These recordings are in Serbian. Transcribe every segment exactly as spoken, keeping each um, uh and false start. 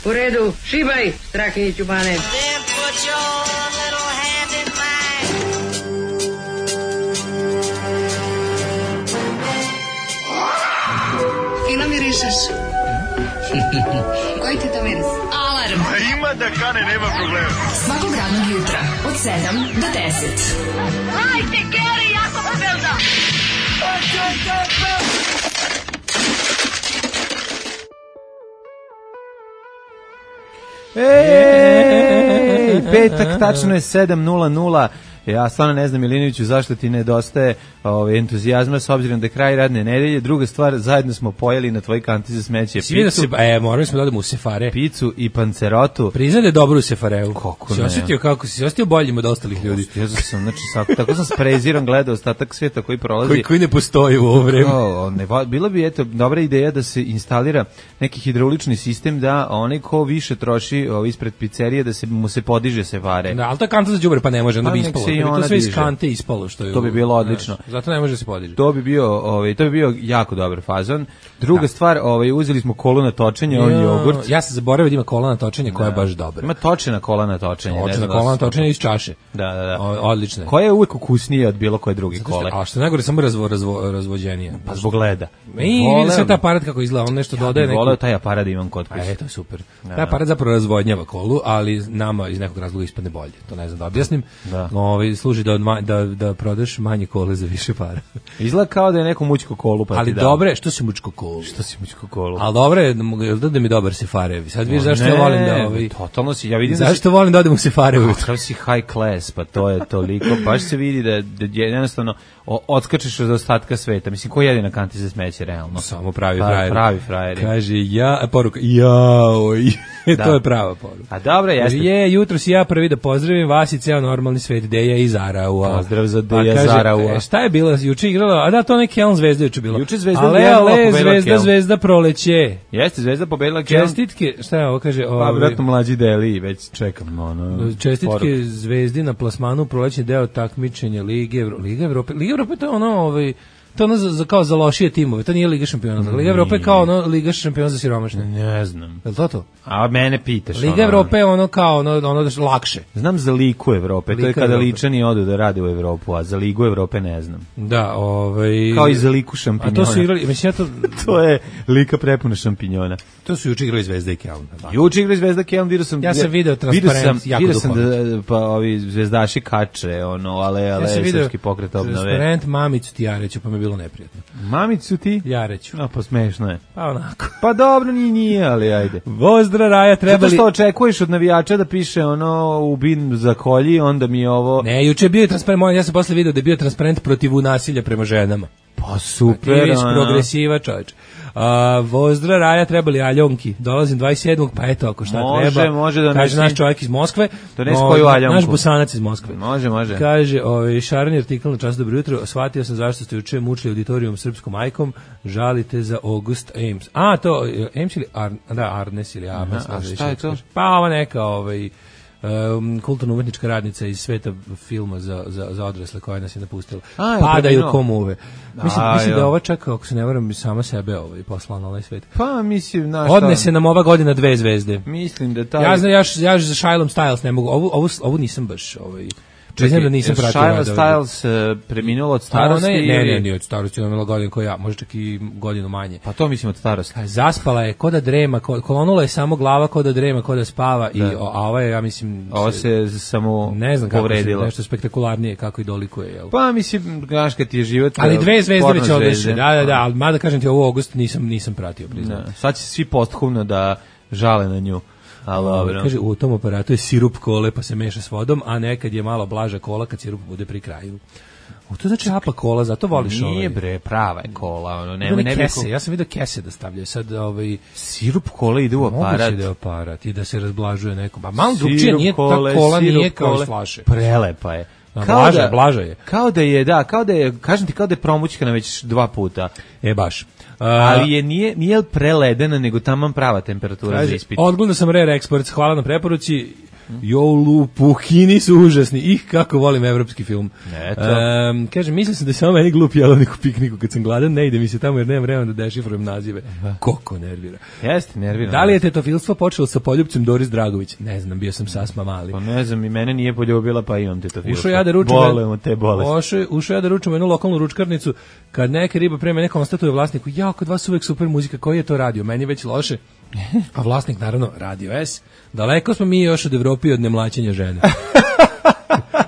U redu, šibaj, Strahinjiću Bane. Fino mirišeš. Koji ti to miris? Alarm. A ima da kane, nema problema. Svakog radnog jutra, od sedam do deset. Hajde, Geri, jako se velda. Ej, petak, tačno je sedam nula nula. Ja stvarno ne znam, Milinoviću, zašto ti nedostaje ovaj, entuzijazma s obzirom da je kraj radne nedelje. Druga stvar, zajedno smo pojeli na tvoj kanti za smeće Svi picu. Da se, e, morali smo da odemo u Sefare. Picu i pancerotu. Priznaj da je dobro u Sefareu. Kako si ne? Osjetio kako si se osjetio boljim od ostalih ljudi. Ja sam, znači, sad, tako sam s prezirom gledao ostatak svijeta koji prolazi. Koji, koji ne postoji u ovo vreme. O, ne, bilo bi, eto, dobra ideja da se instalira neki hidraulični sistem da onaj ko više troši o, ispred pizzerije, da se mu se podiže Sefare. Da, ali to je kanta za đubre, pa ne može, onda bi ispalo. To sve iz kante ispalo što je. To bi bilo odlično. Znaš, zato ne može se podići. To bi bio, ovaj, to bi bio jako dobar fazon. Druga da. stvar, ovaj, uzeli smo kolu na točenje, on jogurt. Ja se zaboravio da ima kola na točenje koja je baš dobra. Ima točena kola na točenje. Točena kola na točenje iz čaše. Da, da, da. O, odlična. Koja je uvek ukusnija od bilo koje druge kole. A što najgore, samo razvo, razvo, razvođenije. Pa zbog leda. I vidi sve taj aparat kako izgleda, on nešto ja dodaje. Ja voleo taj aparat da imam kod kuće. E, to je super. Da, taj aparat zapravo razvodnjava kolu, ali nama iz nekog razloga ispadne bolje. To ne znam da objasnim. Da. Ovaj služi da, odma, da, da prodaš manje kole za više para. Izgleda kao da je neko mućko kolu pa ali ti da. dobro je, što si mućko kolu? Što si mućko kolu? Ali dobro je, da, da mi dobar Sefarevi. Sad vidiš zašto ja volim da ovaj totalno si, ja vidim zašto da si, volim da odem u Sefarevi. Kao si high class, pa to je toliko, baš se vidi da, da jednostavno odskačeš od ostatka sveta. Mislim, ko jedi na kanti za smeće, realno? Samo pravi pa, frajeri. Pravi frajeri. Kaže, ja, poruka, jaoj. Da. To je prava poruka. A dobro, jeste. Je, jutro si ja prvi da pozdravim vas i ceo normalni svet, Deja i Zaraua. Pozdrav za Deja pa, Zaraua. E, šta je bilo, juče igrala, a da, to neki Elm Zvezda juče bilo. Juče Zvezda ale, ale, Zvezda, Zvezda proleće. Jeste, Zvezda pobedila Kelm. Čestitke, šta je ovo, kaže? Pa, vratno mlađi Deli, već čekam, ono. Čestitke poruk. Zvezdi na plasmanu prolećni deo takmičenja Lige Evrope. Liga Evrope, Liga Evrope to je ono, ovaj, to ono za, za, kao za lošije timove, to nije Liga šampiona. Liga Evrope je kao ono Liga šampiona za siromašne. Ne znam. Je li to to? A mene pitaš. Liga ono, Evrope je ono kao ono, ono lakše. Znam za Ligu Evrope, Lika to je kada Evrope. Ličani odu da rade u Evropu, a za Ligu Evrope ne znam. Da, ovaj kao i za Liku šampinjona. A to su igrali, mislim ja to to je Lika prepuna šampinjona. To su juče igrali Zvezda i Kelm. Juče igrali Zvezda Kelm, vidio sam. Ja sam video transparent, jako vidio sam da pa ovi zvezdaši kače, ono, ale ale ja srpski pokret obnove. Transparent Mamicu ti Jareću, pa mi je bilo neprijatno. Mamicu ti? Jareću. A pa smešno je. Pa onako. Pa dobro, ni nije, ali ajde. Vozdra Raja trebali. Zato što očekuješ od navijača da piše ono ubin za kolji, onda mi je ovo. Ne, juče je bio transparent, ja sam posle video da je bio transparent protiv nasilja prema ženama. Pa super. Aktivist, progresiva čovječ. A, Vozdra Raja trebali aljonki. Dolazim dvadeset sedmog pa eto ako šta može, treba. Može da kaže naš čovjek iz Moskve. Donesi koju aljonku. Naš Bosanac iz Moskve. Može, može. Kaže, ovaj šareni artikl na Čas dobro jutro. Shvatio sam zašto ste juče mučili auditorijum srpskom majkom. Žalite za August Ames. A to Ames ili Ar, da Arnes ili Arnes. A, a šta je to? Pa ova neka ovaj Um, kulturno umetnička radnica iz sveta filma za, za, za odrasle koja nas je napustila. A, padaju komuve. Mislim, a, mislim da ova čak, ako se ne varam, sama sebe ovaj, poslala na ovaj svet. Pa, mislim, znaš odnese nam ova godina dve zvezde. Mislim da taj... Ja znam, ja, ja za Shylom Styles ne mogu, ovu, ovu, ovu nisam baš... Ovaj, priznam da nisam pratio. Shylom Styles uh, preminulo od starosti? Ne, ne, ili... ne, ne, od starosti, ona imala godinu koja ja, možda čak i godinu manje. Pa to mislim od starosti. Zaspala je, ko da drema, ko, kolonula je samo glava, ko da drema, ko da spava, da. I, a ova je, ja mislim... Ova se, se samo ne znam kako povredila. Se, nešto spektakularnije, kako i dolikuje. Jel? Pa mislim, znaš kad ti je život... Ali dve zvezde već odeše, da, da, da, ali mada kažem ti, ovo august nisam, nisam pratio, priznam. Sad će svi posthumno da žale na nju. Ali dobro. Kaže, u tom aparatu je sirup kole pa se meša s vodom, a nekad je malo blaža kola kad sirup bude pri kraju. U to znači apa kola, zato voliš ovaj. Nije bre, prava je kola, ono nema ne, ne kese, ko... ja sam vidio kese da stavljaju sad ovaj sirup kola ide u aparat. Moguće da je aparat i da se razblažuje neko. Pa malo drugčije nije ta kola nije kao iz flaše. Prelepa je. Kao blaža, da, blaža je. Kao da je, da, kao da je, kažem ti, kao da je promućkana već dva puta. E, baš. Uh, ali je nije, nije preledena, nego taman prava temperatura kaže, za ispit. Odgledao sam Rare Exports, hvala na preporuci. Jolu, Puhini su užasni. Ih, kako volim evropski film. Eto. Um, kaže, mislio sam da je samo meni glup jelovnik u pikniku. Kad sam gladan, ne ide mi se tamo jer nemam vremena da dešifrujem nazive. Koko nervira. Jeste, nervira. Da li je tetofilstvo počelo sa poljubcem Doris Dragović? Ne znam, bio sam sasma mali. Pa ne znam, i mene nije poljubila, pa imam tetofilstvo. Ušao ja da ručam. Bolemo te bolesti. Ušao ja da ručam jednu lokalnu ručkarnicu, kad neka riba pre mene konstatuje vlasniku, ja, kod vas uvek super muzika, koji je to radio? Meni već loše. A vlasnik, naravno, Radio S. Daleko smo mi još od Evropi i od nemlaćenja žene.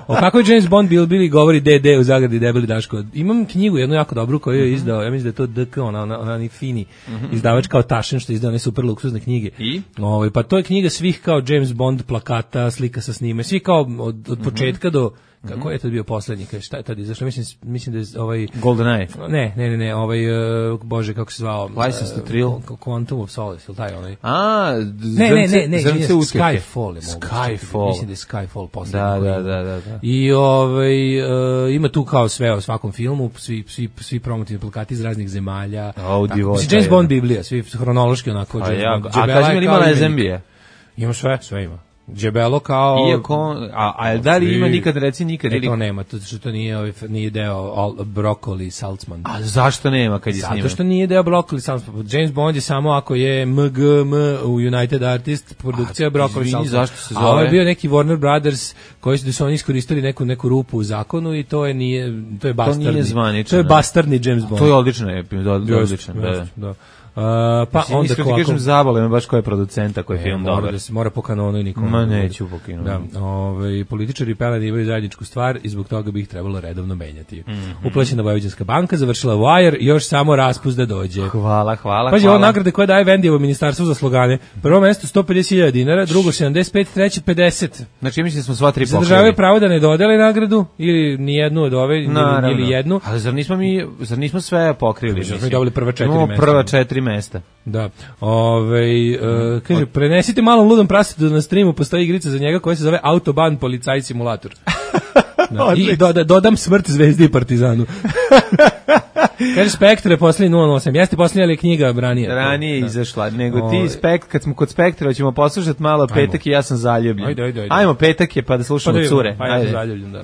O kako je James Bond bil bili govori D D u zagradi debeli Daško. Imam knjigu jednu jako dobru koju je izdao, ja mislim da je to D K, ona, ona, ona ni fini izdavač kao Tašen što je izdao one super luksuzne knjige. I? Ovaj, pa to je knjiga svih kao James Bond plakata, slika sa snime, svi kao od, od početka do kako je to bio poslednji, kaže šta je tad izašlo, mislim mislim da je ovaj GoldenEye. Ne, ne, ne, ne, ovaj uh, bože kako se zvao, License to Thrill, uh, Quantum of Solace, ili taj onaj. A, ne, ne, ne, ne, zrnce uskake. Skyfall je moguće. Skyfall. Mislim da je Skyfall poslednji. Da, da, da, da, da. I ovaj uh, ima tu kao sve o svakom filmu, svi svi svi promotivni plakati iz raznih zemalja. Mislim James Bond Biblija, svi hronološki onako. A, ja, a kaži mi ima na Zembije? Ima sve, sve ima. Džebelo kao iako a a da li ima nikad reci nikad e, ili to nema, to što to nije ovaj nije deo all, Broccoli Saltzman. A zašto nema kad je snimao? Zato što nije deo Broccoli Saltzman. James Bond je samo ako je M G M u United Artist produkcija Broccoli Saltzman. Zašto se zove? A ovo je bio neki Warner Brothers koji su da su oni iskoristili neku neku rupu u zakonu i to je nije to je bastardni. To nije zvanično. To je bastardni James Bond. To je odlično je, odlično, da. Da. Uh, pa mislim, onda kako kažem zabole me baš ko je producenta koji je film mora dobar. Da se mora po kanonu i nikom. Ma neću po kanonu. Da, ovaj političari i peleni imaju zajedničku stvar i zbog toga bi ih trebalo redovno menjati. Mm -hmm. Uplaćena Vojvođanska banka završila Wire, još samo raspust da dođe. Hvala, hvala. Pazi, ovo nagrade koje daje Vendijevo ministarstvo za slogane. Prvo mesto sto pedeset hiljada dinara, drugo sedamdeset pet, treće pedeset. Znači mislim da smo sva tri pokrili. Zadržavaju pravo da ne dodele nagradu ili ni jednu od ove ili, ili jednu. Ali zar nismo mi zar nismo sve pokrili? Mi smo dobili prva četiri mesta. Prva četiri mesta. Da. Ovaj uh, kaže prenesite malom ludom prasetu na streamu postoji igrica za njega koja se zove Autobahn policaj simulator. Da, i do, da, dodam smrt Zvezdi i Partizanu. Kaže Spektre posljednji nula nula osam. Jeste posljednja li knjiga ranije? Ranije da. Izašla. Nego ti Spekt, kad smo kod Spektra, ćemo poslušati malo Petak ajmo. I ja sam zaljubljen. Ajde, ajde, ajde. Ajmo Petak je pa da slušamo pa cure. Pa ja sam zaljubljen, da.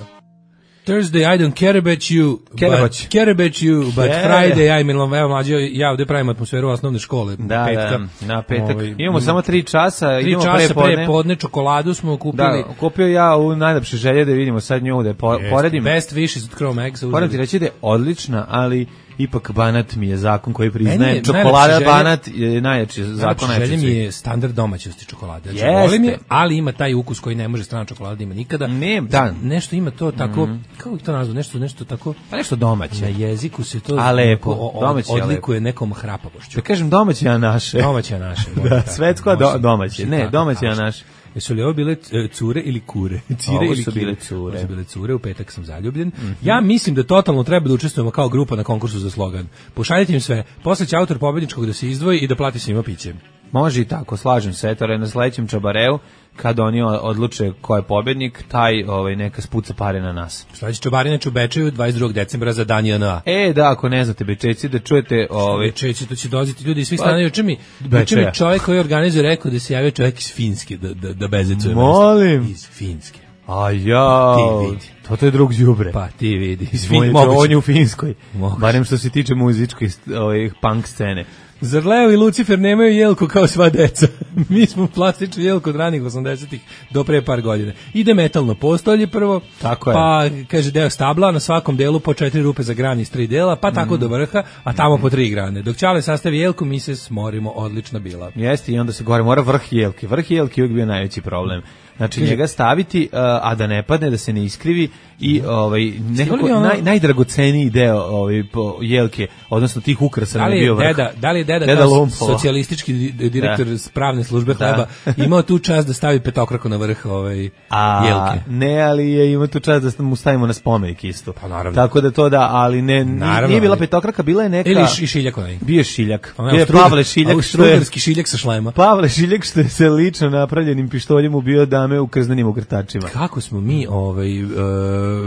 Thursday, I don't care about you, but, care about you, but yeah. Friday, I mean, evo mlađe, ja ovdje pravim atmosferu osnovne škole. Da, petka. Da, na petak. Ovaj, imamo um, samo tri časa, tri idemo časa pre podne. pre podne, čokoladu smo kupili. Da, kupio ja u najlepše želje da vidimo sad nju, da po, yes, poredim. Best wishes od Chrome Eggs. Moram ti reći da je odlična, ali ipak Banat mi je zakon koji priznaje. Čokolada želje, Banat je najjači zakon. Najjači mi je standard domaćosti čokolade. Znači, volim je, ali ima taj ukus koji ne može strana čokolada da ima nikada. Ne, da. Nešto ima to tako, mm. kako ih to nazvu, nešto, nešto tako. Pa nešto domaće. Na jeziku se to a lepo, o, domaće, odlikuje lepo. Nekom hrapavošću. Da kažem domaće, a naše. Domaće, a naše. Da, svetsko do, domaće. Ne, domaće, a naše. Jesu li ovo bile cure ili kure? Cire ovo ili su bile cure. Ovo su bile cure, u petak sam zaljubljen. Mm -hmm. Ja mislim da totalno treba da učestvujemo kao grupa na konkursu za slogan. Pošaljite im sve, posle će autor pobedničkog da se izdvoji i da plati svima piće. Može i tako, slažem se, eto, na sledećem čabareu, kad oni odluče ko je pobednik, taj ovaj, neka spuca pare na nas. Sledeći čabarinač u Bečeju dvadeset drugog decembra za dan J N A. E, da, ako ne znate Bečejci, da čujete... Ovaj... Bečejci, to će dolaziti ljudi iz svih strana. Juče mi, juče mi čovjek koji organizuje rekao da se javio čovjek iz Finske, da, da, da bezecuje. Molim. Iz Finske. A ja, ti vidi. To, to je drug đubre. Pa ti vidi. Iz Fin... On je u Finskoj. Moguće. Barem što se tiče muzičke ovaj, punk scene. Zar Leo i Lucifer nemaju jelku kao sva deca? Mi smo plastičnu jelku od ranih osamdesetih do pre par godina. Ide metalno postolje prvo, tako je. Pa kaže deo stabla, na svakom delu po četiri rupe za gran iz tri dela, pa tako mm. do vrha, a tamo po tri grane. Dok Ćale sastavi jelku, mi se smorimo, odlična bila. Jeste, i onda se gore mora vrh jelke. Vrh jelke je uvijek bio najveći problem. Znači kaže, njega staviti, uh, a da ne padne, da se ne iskrivi i ovaj nekako ono, naj, najdragoceniji deo ovaj po jelke, odnosno tih ukrasa da je bio vrh. Deda, da li je deda, deda kao socijalistički direktor da. Pravne službe hleba da. Imao tu čast da stavi petokraku na vrh ovaj a, jelke? Ne, ali je imao tu čast da mu stavimo na spomenik isto. Pa naravno. Tako da to da, ali ne, naravno, nije bila petokraka, bila je neka... Ili i šiljak onaj. Bio je šiljak. Bio je Pavle Šiljak. Austrougarski šiljak sa šlema. Pavle Šiljak što je sa lično napravljenim pištoljem ubio da dame u krznenim ukrtačima. Kako smo mi ovaj, uh,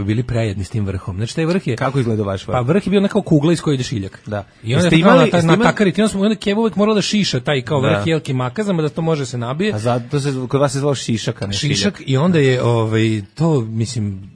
bili prejedni s tim vrhom. Znači, taj vrh je... Kako izgleda vaš vrh? Pa vrh je bio nekao kugla iz koje ide šiljak. Da. I onda Jeste je imali- na, jeste na imali- takariti, onda smo onda Kevo uvijek morala da šiša taj kao vrh Da. jelki makazama, da to može se nabije. A zato se, kod vas se zvao šišak, a ne šiljak. Šišak i onda je ovaj to mislim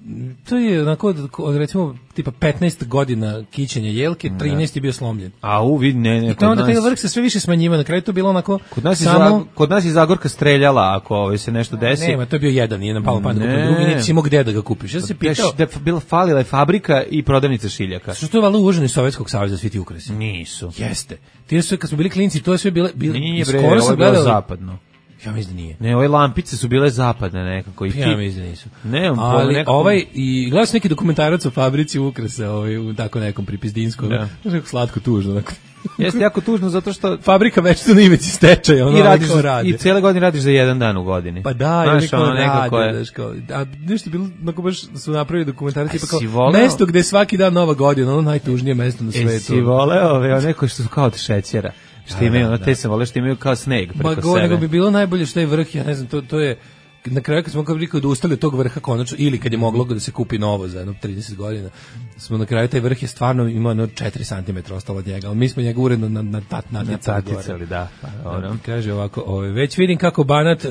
to je onako od, od recimo tipa petnaest godina kićenja jelke, trinaest je bio slomljen. A u vid ne, ne, I to onda kod taj nas, vrh se sve više smanjivao, na kraju to bilo onako kod nas, je samo Zag- kod nas je Zagorka streljala ako ovaj, se nešto desi. nema, to je bio jedan, nije nam palo pamet da Ne. kupim drugi, niti si imao gde da ga kupiš. Ja sam se pitao, Da je bila falila je fabrika i prodavnica šiljaka. što je valjda uvoženo iz Sovjetskog saveza svi ti ukrasi. Nisu. Jeste. Ti su kad smo bili klinci, to je sve bile, bile Nije bre, skoro ovo sam je bilo gledao. zapadno. Ja mislim da nije. Ne, ove lampice su bile zapadne nekako. I ti, Ja mislim da nisu. ne, Ali nekako, ovaj i gledao sam neki dokumentarac o fabrici ukrasa, ovaj u tako nekom pripizdinskom. Da. Znaš kako slatko tužno onako. jeste jako tužno zato što Fabrika već na ivici stečaja, ono i radiš kao za- radi. i cele godine radiš za jedan dan u godini. Pa da, znaš, ili kao ono nekako rade, je. znaš, kao, a nešto je bilo, onako baš su napravili dokumentarac, A tipa kao, si voleo? mesto gde je svaki dan nova godina, ono najtužnije mesto na E, svetu. si voleo ove, one koji su kao od šećera. Što Da, imaju, da, ono, da. te sam voleo što imaju kao sneg Ma preko go, sebe. nego bi bilo najbolje što je vrh, ja ne znam, to, to je, na kraju kad smo kao rekao da ustali od tog vrha konačno, ili kad je moglo da se kupi novo za jedno trideset godina, smo na kraju, taj vrh je stvarno imao jedno četiri centimetra ostalo od njega, ali mi smo njega uredno na, na tat naticali gore. Naticali, da. Pa, dobro. Kaže ovako, ove, već vidim kako Banat e,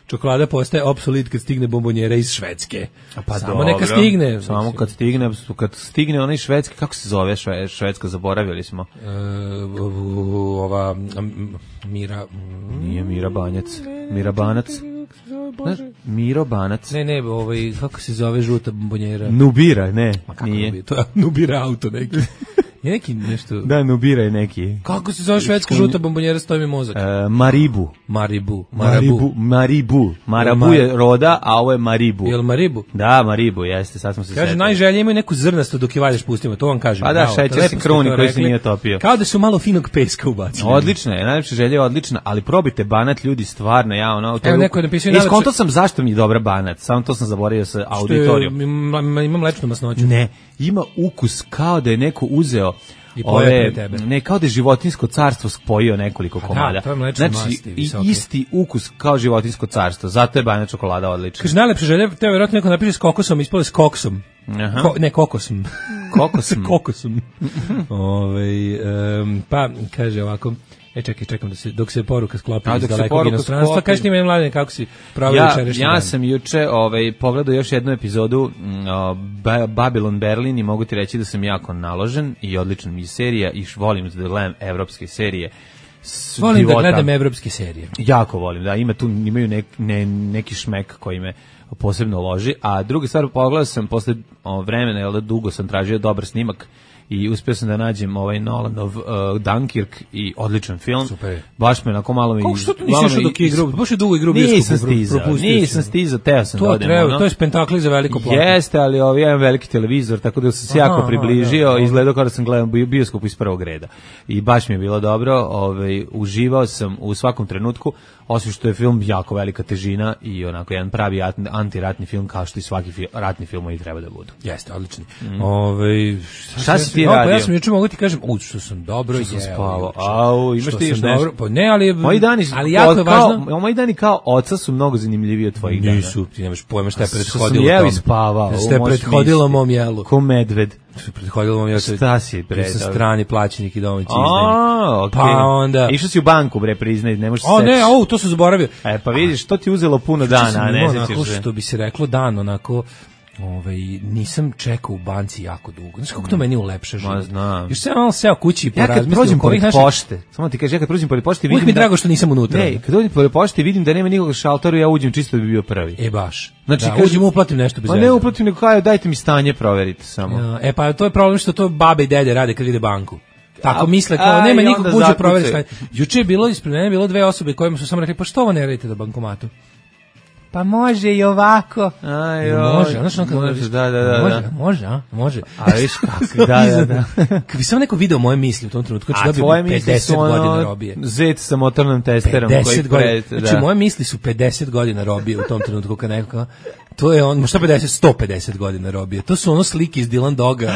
čokolada postaje obsolit kad stigne bombonjera iz Švedske. Pa Samo dobro. neka stigne. Samo mislim. kad stigne, kad stigne onaj švedski, kako se zove šve, švedsko, zaboravili smo. E, ova m, Mira... m, Nije Mira Banjac. Mira Banac. Znaš, Miro Banac. Ne, ne, ovaj, kako se zove žuta bombonjera? Nubira, ne, Kako nije. Nubira? To je Nubira auto neki. Je neki nešto... Da, Nubira je neki. Kako se zove švedska žuta bombonjera, stoji mi mozak? E, Maribu. Maribu. Maribu. Maribu. Marabu Mar- je roda, a ovo je Maribu. Jel Maribu? Da, Maribu, jeste, sad smo se Kaže, setili. najželje imaju neku zrnasto dok je valješ pustimo, to vam kažem. Pa da, bravo, šećer lepo se ste kruni to koji se rekli. nije topio. Kao da su malo finog peska ubacili. Odlična je, najlepša želja je odlična, ali probajte Banat, ljudi, stvarno, ja ono... to Evo, je- neko je napisao i I najlepše- skonto sam zašto mi je dobra Banat, samo to sam zaboravio sa Što je, auditorijom. ima, ima mlečnu masnoću. Ne, ima ukus kao da je neko uzeo I pojeo ove, pre tebe. ne, kao da je životinjsko carstvo spojio nekoliko da, komada. to je mlečne znači, masti i- visoke. isti ukus kao životinjsko carstvo, zato je Banat čokolada odlična. Kaže, najlepše želje, teo vjerojatno neko napiše s kokosom, ispale s koksom. Aha. Ko, ne, kokosom. Kokosom. kokosom. Ove, um, pa, kaže ovako, e čekaj, čekam da se, dok se poruka sklopi A, iz dok se dalekog poruka inostranstva. sklopi. Kaži ti meni, mladine, kako si proveo Ja, jučerašnji ja dan? sam juče ovaj, pogledao još jednu epizodu mm, o, Ba- Babylon Berlin i mogu ti reći da sam jako naložen i odlična mi je serija i š- volim da gledam evropske serije. S Volim da života. gledam evropske serije. Jako volim, da, ima tu, imaju nek, ne, neki šmek koji me posebno loži, a druga stvar, pogledao sam posle o, vremena, jel da dugo sam tražio dobar snimak i uspio sam da nađem ovaj Nolanov uh, Dunkirk i odličan film. Super. Baš me onako malo mi... Kako što tu nisi malo išao me dok je is- igrao? Baš je dugo igrao u Nisam bioskopu, pro- stizao, propustio si. nisam stizao, teo sam da To odem. treba, ono. to je spektakl za veliko platno. Jeste, ali ovaj jedan veliki televizor, tako da sam se Aha, jako aha, približio, da, da. izgledao kao da sam gledao bio- bioskop iz prvog reda. I baš mi je bilo dobro, ovaj, uživao sam u svakom trenutku, osim što je film jako velika težina i onako jedan pravi atn- antiratni film, kao što i svaki fi- ratni filmovi treba da budu. Jeste, odlični. Ovaj Šta si ti ja, pa radio? ja sam juče mogu ti kažem, u što sam dobro Što sam jeo spavao. juče. Au, imaš Što ti još sam nešto? dobro- Pa ne, ali Moji dani su, ali jako je kao, važno. moji dani kao oca su mnogo zanimljiviji od tvojih dana. Nisu, ti nemaš pojma šta je Što sam prethodilo jeo i tome. spavao, Šta je možeš prethodilo misliti. mom jelu. Ko medved. Što je prethodilo mom jelu. Šta si, bre, Bio sam dobro. strani plaćenik i domaći A, izdajnik. okej. Pa onda... Išao si u banku, bre, priznaj, ne možeš se O ne, setiš. au, to sam zaboravio. E, pa vidiš, to ti je uzelo puno Juče sam dana, a ne imao sećaš onako, se. što bi se reklo dan, onako, ovaj, nisam čekao u banci jako dugo. Znaš kako to meni ulepša život? Ma, znam. Još sam malo seo kući i Ja kad porazmislio prođem oko ovih pored naših- pošte, samo ti kažem, ja kad prođem pored pošte Uvijek vidim mi je da... drago što nisam unutra. Ne, kad dođem pored pošte vidim da nema nikog šalteru, ja uđem čisto da bi bio prvi. E baš. Znači, da, kažem- uđem uplatim nešto bez Pa veze. ne uplatim, nego kao, dajte mi stanje, proverite samo. Ja, e pa to je problem što to babe i dede rade kad vide banku. Tako A- misle, kao a, nema i nikog onda uđe proveri zakucaju. stanje. Juče je bilo ispred mene bilo dve osobe kojima su samo rekli pa što ovo ne radite na bankomatu? Pa može i ovako. Aj, I joj, može, znaš ono kad može, vidiš, da, da, da, može, da. može, a? Može. A viš kako, da, da, da. Kad bi samo neko video moje misli u tom trenutku, znači A dobio tvoje bi misli pedeset su godina ono, robije. zet sa motornom testerom. koji pedeset godina. pred- Znači, da. moje misli su pedeset godina robije u tom trenutku kad neko kao, to je on, šta pedeset, sto pedeset godina robije. To su ono slike iz Dylan Doga.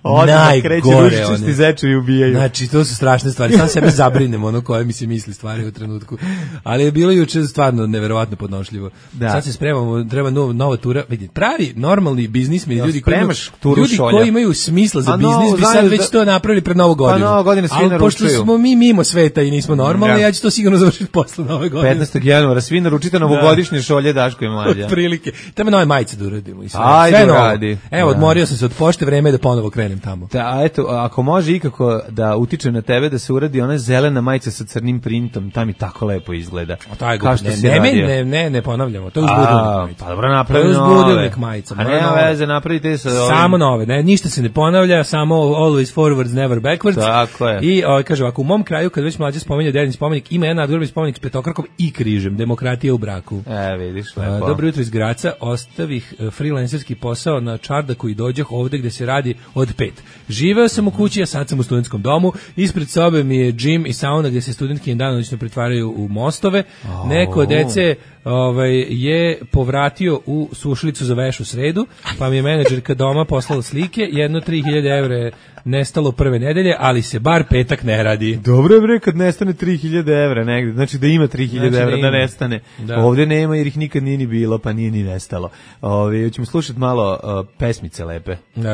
Odmah kreće ručičasti zečevi ubijaju. Znači, to su strašne stvari. Sam sebe zabrinem ono koje mi se misli stvari u trenutku. Ali je bilo juče stvarno neverovatno podnošljivo. Da. Sad se spremamo, treba nova, nova tura. Vidite, pravi normalni biznismeni ja, ljudi koji imaju, ljudi koji imaju smisla za biznis bi sad već to napravili pred Novu godinu. Pa Nova godina svi naručuju. Pošto smo mi mimo sveta i nismo normalni, ja, ja ću to sigurno završiti posle Nove godine. petnaestog januara svi naručite novogodišnje šolje Daško i Mlađa. Prilike. Treba nove majice da uradimo i sve. Ajde, sve radi. Evo, odmorio sam se od pošte, vreme je da ponovo krenem tamo. Da, eto, ako može ikako da utiče na tebe da se uradi ona zelena majica sa crnim printom, ta mi tako lepo izgleda. Kao što ne, ne, ne, ne, ne ponavljamo, to je uzbudilnik majica. Pa dobro, napravimo nove. To je uzbudilnik majica. A nema veze, napravite sa ovim. Samo nove, ne, ništa se ne ponavlja, samo always forwards, never backwards. Tako je. I o, kaže ovako, u mom kraju, kad već Mlađa spominje Dedin spomenik, ima jedan nadgrobni spomenik s petokrakom i križem, demokratija u braku. E, vidiš, lepo. Dobro jutro iz Graca, ostavih freelancerski posao na čardaku i dođoh ovde gde se radi od pet. Živeo sam u kući, a sad sam u studentskom domu, ispred sobe mi je džim i sauna gde se studentki danonoćno pretvaraju u mostove. Oh. Neko dece ovaj, je povratio u sušilicu za veš u sredu, pa mi je menadžerka doma poslala slike, jedno tri hiljade evra je nestalo prve nedelje, ali se bar petak ne radi. Dobro je bre kad nestane tri hiljade evra negde, znači da ima tri hiljade znači evra da, da nestane. Da. Ovde nema jer ih nikad nije ni bilo, pa nije ni nestalo. Ove, ćemo slušati malo uh, pesmice lepe. Uh,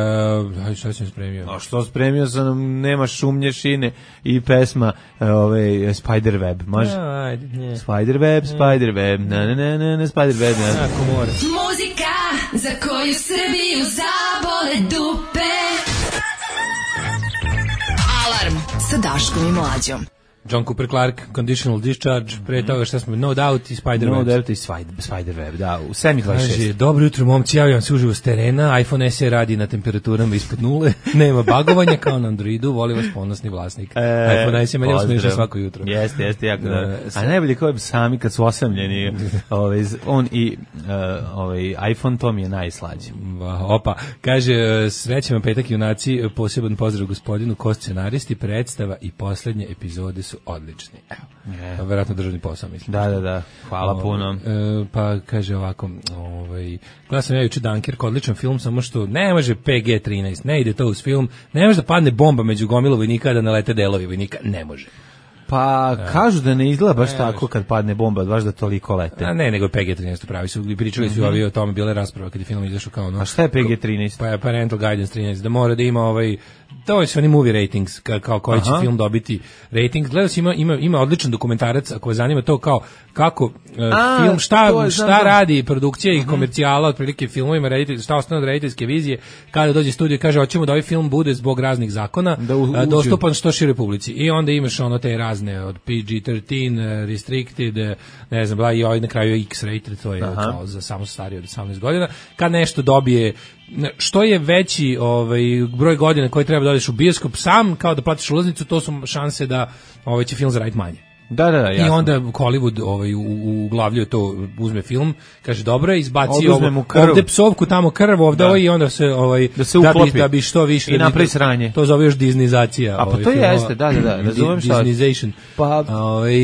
aj, šta sam spremio? A što spremio sam, nema šumnje šine i pesma ove, Spiderweb, može? Ja, ajde, ne. Spiderweb, Spiderweb, na na na na, na Spiderweb, na. Ako mora. Muzika za koju Srbiju zabole dupe. Alarm sa Daškom i Mlađom. John Cooper Clarke, Conditional Discharge, pre toga šta smo, No Doubt i Spiderweb. No Doubt i Spiderweb, da, u sedam dvadeset šest. Kaže, dobro jutro, momci, javljam se uživo s terena, iPhone S E radi na temperaturama ispod nule, nema bagovanja kao na Androidu, voli vas ponosni vlasnik. E, iPhone S E meni usmešno svako jutro. Jeste, jeste, jako dobro. A najbolje kao je sami kad su osamljeni, ovaj, on i uh, ovaj, iPhone, to mi je najslađe. Opa, kaže, srećan vam petak junaci, poseban pozdrav gospodinu, ko scenaristi, predstava i poslednje epizode su odlični. Evo. Yeah. Verovatno državni posao, mislim. Da, da, da. Hvala o, puno. E, pa kaže ovako, ovaj, gledao sam ja juče Dunkirk, odličan film, samo što ne može P G trinaest, ne ide to uz film, ne može da padne bomba među gomilu vojnika, da nalete delovi vojnika, ne može. Pa da. Kažu da ne izgleda baš ne, tako kad padne bomba, baš da toliko lete. A ne, nego P G trinaest pravi su, pričali su mm-hmm. ovi o tome, bile rasprave kad je film izašao kao ono. A šta je P G trinaest? Pa je Parental Guidance trinaest, da mora da ima ovaj, to su oni movie ratings, kao koji će film dobiti rating. Gledao si, ima, ima, ima odličan dokumentarac, ako vas zanima to kao kako uh, A, film, šta, je, šta znam, radi produkcija i komercijala, otprilike filmovima, reditelj, šta ostane od rediteljske vizije, kada dođe studio i kaže, hoćemo da ovaj film bude zbog raznih zakona da u, uh, dostupan što široj publici. I onda imaš ono te razne od P G trinaest, uh, restricted, uh, ne znam, bla, i ovaj na kraju X-rated, to je Aha. kao za samo starije od osamnaest godina. Kad nešto dobije što je veći ovaj broj godina koji treba da odeš u bioskop sam kao da platiš ulaznicu, to su šanse da ovaj će film zaraditi manje. Da, da, da, jasno. I onda Hollywood ovaj uglavljuje to, uzme film, kaže dobro je, izbaci ovo, ovde psovku, tamo krv, ovde da. Ovo i onda se ovaj da, se da, bi, da bi što više i napravi sranje. To zove još Disneyizacija. A pa ovaj, to filmova, jeste, da, da, da, razumem šta. Disneyization. Pa ovaj,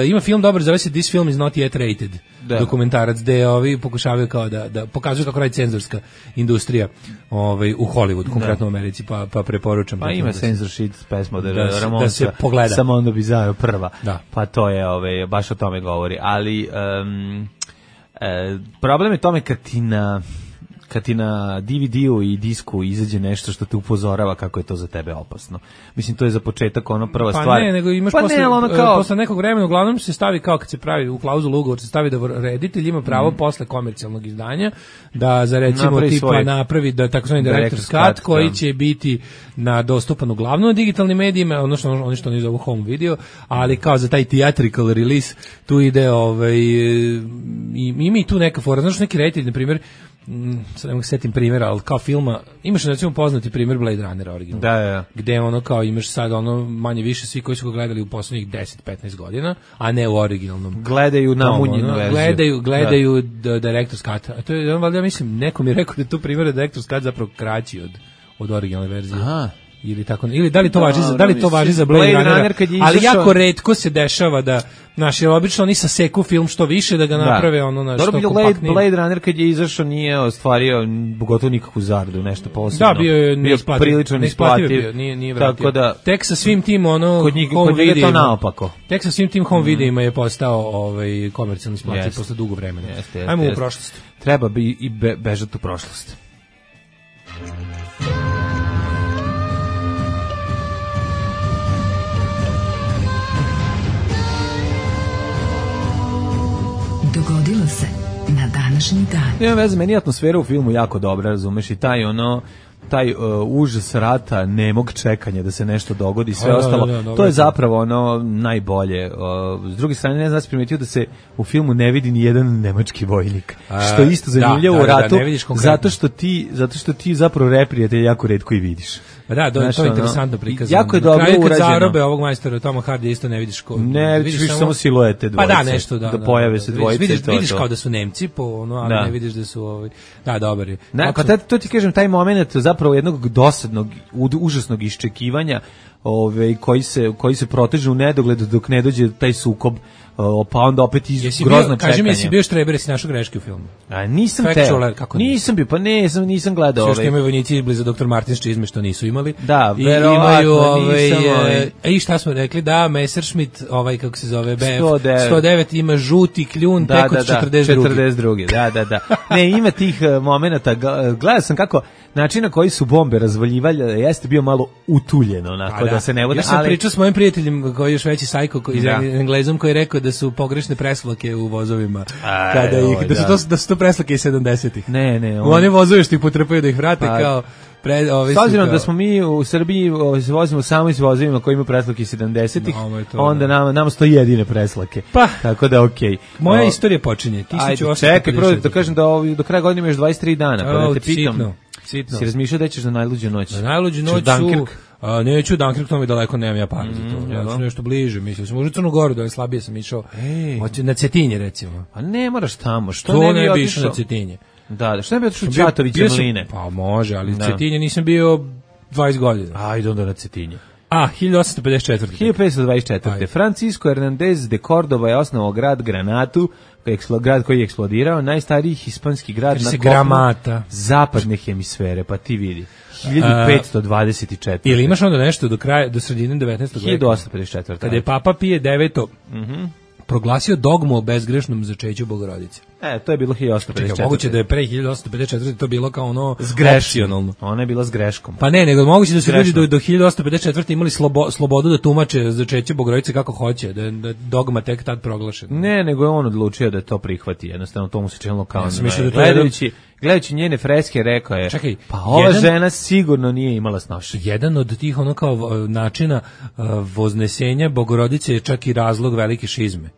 ima film dobar, zove se This Film is not yet rated. Da. Dokumentarac gde ovi pokušavaju kao da da pokazuju kako radi cenzorska industrija ovaj u Hollywoodu, konkretno u Americi, pa pa preporučam. Pa ima censorship pesma da, da, da se pogleda. Samo onda bi zao prva. Da. Pa to je ovaj baš o tome govori, ali um, e, problem je tome kad ti na kad ti na D V D-u i disku izađe nešto što te upozorava kako je to za tebe opasno. Mislim, to je za početak ono prva pa stvar. Pa ne, nego imaš pa posle, ne, ono kao... posle nekog vremena, uglavnom se stavi kao kad se pravi u klauzulu ugovor, se stavi da reditelj ima pravo mm. posle komercijalnog izdanja da za recimo napravi tipa svoj... napravi da takozvani director's cut koji će biti na dostupan uglavnom na digitalnim medijima, ono što oni što oni zovu home video, ali kao za taj theatrical release tu ide ovaj ima i tu neka fora, znaš, neki reditelj na primjer, sad ne mogu setim primjera, ali kao filma, imaš recimo poznati primjer Blade Runner original. Da, da. Gde ono kao imaš sad ono manje više svi koji su ga gledali u poslednjih deset petnaest godina, a ne u originalnom. Gledaju namunjenu ono, verziju. Gledaju, gledaju da. Director's Cut. A to je, on valjda mislim, neko mi je rekao da je tu primjer Director's Cut zapravo kraći od, od originalne verzije. Aha. ili tako ili da li to Da, važi za da li to važi za Blade, Blade Runnera, Runner kad je ali izašao- jako retko se dešava da naši obično oni saseku film što više da ga naprave ono na što Dobro, Blade, kompaktnije. Blade Runner kad je izašao nije ostvario gotovo nikakvu zaradu, nešto posebno. Da, bio je neisplativ. prilično Neisplativ neisplativ. je bio, nije, nije vratio. Tako da, Tek sa svim tim ono kod njih, home kod njega je to videima- naopako. Tek sa svim tim home mm. videima je postao ovaj komercijalni isplativ Jeste. posle dugo vremena. Jeste, jeste, Ajmo u jeste. prošlost. Treba bi i be, bežati u prošlost. Dogodilo se na današnji dan. Nema veze, meni je atmosfera u filmu jako dobra, razumeš, i taj ono taj uh, užas rata, nemog čekanja da se nešto dogodi, sve A, da, ostalo, da, da, dobro to je je to. zapravo ono najbolje. Uh, s druge strane, ne znam da si primetio da se u filmu ne vidi ni jedan nemački vojnik, A, što je isto zanimljivo da, u da, da, ratu, ne vidiš konkretno. zato što ti, zato što ti zapravo reprijatelj jako retko i vidiš. Pa da, to, Znaš, to je ono, interesantno prikazano. jako je Na dobro kraju kad urađeno. zarobe ovog majstora Toma Hardy isto ne vidiš ko. Ne, vidiš više samo siluete Pa dvojice, da, nešto da. da pojave se Vidiš- dvojice i Vidiš, to je vidiš to. kao da su Nemci po ono, ali Da. ne vidiš da su ovaj. Da, dobar je. Ne, pa Apsolutno. tad, to ti kažem, taj moment zapravo jednog dosadnog, ud- užasnog iščekivanja, ovaj, koji se, koji se proteže u nedogled dok ne dođe taj sukob, o, pa onda opet iz Jesi grozno bio, čekanje. kaži mi, jesi bio štreber, jesi našao greške u filmu? A nisam Factual, teo. kako Nisam bio, pa ne, nisam, nisam gledao Sve što ovaj. imaju vojnici bliza doktor Martins čizme što nisu imali. Da, I verovatno, imaju ovaj, nisam, ovaj. e, i šta smo rekli, da, Messerschmitt, ovaj, kako se zove, B F sto devet. sto devet ima žuti kljun tek od četrdeset druge. četrdeset druge. Da, da, da. Ne, ima tih uh, momenata, Gl- gledao sam kako način na koji su bombe razvaljivali, jeste bio malo utuljen, onako, A da. se ne vode, Ja sam ali... pričao s mojim prijateljem koji je još veći sajko koji iz Da. Englezom koji je rekao da su pogrešne preslake u vozovima. Aj, Kada ih oj, da su da. to da su to preslake iz sedamdesetih. Ne, ne, U one vozove što ih potrpaju da ih vrate Pa, kao pre ove S su obzirom kao- da smo mi u Srbiji ovaj, se vozimo samo iz vozovima koji imaju preslake sedamdesetih, No, ovo je to, onda da. nama, nama stoji jedine preslake. Pa. Tako da okej. Moja O, istorija počinje. Ajde, čekaj, prvo da kažem da ovaj, do kraja godine imaš dvadeset tri dana, pa da O, te pitam. sitno, sitno. Si razmišljao da ćeš na najluđu noć? Na najluđu Ćeš noć u su... Dunkirk? A, neću Dunkirk, to mi daleko nemam ja para za to. Ja jel? ću nešto bliže, mislim. Sam možda u Crnu Goru, da je slabije sam išao. Ej. Hoću na Cetinje, recimo. Pa ne moraš tamo, što To ne ne bi bi išao otišao? na Cetinje. Da, da, što ne bi otišao u Bio- Ćatovića bio sam- Mline? Pa može, ali Da. Cetinje nisam bio dvadeset godina. Ajde onda na Cetinje. A, hiljadu osamsto pedeset četvrte. hiljadu petsto dvadeset četvrte. Ajde. Francisco Hernandez de Córdoba je osnovao grad Granatu, koji je eksplo- grad koji je eksplodirao, najstariji hispanski grad Kaže na se kopnu Gramata. zapadne hemisfere, pa ti vidi. hiljadu petsto dvadeset četvrte. Ili imaš onda nešto do kraja, do sredine devetnaestog veka? hiljadu osamsto pedeset četvrte. Kada je Papa Pije deveto proglasio dogmu o bezgrešnom začeću Bogorodice. E, to je bilo hiljadu osamsto pedeset četvrte. Čekaj, moguće da je pre hiljadu osamsto pedeset četvrte to bilo kao ono S greškom. opcionalno. Ona je bila s greškom. Pa ne, nego moguće da su ljudi Grešno. do, do hiljadu osamsto pedeset četvrte imali slobo, slobodu da tumače začeće Bogorodice kako hoće, da da je dogma tek tad proglašen. Ne, nego je on odlučio da to prihvati, jednostavno to mu se činilo kao Ja sam ne, mislio da to je gledajući, gledajući njene freske rekao je, Čekaj, pa ova jedan- žena sigurno nije imala snošenje. Jedan od tih ono kao uh, načina uh, voznesenja Bogorodice je čak i razlog velike šizme.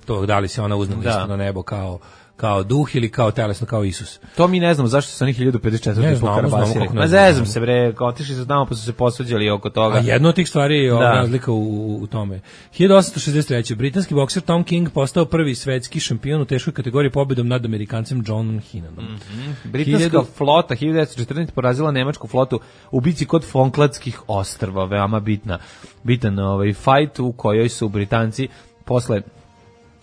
To da li se ona uzne Da. isto na nebo kao kao duh ili kao telesno kao Isus. To mi ne znamo zašto su oni hiljadu pedeset četvrte Ne znamo, pokarabasili. znamo kako ne Ma znamo. zezam se bre, kao otišli su tamo pa su se posvađali oko toga. A jedna od tih stvari je ova Da. razlika u, u, u tome. hiljadu osamsto šezdeset treće. britanski bokser Tom King postao prvi svetski šampion u teškoj kategoriji pobedom nad Amerikancem Johnom Hinanom. Britanska hiljadu- flota hiljadu devetsto četrnaeste porazila nemačku flotu u bici kod Falklandskih ostrva, veoma bitna, bitan ovaj fight u kojoj su Britanci posle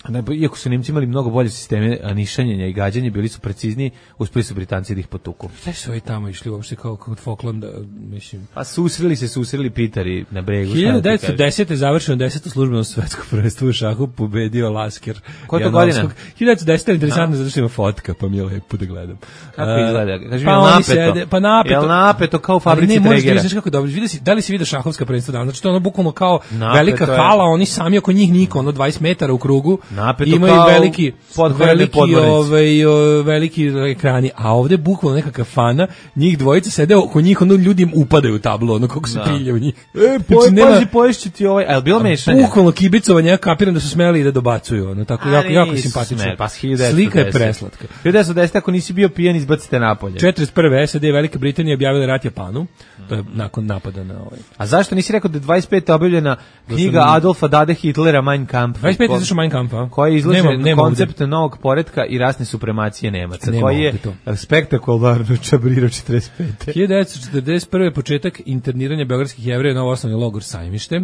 ne, iako su Nemci imali mnogo bolje sisteme nišanjenja i gađanja, bili su precizniji, uspeli su Britanci da ih potuku. Šta su ovi tamo išli uopšte kao kod Falklanda, mislim. Pa susreli se, susreli Pitari na bregu. šta da ti hiljadu devetsto kažem. desete. završeno deseto službeno svetsko prvenstvo u šahu, pobedio Lasker. Koja je to Janovskog. godina? hiljadu devetsto desete. interesantno zato što ima fotka, pa mi je lepo da gledam. Kako A, izgleda? Kaži mi, pa jel oni napeto? sede, pa napeto. Jel napeto kao u Ali fabrici ne, možeš da Tregera? vidiš kako dobro. Vidi si, da li si vidio šahovska prvenstva danas? Znači to je ono bukvalno kao Napeto velika je. hala, oni sami oko njih niko, ono dvadeset metara u krugu. Napeto imaju kao veliki podgorane veliki podmornice. ovaj o, veliki ekrani, a ovde bukvalno neka kafana, njih dvojica sede oko njih, ono ljudi im upadaju u tablo, ono kako se Da. pilje u njih. E, Znači, poj, nema- pazi, poješće ti ovaj, a je li bilo mešanje? Bukvalno kibicovanje, ja kapiram da su smeli i da dobacuju, ono tako A, jako jako nisu simpatično. smeli, pa s hiljadu devetsto Slika je deset. preslatka. hiljadu devetsto deset. Ako nisi bio pijan, izbacite napolje. četrdeset prve. SAD i Velika Britanija objavila rat Japanu. To je nakon napada na ovaj. A zašto nisi rekao da je dvadeset pete objavljena knjiga sam- Adolfa Dade Hitlera Mein Kampf? dvadeset pete izašao Mein Kampf, a? Aha. koji izlaže Nema- nema koncept novog poretka i rasne supremacije Nemaca, Nema koji je ovde to. spektakularno čabrirao četrdeset pete. hiljadu devetsto četrdeset prve početak interniranja beogradskih Jevreja u novoosnovni logor Sajmište.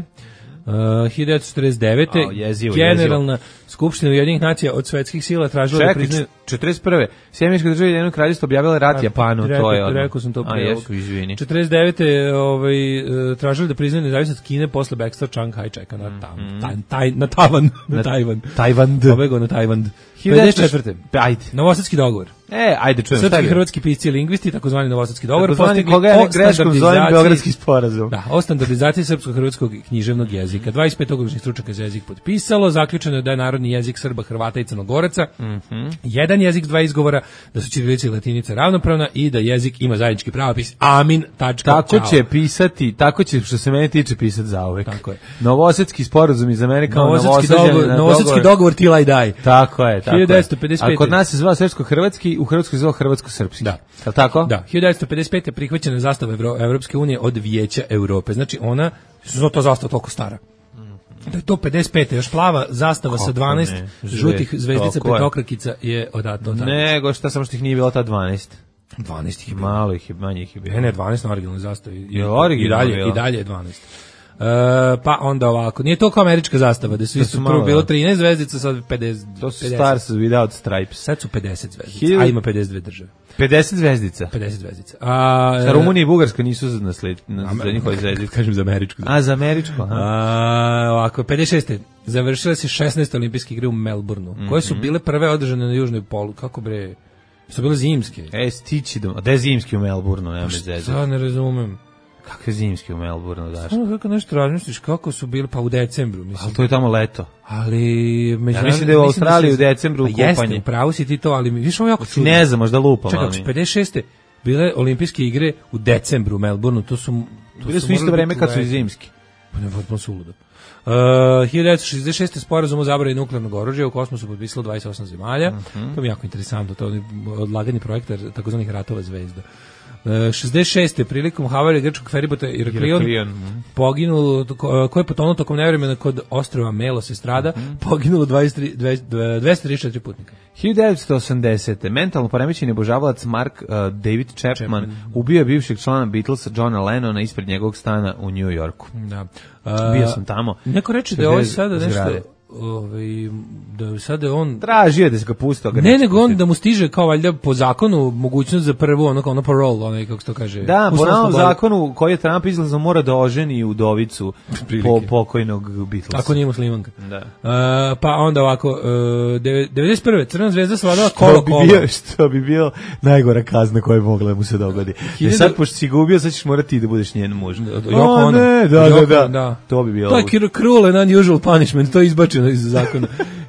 Uh, hiljadu devetsto četrdeset devete Ao, jezivo, Generalna skupština Ujedinjenih nacija od svetskih sila tražila da Čekaj, priznaju... četrdeset prve. Sjemenička država i Ujedinjeno kraljevstvo objavila rat Japanu, rekao, to je odmah. rekao sam to A, pre ovog. jesu, izvini. četrdeset devete ovaj, e, tražili da priznaju nezavisnost Kine posle bekstva Chiang Kai-sheka na, tam, taj, taj, na Tavan. Na Tajvan. Tajvan. Pobegao na Tajvan. hiljadu pedeset devetsto četvrte Ajde. Novosadski dogovor. E, ajde čujem. šta Srpski je? hrvatski pisci i lingvisti, takozvani Novosadski dogovor, Takozvani postigli koga ja o ne greškom zovem standardizaciji- Beogradski sporazum. Da, o standardizaciji srpsko-hrvatskog književnog jezika. dvadeset pet oglasnih stručnjaka za jezik potpisalo, zaključeno je da je narodni jezik Srba, Hrvata i Crnogoraca Mhm. jedan jezik, dva izgovora, da su ćirilica i latinica ravnopravna i da jezik ima zajednički pravopis. Amin. Tačka, Tako čao. će pisati, tako će što se mene tiče pisati zauvek. Tako je. Novosadski sporazum iz Amerike kao Novosadski Novosađani dogovor, na Novosadski dogovor till I die. Tako je, tako hiljadu devetsto pedeset pete. je. A kod nas se zvao srpsko-hrvatski, u Hrvatskoj se zvao hrvatsko-srpski. Da. Je li tako? Da, hiljadu devetsto pedeset pete prihvaćena je zastava Evro, Evropske unije od Vijeća Europe. Znači ona, što to zastava toliko stara. Da je to pedeset pete još plava zastava Kako sa dvanaest ne? žutih Žve- zvezdica tako je. petokrakica je odato. Nego šta samo što ih nije bilo ta dvanaest. dvanaest ih je bilo. Malo ih je, manje ih je bilo. Ne, ne, dvanaest na originalnoj zastavi. I, Je originalno i dalje, bilo? i dalje je dvanaest. E, pa onda ovako, nije to kao američka zastava, da su To isto su prvo malo, bilo da. trinaest zvezdica, sad pedeset. To su pedeset. Stars Without Stripes. Sad su pedeset zvezdica, Hiljadu- a ima pedeset dve države. pedeset zvezdica. pedeset zvezdica. A, Sa Rumunija i Bugarska nisu na sled, na za njihove zvezdice. kažem za američku. A, za američko, aha. A, ovako, pedeset šeste završile se šesnaeste olimpijske igre u Melbourneu, koje su bile prve održane na južnoj polu. Kako bre? Su bile zimske. E, stići do... A da je zimski u Melbourneu, nema me zezati. Sad ne razumem. Kakve zimski u Melbourneu, daš? Samo kako nešto razmisliš, kako su bili, pa u decembru, mislim. Ali to je tamo leto. Ali Ja mislim da je u Australiji u decembru pa jeste, kupanje. upravo si ti to, ali mi više ovo jako čudno. Ne znam, možda lupam, Čekaj, ali... pedeset šeste bile olimpijske igre u decembru u Melbourneu, to su... To Bile su morali isto vreme biti kad su i leti. zimski. Pa ne, potpuno suludo. Uh, hiljadu devetsto šezdeset šeste sporazum o zabrani nuklearnog oružja u kosmosu potpisalo dvadeset osam zemalja. Mhm. To mi je jako interesantno, to je odlaganje projekta takozvanih ratova zvezda. Uh, šezdeset šeste prilikom havarije grčkog feribota Iraklion Iraklion, mhm. poginulo, ko- ko je potonuo tokom nevremena kod ostrva Melos Estrada, Mhm. poginulo dvadeset tri dvesta trideset četiri putnika. hiljadu devetsto osamdesete mentalno poremećeni obožavalac Mark uh, David Chapman, Chapman. ubio je bivšeg člana Beatlesa Johna Lennona ispred njegovog stana u New Yorku. Da. Bio sam tamo. Neko reče da je ovo Sve sada nešto, zgrade. ovaj, da je sada je on... Tražio je da se ga pusti, ali ga Ne, neće nego on pustiti. da mu stiže kao valjda po zakonu mogućnost za prvu, ono kao ono parole, onaj kako se to kaže. Da, po uslovna novom sloboda. zakonu koji je Trump izlazno mora da oženi udovicu Prilike. po pokojnog Beatlesa. Ako nije muslimanka. Da. Uh, pa onda ovako, uh, devedeset prve Crvena zvezda savladala To kolo bi, kolo. bio, što bi bio najgora kazna koja bi mogla da mu se dogodi. Jer Hiljadu- sad, pošto si ga ubio, sad ćeš morati ti da budeš njen muž. Yoko A, Ono. ne, da, Yoko, da, da, da. To bi bilo. To je cru- cruel and unusual punishment, to je izbačeno iz zakona.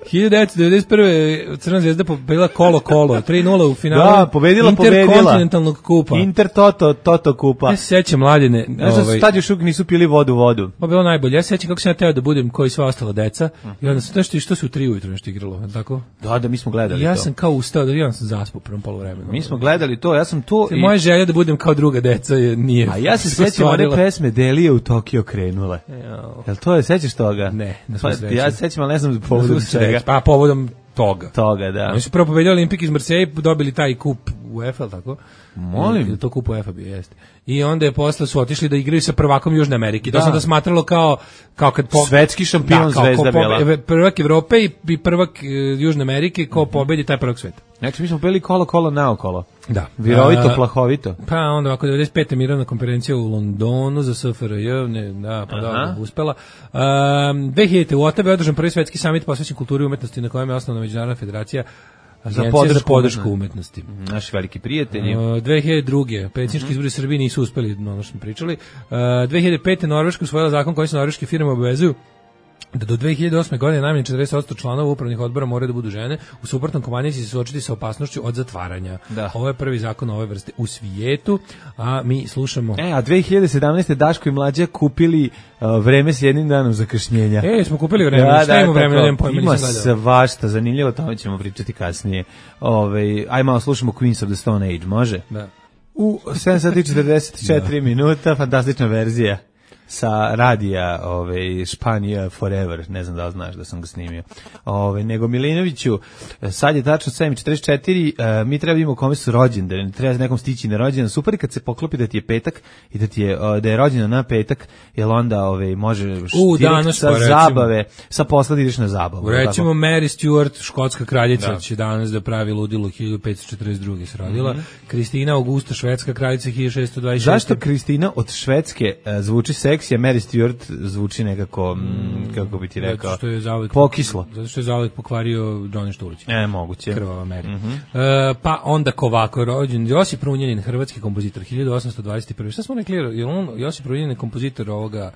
hiljadu devetsto devedeset prve Crvena zvezda pobedila kolo kolo, tri nula u finalu. Da, pobedila, pobedila. Interkontinentalnog kupa. Inter Toto, Toto kupa. Ja se sećam mladine. Znaš da su ovaj, tad još uvijek nisu pili vodu vodu. Pa bilo najbolje. Ja se sećam kako sam ja teo da budem kao i sva ostala deca. I onda sam nešto što se u tri ujutro nešto igralo, je li tako? Da, da, mi smo gledali I ja to. sam kao ustao, da ja sam zaspao u prvom poluvremenu. Mi smo gledali to, ja sam to... i- Moja želja da budem kao druga deca je nije. A ja se sećam one ostvarila. pesme Delije u Tokio krenule. Jao. Jel to je, sećaš toga? Ne, na svu Pa, sreću. ja se sećam, ali ne znam Na povodom svu čega. sreću. Pa povodom toga. Toga, da. Oni su prvo pobedili Olimpik iz Marseille, dobili taj kup UEFA, ali tako? Molim? To kup UEFA bio, jeste. I onda je posle su otišli da igraju sa prvakom Južne Amerike. To Da. sam da smatralo kao, kao kad... Po... Svetski šampion kao Zvezda ko bila. pobe- Prvak Evrope i, i prvak e, Južne Amerike, ko pobedi taj prvak sveta. Znači, mi smo pili kolo, kolo, naokolo. Da. Virovito, A, plahovito. Pa onda ovako devedeset pete mirovna konferencija u Londonu za S F R J, ne, da, pa Aha. da, uspela. Um, dve hiljadite u Otavi je održan prvi svetski samit posvećen kulturi i umetnosti na kojem je osnovna međunarodna federacija Agencija za podršku podršku umetnosti. umetnosti. Naši veliki prijatelji. Uh, dve hiljade druge predsjednički izbori u Srbiji nisu uspeli, ono što smo pričali. Uh, dve hiljade pete Norveška usvojila zakon koji se norveške firme obavezuju da do dve hiljade osme godine najmanje četrdeset posto članova upravnih odbora moraju da budu žene, u suprotnom kompanija će se suočiti sa opasnošću od zatvaranja. Da. Ovo je prvi zakon ove vrste u svijetu, a mi slušamo... E, a dve hiljade sedamnaeste. Daško i Mlađa kupili uh, vreme s jednim danom zakašnjenja. E, smo kupili vreme, šta imamo vreme, nemam pojma, ima nisam gledao. svašta, zanimljivo, o tome ćemo pričati kasnije. Ove, aj malo slušamo Queens of the Stone Age, može? Da. U sedam sati i četrdeset četiri minuta, fantastična verzija. sa radija ovaj, Španija Forever, ne znam da li znaš da sam ga snimio. Ovaj, nego Milinoviću, sad je tačno sedam i četrdeset četiri, uh, mi treba da imamo kome su rođendani, treba nekom stići na rođendan. Super kad se poklopi da ti je petak i da ti je uh, da je rođendan na petak, jer onda ovaj, možeš U, direkt sa pa, zabave, sa posla ideš na zabavu. Recimo tako? Mary Stuart, škotska kraljica, Da. će danas da pravi ludilo, hiljadu petsto četrdeset druge se rodila. Mm-hmm. Kristina Augusta, švedska kraljica, hiljadu šessto dvadeset šeste. Zašto Kristina od Švedske uh, zvuči seksi, a Mary Stuart zvuči nekako, mm, kako bi ti rekao, Zato što je zauvek, pokislo? Zato što je zauvek pokvario Johnny Štulić. E, moguće. Krvava Mary. Mm-hmm. E, pa onda Kovako rođen, Josip Runjanin, hrvatski kompozitor, hiljadu osamsto dvadeset prve. Šta smo rekli, je on, Josip Runjanin je kompozitor ovoga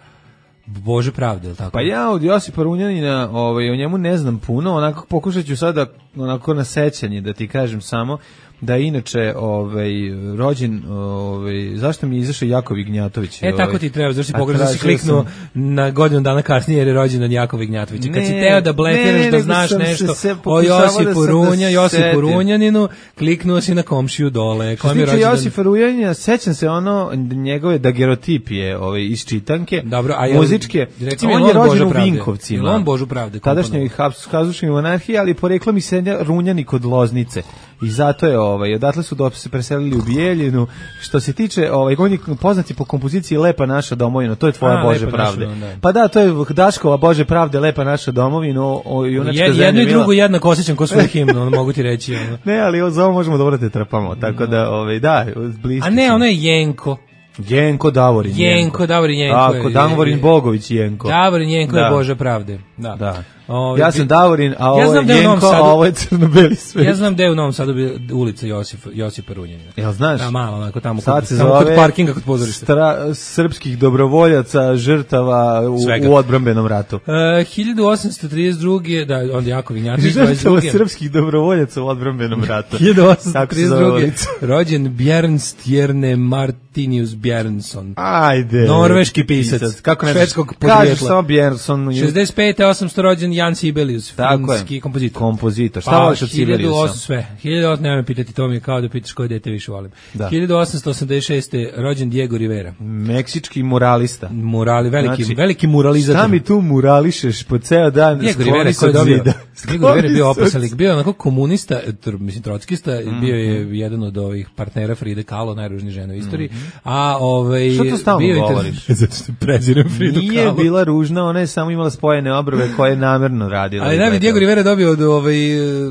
Bože pravde, ili tako? Pa ja od Josipa Runjanina, ovaj, o njemu ne znam puno, onako pokušat ću sada onako na sećanje da ti kažem samo da je inače ovaj, rođen, ovaj, zašto mi je izašao Jakov Ignjatović? E, tako ti treba, zašto si pogrešno da si kliknuo sam... na godinu dana kasnije jer je rođendan Jakova Ignjatovića. Kad si teo da blefiraš da znaš nešto se o Josipu da Runja, da Josipu Runjaninu, kliknuo si na komšiju dole. Što se tiče Josipa Runjanina, sećam se ono njegove dagerotipije ovaj, iz čitanke, dobro, a muzičke. Recimo, on je rođen u Vinkovcima. On Božu pravde. Tadašnjoj Habsburškoj monarhiji, ali poreklo mi se Runjani kod Loznice. I zato je ovaj odatle su do se preselili u Bijeljinu. Što se tiče ovaj on je poznati po kompoziciji Lepa naša domovina, to je tvoja A, Bože pravde. Naša, da. Pa da, to je Daškova Bože pravde, Lepa naša domovina, o junačka je, zemlja. Jedno i drugo jednako osjećam ko svoju himnu, ono mogu ti reći. Ono. Ne, ali za ovo možemo dobro da te trpamo, tako da ovaj da, bliski. A ne, ono je Jenko. Jenko Davorin. Jenko Davorin Jenko. Tako, Davorin Bogović Jenko. Davorin Jenko da. je Bože pravde. Da. Da. Ove, ja sam Davorin, a ovo ja je Jenko, a ovo je crno-beli svet. Ja znam gde je u Novom Sadu ulica Josip, Josipa Runjanina. Jel znaš? Da, malo, onako tamo, Sad kod, tamo kod parkinga, kod pozorišta. Stra, srpskih dobrovoljaca, žrtava u, u odbrambenom ratu. Uh, hiljadu osamsto trideset druge, da, onda Jakov Ignjatović, žrtava srpskih dobrovoljaca u odbrambenom ratu. hiljadu osamsto trideset druge rođen Bjernstjerne Martinius Bjernson. Ajde. Norveški pisac. pisac. Kako ne švedskog podrijetla. Kažeš samo Bjernson. šezdeset pete osamsto rođen Jan Sibelius, finski kompozitor. Kompozitor. Šta voliš od Sibeliusa? Sve. hiljadu osamsto, nema me pitati, to mi je kao da pitaš koje dete više volim. Da. hiljadu osamsto osamdeset šeste rođen Diego Rivera. Meksički muralista. Murali, veliki, znači, veliki muralizator. Šta mi tu murališeš po ceo dan? Diego Rivera koji je dobio. Diego Rivera je bio opasalik, bio onako komunista, tr, mislim trockista, mm-hmm. bio je jedan od ovih partnera Fride Kahlo, najružniji žena u istoriji. Mm-hmm. A ovaj što to stalno bio govoriš? Zato što prezirem Fridu Kahlo. Nije bila ružna, ona je samo imala spojene obrve koje je namerno radila. Ali da bi Diego Rivera dobio od ovaj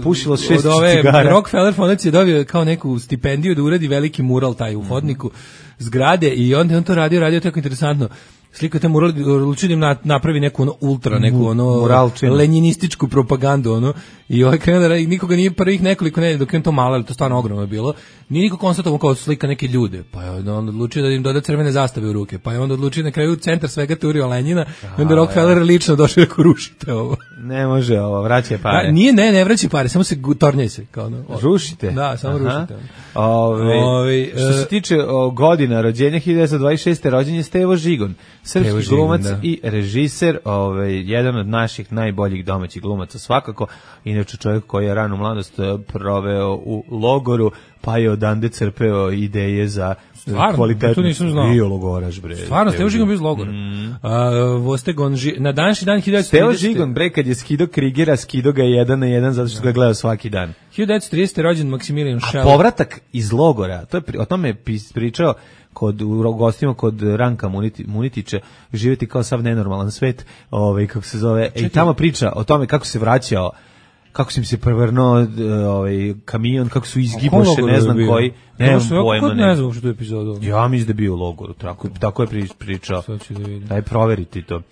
pušilo šest od ove cigara. Rockefeller fondacije dobio kao neku stipendiju da uradi veliki mural taj u hodniku zgrade i onda on to radio, radio tako interesantno. Slika te mural, odlučio da im napravi neku ono ultra, neku ono Muralčinu. lenjinističku propagandu, ono, i ovaj krenuo da nikoga nije prvih nekoliko nedelja, dok je to malo, ali to stvarno ogromno je bilo, nije niko konstatovao kao slika neke ljude, pa je onda odlučio da im doda crvene zastave u ruke, pa je onda odlučio na kraju centar svega turio Lenjina, i onda Rockefeller ja. lično došao da rušite ovo. Ne može ovo, vraća pare. Da, nije, ne, ne vraća pare, samo se tornjaj se. Kao ono, rušite? Da, samo Aha. rušite. Ove, Ove, što se tiče o, godina rođenja, hiljadu devetsto dvadeset šeste rođen je Stevo Žigon, srpski glumac da. i režiser, ovaj, jedan od naših najboljih domaćih glumaca svakako, inače čovjek koji je ranu mladost proveo u logoru, pa je odande crpeo ideje za Stvarno, kvalitetno. To nisam znao. Bio logoraš, bre. Stvarno, Stevo Žigon bio iz logora. Mm. A, Vostegon, ži, na današnji dan hiljadu devetsto trideset. Stevo Žigon, bre, kad je skido Krigera, skido ga jedan na jedan, zato što ga gledao svaki dan. hiljadu devetsto tridesete. rođen Maksimilijan Šel. A povratak iz logora, to je, o tome je pričao kod u gostima kod Ranka Muniti, Munitića, živjeti kao sav nenormalan svet, ovaj kako se zove, i tamo priča o tome kako se vraćao, kako su im se prevrnuo ovaj kamion, kako su izgiboše, ne znam bio? koji, ne znam pojma, ne. Ne znam što je epizodu. Ja mislim da je bio u logoru, tako, tako je pričao. Da Daj proveriti to.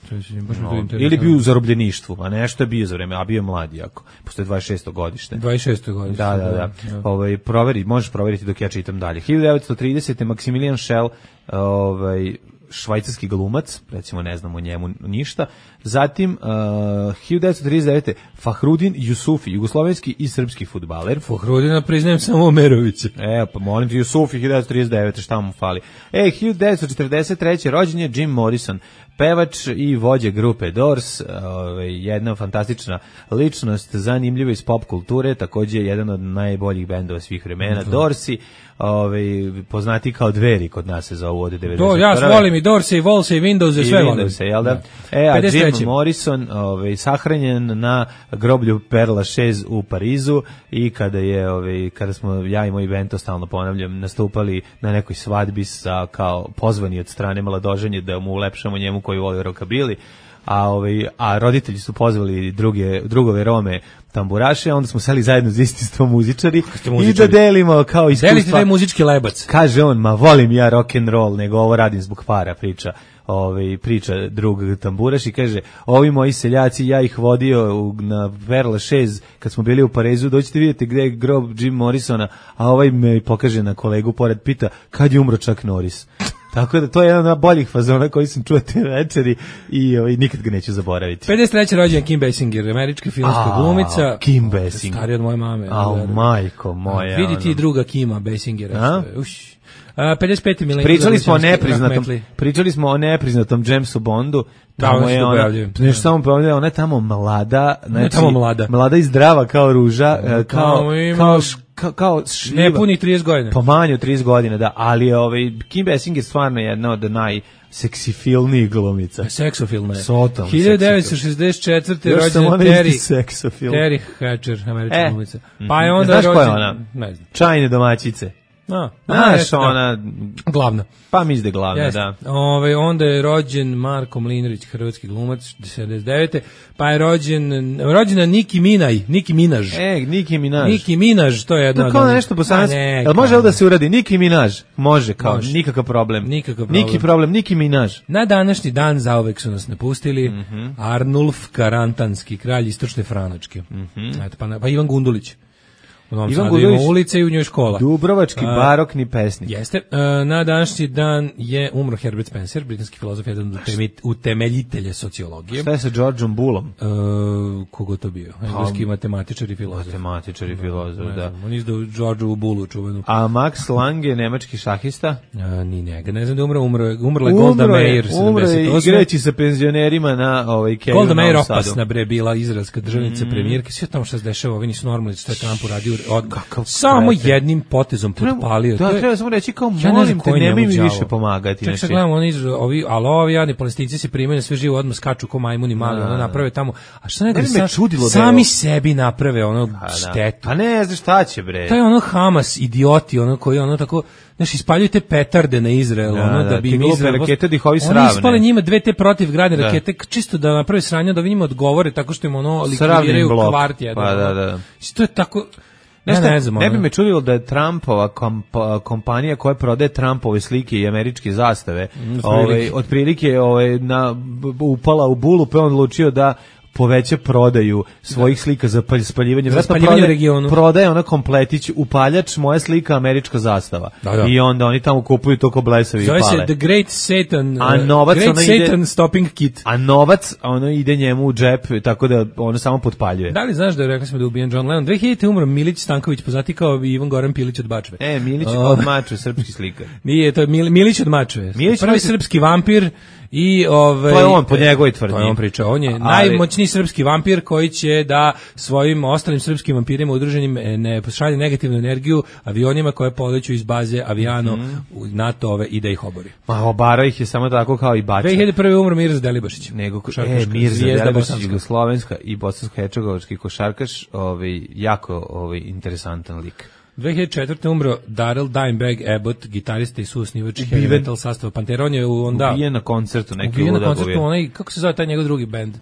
No, ili bio u zarobljeništvu, a nešto je bio za vreme, a bio je mlad jako. Posle dvadeset šesto godište. dvadeset šesto godište. Da, da, da. da. Ovaj proveri, možeš proveriti dok ja čitam dalje. hiljadu devetsto tridesete. Maksimilijan Šel, ovaj švajcarski glumac, recimo ne znamo o njemu ništa. Zatim, uh, hiljadu devetsto trideset devete. Fahrudin Jusufi, jugoslovenski i srpski fudbaler. Fahrudina priznajem samo Omerovića. E, pa molim ti, Jusufi, hiljadu devetsto trideset devete. Šta mu fali? E, hiljadu devetsto četrdeset treće. rođen je Jim Morrison, pevač i vođa grupe Doors, ovaj, jedna fantastična ličnost, zanimljiva iz pop kulture, takođe jedan od najboljih bendova svih vremena, mm-hmm. Doorsi, ovaj, poznati kao Dveri, kod nas se zovu od devedeset prve. To, ja volim i Doors i Walls i Windows i sve volim. Windows, jel da? E, a Jim Morrison ovaj, sahranjen na groblju Père Lachaise u Parizu i kada je, ovaj, kada smo ja i moj bend, to stalno ponavljam, nastupali na nekoj svadbi sa, kao pozvani od strane mladoženje da mu ulepšamo njemu koji voli rockabilly, a ovaj a roditelji su pozvali druge drugove Rome tamburaše, onda smo seli zajedno za isti sto muzičari i da delimo kao iskustva. Delite taj muzički lebac. Kaže on, ma volim ja rock and roll, nego ovo radim zbog para, priča. Ovaj priča drug tamburaš i kaže, ovi moji seljaci, ja ih vodio u, na Père Lachaise kad smo bili u Parizu, dođite vidjeti gde je grob Jim Morrisona, a ovaj me pokaže na kolegu pored, pita kad je umro Chuck Norris. Tako da to je jedan od boljih fazona koji sam čuo te večeri i ovaj, nikad ga neću zaboraviti. pedeset treće rođendan Kim Basinger, američka filmska glumica. Kim Basinger. Starija od moje mame. A, majko moja. Vidi ti druga Kima Basingera. Uš. A, pedeset peti milenijum. Pričali smo o nepriznatom, pričali smo o nepriznatom Jamesu Bondu. Tamo je ona, nešto samo pojavljuje, ona je tamo mlada, znači, ne tamo mlada. Mlada i zdrava kao ruža, kao, kao, kao, kao šljiva. Ne puni trideset godina. Po manje od trideset godina, da, ali je ovaj, Kim Basinger je stvarno jedna od najseksifilnijih glumica. Seksofilna je. Sotom. hiljadu devetsto šezdeset četvrte rođena Terry, Terry Hatcher, američka e. glumica. Pa je onda znaš rođen, koja je ona? Ne znam. Čajne domaćice. No, znaš, ona... Glavna. Pa mi izde glavna, Jeste. da. Ove, onda je rođen Marko Mlinarić, hrvatski glumac, sedamdeset devete Pa je rođen, rođena Nicki Minaj, Nicki Minaj. E, Nicki Minaj. Nicki Minaj, to je jedno... To kao nešto bosansko. Jel može ovo da se uradi? Nicki Minaj. Može, kao, može. Nikakav problem. Nikakav problem. Niki problem, Nicki Minaj. Na današnji dan zauvek su nas napustili mm -hmm. Arnulf Karantanski, kralj istočne Franačke. Mm -hmm. Eto, pa, pa Ivan Gundulić. U Novom Sadu ima ulice i u njoj škola. Dubrovački barokni pesnik. Jeste. Na današnji dan je umro Herbert Spencer, britanski filozof, jedan od utemeljitelja sociologije. Šta je sa Georgeom Bullom? Uh, kogo to bio? Engleski matematičar i filozof. Matematičar i filozof, da. da. On izdao Georgeu Bullu čuvenu. A Max Lange, nemački šahista? A, ni njega. Ne znam da umro, umro, umrla je Golda Meir. Umro je igrajući sa penzionerima na ovaj Keju. Golda Meir opasna bre bila izraelska državnica, mm. premijerka. Sve tamo što se dešava, ovi nisu normalni, što je Trump uradio. Od, samo krete. Jednim potezom potpalio. Da, treba samo reći kao molim te, nemoj mi više pomagati. Ček se gledamo, oni, ovi, ali ovi jadni palestinci se primaju na sve živo, odmah skaču ko majmuni mali, ono naprave tamo. A šta ne, ne sa, čudilo sami da sebi naprave ono a, štetu. A ne znaš šta će bre. To je ono Hamas, idioti, ono koji ono tako, znaš, ispaljuju te petarde na Izrael, da, ono da, da bi im Izrael... rakete da ih ovi sravne. Oni ispale njima dve te protivgradne da. rakete, čisto da naprave sranje, da vi njima odgovore tako što im ono likvidiraju kvart jedan. Pa da, da. To je tako... Ne, ne, znam, ne bi me čudilo da je Trumpova komp, kompanija koja prodaje Trumpove slike i američke zastave mm, ovaj, otprilike ovaj, na, upala u bulu, pa on odlučio da poveća prodaju svojih da. slika za spaljivanje. Za spaljivanje u regionu. Prodaje ona kompletić, upaljač, moja slika, američka zastava. Da, da. I onda oni tamo kupuju to ko blesavi i pale. Zove se The Great Satan, a novac, Great ide, Satan Stopping Kit. A novac, ono ide njemu u džep, tako da ono samo potpaljuje. Da li znaš da je, rekli smo da je ubijen John Lennon? dve hiljadite umro Milić Stanković, poznati kao Ivan Goran Pilić od Bačve. E, Milić od Mačve, srpski slikar. Nije, to je Mil, Milić od Mačve. Milić prvi Milić... srpski vampir. I ovaj to je on po njegovoj tvrdnji. To je on pričao, on je ali najmoćniji srpski vampir koji će da svojim ostalim srpskim vampirima udruženim ne pošalje negativnu energiju avionima koje poleću iz baze Aviano mm -hmm. NATO-ove i da ih obori. Ma obara ih je samo tako kao i Bača. dve hiljade prve umro Mirza Delibašić. Nego e, Mirza Delibašić, jugoslovenska i bosansko-hercegovački košarkaš, ovaj jako ovaj interesantan lik. dve hiljade četvrte umro Darrell Dimebag Abbott, gitarista i suosnivač heavy metal sastava Pantera. On je onda ubijen na koncertu, neki ubijen na koncertu, onaj, kako se zove taj njegov drugi bend?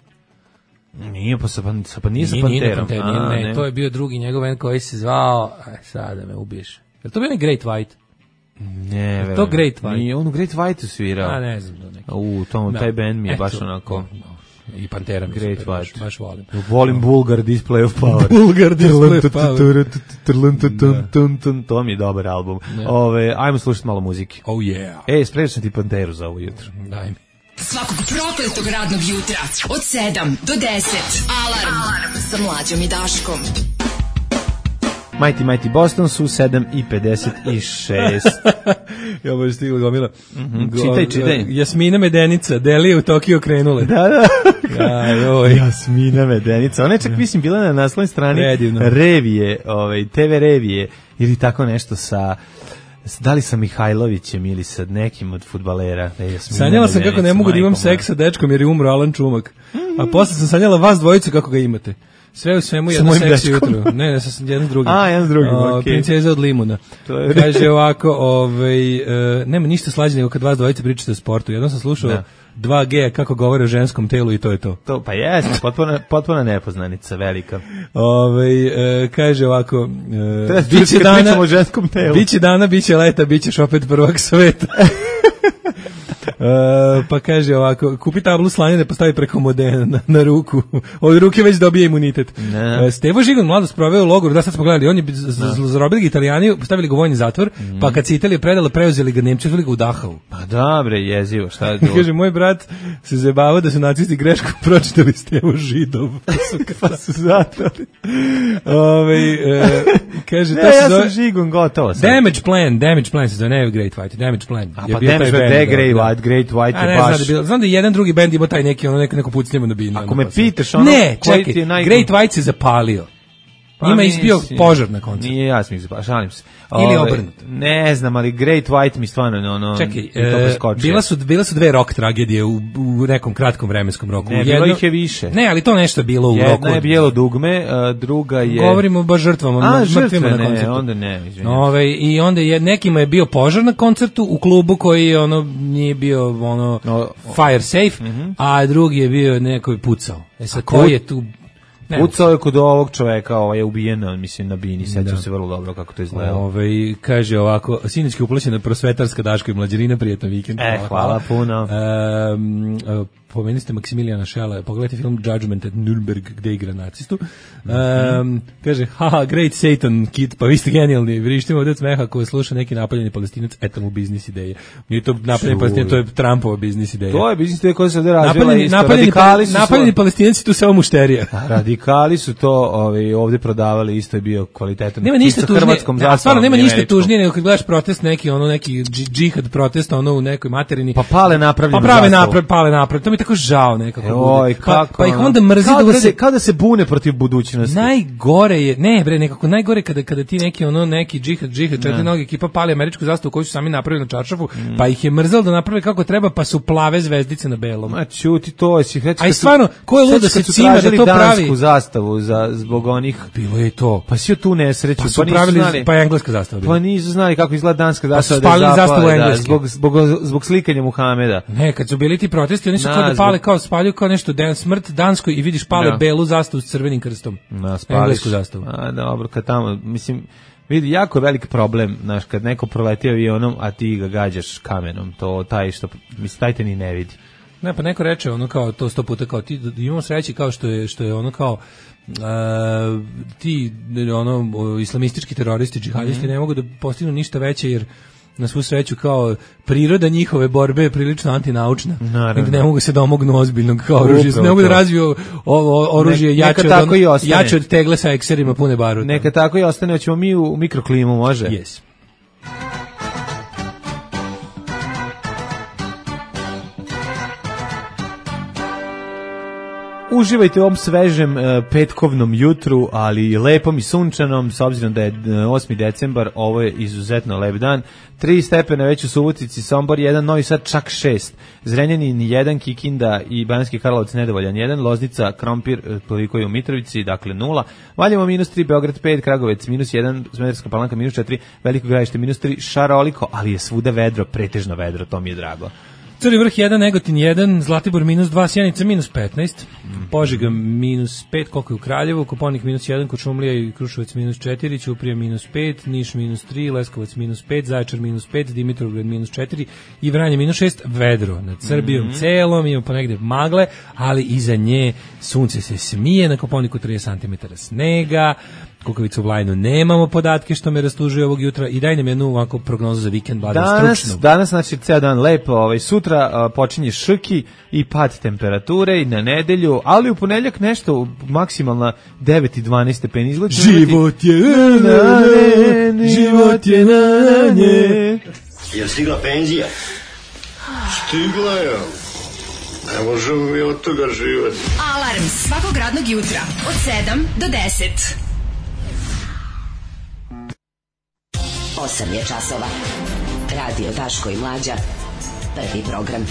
Nije pa sa, sa, pa nije sa Panterom. Nije, Panter, nije, A, ne, ne, to je bio drugi njegov bend koji se zvao, aj sada me ubiješ. Je to bio ne Great White? Ne, je to Great White? Nije, on u Great White-u svirao. A ne znam. Da neki. U, tom, taj bend mi je baš Eto, onako... No. I Pantera mi Great super, baš, baš volim. Volim Bulgar Display of Power. Bulgar Display of Power. To mi je dobar album. Ove, ajmo slušati malo muzike. Oh yeah. Ej, spremio sam ti Panteru za ovo jutro. Daj mi. Svakog prokletog radnog jutra od sedam do deset. Alarm, Alarm. Sa Mlađom i Daškom. Mighty Mighty Boston su sedam i pedeset šest. Ja boš stigla gomila. Mm -hmm. Čitaj, čitaj. Jasmina Medenica, Delije u Tokio krenule. Da, da. Aj, Jasmina Medenica. Ona je čak, mislim, bila na naslovnoj strani Redivno. revije, ovaj, te ve revije, ili tako nešto sa... da li sa Mihajlovićem ili sa nekim od fudbalera. E, sanjala sam kako ne mogu da imam seks sa dečkom jer je umro Alan Čumak. A posle sam sanjala vas dvojicu kako ga imate. Sve u svemu jedno seksi jutro. Ne, ne, sa jednim drugim. A, jedan drugim, okej. Okay. Princeza od limuna. Kaže ovako, ovaj, uh, nema ništa slađe nego kad vas dvojice pričate o sportu. Jednom sam slušao da. dva G kako govore o ženskom telu i to je to. To pa jeste, potpuno potpuno nepoznanica, velika. Ovaj uh, kaže ovako, uh, biće dana o ženskom telu. Biće dana, biće leta, bićeš opet prvak sveta. Uh, pa kaže ovako, kupi tablu slanine pa stavi preko modena na, na ruku. Od ruke već dobije imunitet. Uh, Stevo Žigon mladost proveo u logoru, da sad smo gledali, on je zarobili ga Italijani, stavili ga u vojni zatvor, mm. pa kad se Italija predala, preuzeli ga Nemci, stavili ga u Dachau. Pa dobre, jezivo, šta je to? Kaže, moj brat se zajebavao da su nacisti greškom pročitali Stevo Židov. Pa su zatrali. Ove, uh, kaže, ne, to ja zove, sam Žigon, gotovo sam. Damage Plan, Damage Plan se zove, ne Great White, Damage Plan. A pa Damage Plan, Great White, Great White je baš. Znam da, bilo, znam da je jedan drugi bend imao taj neki, ono neko, neko pucnjemo na binu. Ako me pitaš, ono, ne, čekaj, naj... Great White se zapalio. Pa njima je izbio požar na koncertu. Nije ja sam ih zapalio, šalim se. Ili obrnuto. Ne znam, ali Great White mi stvarno ono... Čekaj, e, bila, su, bila su dve rock tragedije u, u nekom kratkom vremenskom roku. Ne, Jedno, bilo ih je više. Ne, ali to nešto je bilo u Jedna roku. Jedna je Bijelo dugme, druga je... Govorimo baš žrtvama, A, žrtve, na ne, koncertu. onda ne, izvinjam. Ove, I onda je, nekima je bio požar na koncertu u klubu koji ono nije bio ono no, fire safe, mm-hmm. a drugi je bio neko je pucao. E sad, ko je tu... Pucao je kod ovog čoveka, ovaj je ubijen, mislim, na bini, sećam se vrlo dobro kako to izgleda. Ove, kaže ovako, sinoćki uplaćena prosvetarska Daško i Mlađarina, prijetan vikend. E, hvala, hvala puno. Um, pomenuli ste Maksimilijana Šela, pogledajte film Judgment at Nürnberg gde igra nacistu. Um, kaže, haha, great Satan kid, pa vi ste genijalni, vrištimo ovdje od smeha ko sluša neki napaljeni Palestinac, eto mu biznis ideje. Nije to napaljeni Palestinac, to je Trumpova biznis ideja. To je biznis ideja koja se ovdje razvila isto. Napaljeni, napaljeni Palestinac tu samo mušterija. Radikali su to ovaj, ovdje prodavali, isto je bio kvalitetan. Nema ništa tužnije, ja, stvarno nema ništa tužnije nego kad gledaš protest neki, ono neki džihad protesta, ono u nekoj materini. Pa pale napravljenu Pa prave naprav, pale naprav, to mi tako žao nekako. E, oj, pa, pa ih onda mrzi kao da, da se kao da se bune protiv budućnosti. Najgore je, ne bre, nekako najgore kada kada ti neki ono neki džihad, džihad, četiri noge ekipa pali američku zastavu koju su sami napravili na čaršafu, mm. pa ih je mrzelo da naprave kako treba, pa su plave zvezdice na belom. Ma ćuti to, si reći. Aj stvarno, ko je lud da se cima da to pravi? Dansku zastavu za zbog onih. Bilo je to. Pa si tu nesreću, pa su pa pravili znali, pa je engleska zastava. Pa nisu znali kako izgleda danska zastava, pa spalili da zastavu engleski. Zbog zbog zbog slikanja Muhameda. Ne, kad su bili ti protesti, oni su na, kao da pale zbog... kao spaljuju kao nešto dan smrt danskoj i vidiš pale no. belu zastavu s crvenim krstom. Na, englesku zastavu. A dobro, kad tamo, mislim, vidi, jako je velik problem, znaš, kad neko proleti avionom, a ti ga gađaš kamenom, to taj što, mislim, taj te ni ne vidi. Ne, pa neko reče ono kao to sto puta kao ti imamo sreće kao što je što je ono kao uh, ti ono islamistički teroristi, džihadisti mm-hmm. ne mogu da postignu ništa veće jer na svu sreću kao priroda njihove borbe je prilično antinaučna. Naravno. Ne mogu se domognu ozbiljnog kao oružja. Ne mogu da razviju ovo oružje jače od, on, jače od tegle sa ekserima pune baruta. Neka tako i ostane, hoćemo mi u mikroklimu, može? Yes. Uživajte u ovom svežem uh, petkovnom jutru, ali lepom i sunčanom, s obzirom da je uh, osmi decembar, ovo je izuzetno lep dan. Tri stepena već u Subotici, Sombor jedan, Novi Sad čak šest, Zrenjanin jedan, Kikinda i Banatski Karlovac nedovoljan jedan, Loznica, Krompir, toliko je u Mitrovici, dakle nula, Valjevo minus tri, Beograd pet, Kragovec minus jedan, Smederevska Palanka minus četiri, Veliko Gradište minus tri, šaroliko, ali je svuda vedro, pretežno vedro, to mi je drago. Crni vrh jedan, Negotin jedan, Zlatibor minus dva, Sjenica minus petnaest, Požega minus pet, koliko je u Kraljevu, Koponik minus jedan, Kočumlija i Kruševac minus četiri, Ćuprija minus pet, Niš minus tri, Leskovac minus pet, Zaječar minus pet, Dimitrovgrad minus četiri i Vranje minus šest, vedro nad Srbijom mm-hmm. celom, ima ponegde magle, ali iza nje sunce se smije, na Koponiku trideset centimetara snega, Kukavicu u Vlajnu nemamo podatke što me rastužuje ovog jutra i daj nam jednu ovako prognozu za vikend, blago stručnu. Danas, znači, ceo dan lepo, ovaj, sutra uh, počinje šrki i pad temperature i na nedelju, ali u ponedjeljak nešto maksimalna devet i dvanaest stepeni izgleda. Život je na ne, život je na nje. Je stigla penzija? Stigla je. Ne možemo mi od toga živati. Alarm svakog radnog jutra od sedam do deset. osam je časova. Radio Daško i Mlađa. Prvi program.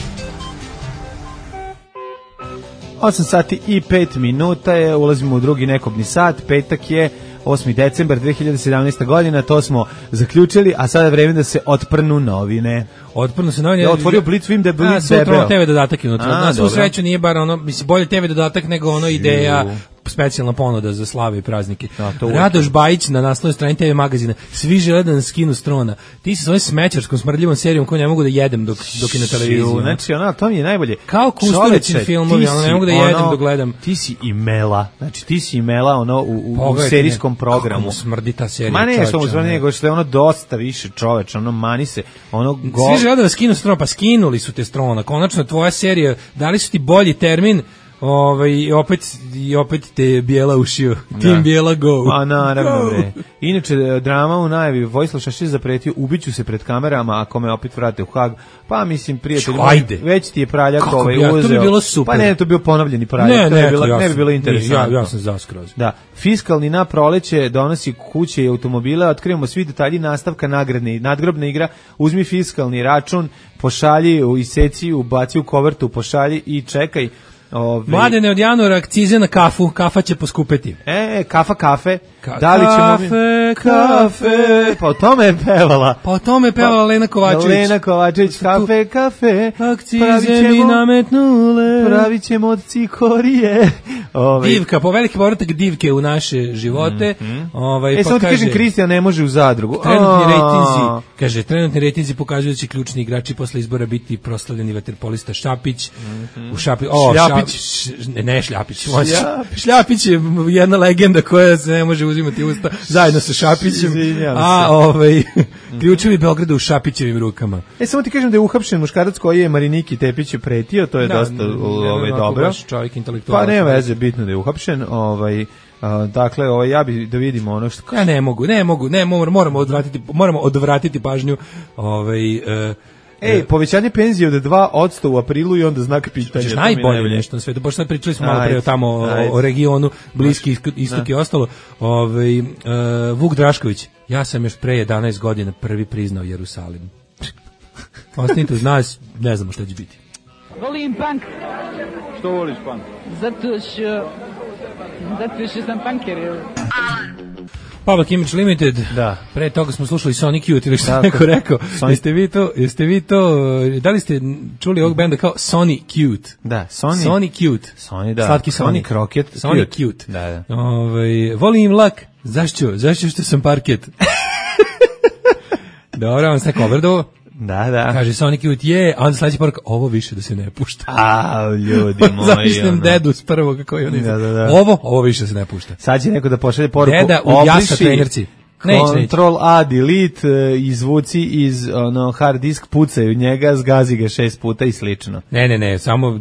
osam sati i pet minuta je, ulazimo u drugi nekobni sat, petak je osmi decembar dve hiljade sedamnaeste. godina, to smo zaključili, a sada je vreme da se otprnu novine. Otprnu se novine. Ja otvorio Blitz, vidim da je Blitz debeo. Te ve dodatak je unutra. Na svu dobro. sreću nije bar ono, mislim, bolje te ve dodatak nego ono ideja, specijalna ponuda za slave i praznike. Da, Radoš Bajić na naslovnoj strani te ve magazina. Svi žele da nas skinu s trona. Ti sa svojom smećarskom smrdljivom serijom koju ne mogu da jedem dok, dok je na televiziji. Znači, ono, to mi je najbolje. Kao Kustovićin filmovi, ali ne mogu da jedem ono, dok gledam. Ti si imela. Znači, ti si imela ono u, u, u serijskom programu. Kako smrdi ta serija. Ma ne, što mu smrdi, nego što je ono dosta više čoveč, ono mani se, ono go... Svi žele da vas skinu s trona, pa skinuli su te s trona. Konačno tvoja serija, dali su ti bolji termin. Ovaj i opet i opet te bijela ušio. Tim bijela go. A naravno bre. Inače drama u najavi, Vojislav Šešelj zapretio ubiću se pred kamerama ako me opet vrate u Hag. Pa mislim prijatelj, već ti je praljak ovaj ja, uzeo. To bi bilo super. Pa ne, to bi bio ponovljeni praljak, ne, to ne, je bilo ja ne bi bilo interesantno. Ja, ja sam za skroz. Da, fiskalni na proleće donosi kuće i automobile, otkrivamo svi detalji nastavka nagradne nadgrobna igra. Uzmi fiskalni račun, pošalji u iseci, ubaci u kovertu, pošalji i čekaj. Ove... Mladene, od januara akcize na kafu, kafa će poskupeti. E, kafa kafe. Ka da li ćemo kafe, kafe. Pa o tome je pevala. Pa o tome je pevala pa, Lena Kovačević. Lena Kovačević, kafe, kafe. Akcize mi nametnule. Pravit ćemo od cikorije. Ove... Divka, po veliki povratak divke u naše živote. Mm -hmm. Ovaj, e, pa samo ti kaže, kažem, Kristijan ne može u zadrugu. Trenutni rejtinzi, kaže, trenutni rejtinzi pokazuju da će ključni igrači posle izbora biti proslavljeni vaterpolista Šapić. Mm -hmm. U Šapi, o, Šljapić. Šljapić. Ne, ne Šljapić. Šljapić. Šljapić je jedna legenda koja se ne može uzimati usta zajedno sa Šapićem. A ovaj ključevi Beograda u Šapićevim rukama. E, samo ti kažem da je uhapšen muškarac koji je Mariniki Tepiću pretio, to je da, dosta ovaj dobro. Baš čovjek intelektualac. Pa nema veze, bitno da je uhapšen, ovaj Uh, dakle, ovaj ja bi da vidimo ono što ja ne mogu, ne mogu, ne moramo, moramo odvratiti, moramo odvratiti pažnju, ovaj uh, Ej, povećanje penzije od dva posto u aprilu i onda znak pitanja. Što najbolje nešto na svetu, pošto sad pričali smo malo pre o tamo o, o regionu, Bliski istok i ostalo. Ovaj uh, Vuk Drašković, ja sam još pre jedanaest godina prvi priznao Jerusalim. Ostanite uz nas, ne znamo šta će biti. Volim punk. Što voliš punk? Zato što zato što sam punker. Public Image Limited. Da. Pre toga smo slušali Sonic Youth ili što neko rekao. Sonic. Jeste vi to, jeste vi to, da li ste čuli ovog benda kao Sonic Cute? Da, Sonic. Sonic Cute. Sonic, da. Slatki Sonic Rocket. Sonic Cute. Cute. Da, da. Ovaj, volim lak. Zašto? Zašto što sam parket? Dobro, vam se coverdovo. Da, da. Kaže Sonic Youth je, a onda sledeća poruka, ovo više da se ne pušta. A, ljudi moji. Zamišljam ono. Dedu s prvog kako je on da, da, da. Ovo, ovo više se ne pušta. Sad će neko da pošalje poruku. Deda u jasa trenerci. Control A, delete, izvuci iz ono, hard disk, pucaju njega, zgazi ga šest puta i slično. Ne, ne, ne, samo,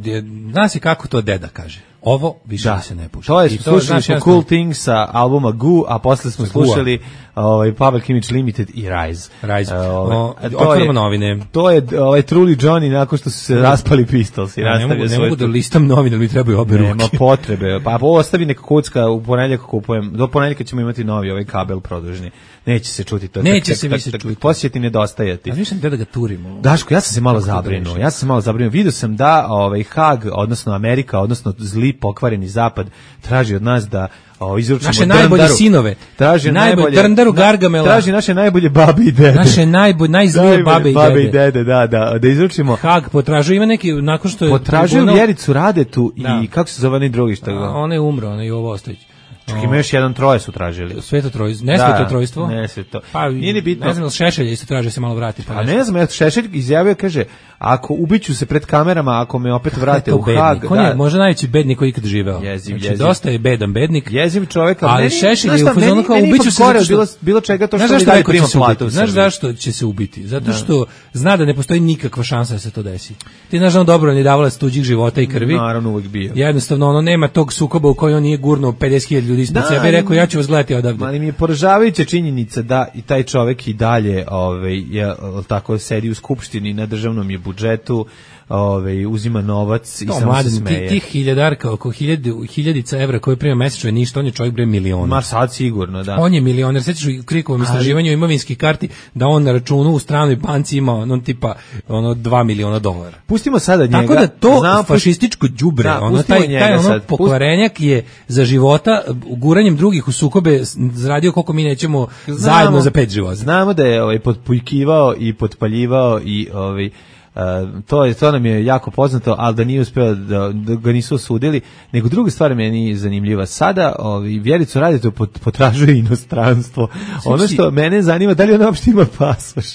zna se kako to deda kaže. Ovo više da se ne pušta. To je, slušali smo Cool Things sa albuma Goo, a posle smo slušali ovaj, Public Image Limited i Rise. Rise. Uh, Otvorimo novine. To je ovaj, Truly Johnny nakon što su se raspali Pistols. I ja, ne mogu, ne mogu da listam novine, ali mi trebaju obe ruke. Nema potrebe. Pa ostavi neka kucka, u ponedjeljak kupujem. Do ponedjeljka ćemo imati novi ovaj kabel produžni. Neće se čuti to. Neće se više čuti. Poslije će ti nedostajati. A nisam te da ga turimo. Daško, ja sam se malo zabrinuo. Ja sam se malo zabrinuo. Vidio sam da ovaj Hag, odnosno Amerika, odnosno zli pokvareni zapad traži od nas da o, izručimo naše najbolje sinove. Traži najbolje Drndaru Gargamela. Traži naše najbolje babe i dede. Naše najbolje najzlije babe i dede. Babe i dede, da, da, da izručimo. Hag potražuje, ima neki nakon što je potražuje Vjericu Radetu i da. Kako se zove onaj drugi što ga. On je umro, on je Jovo Ostojić. Čak ima još jedan troje su tražili. Sveto trojstvo, ne sveto trojstvo. Ne sveto. Pa nije ni bitno. Ne znam, Šešelj isto traži se malo vrati. Pa a ne znam, ja Šešelj izjavio, kaže, ako ubiću se pred kamerama, ako me opet vrate u Hag. On je možda najveći bednik koji ikad živeo. Jeziv, znači, jeziv. Dosta je bedan bednik. Jeziv čovjek, ali Šešelj je u fazonu kao ubiću se zato što bilo, bilo čega to što mi daje prima platu. Znaš zašto će se ubiti? Zato što zna da ne postoji nikakva šansa da se to desi. Ti znaš da on dobro ne davalac tuđih života i krvi. Naravno uvek bio. Jednostavno ono nema tog sukoba u kojem on nije gurnuo pedeset hiljada ljudi ispred sebe i rekao ja ću vas gledati odavde. Ali mi je poražavajuća činjenica da i taj čovjek i dalje ovaj, je, tako sedi u skupštini na državnom je budžetu. ovaj uzima novac i to, samo mladen, se smeje. Ti, tih hiljadarka, oko hiljadu, hiljadica evra koje prima mesečno je ništa, on je čovjek bre milioner. Ma sad sigurno, da. On je milioner, sećaš u Krikovom istraživanju imovinskih karti da on na računu u stranoj banci ima ono tipa ono dva miliona dolara. Pustimo sada njega. Tako da to Znam, fašističko đubre, da, ono taj, taj ono sad. pokvarenjak je za života guranjem drugih u sukobe zaradio koliko mi nećemo znamo, zajedno za pet života. Znamo da je ovaj potpujkivao i potpaljivao i ovaj Uh, to je to nam je jako poznato, ali da nije uspeo da, da ga nisu osudili, nego druga stvar meni zanimljiva. Sada ovi Vjericu Radetu pot, potražuje inostranstvo. Ono što mene zanima, da li ona uopšte ima pasoš?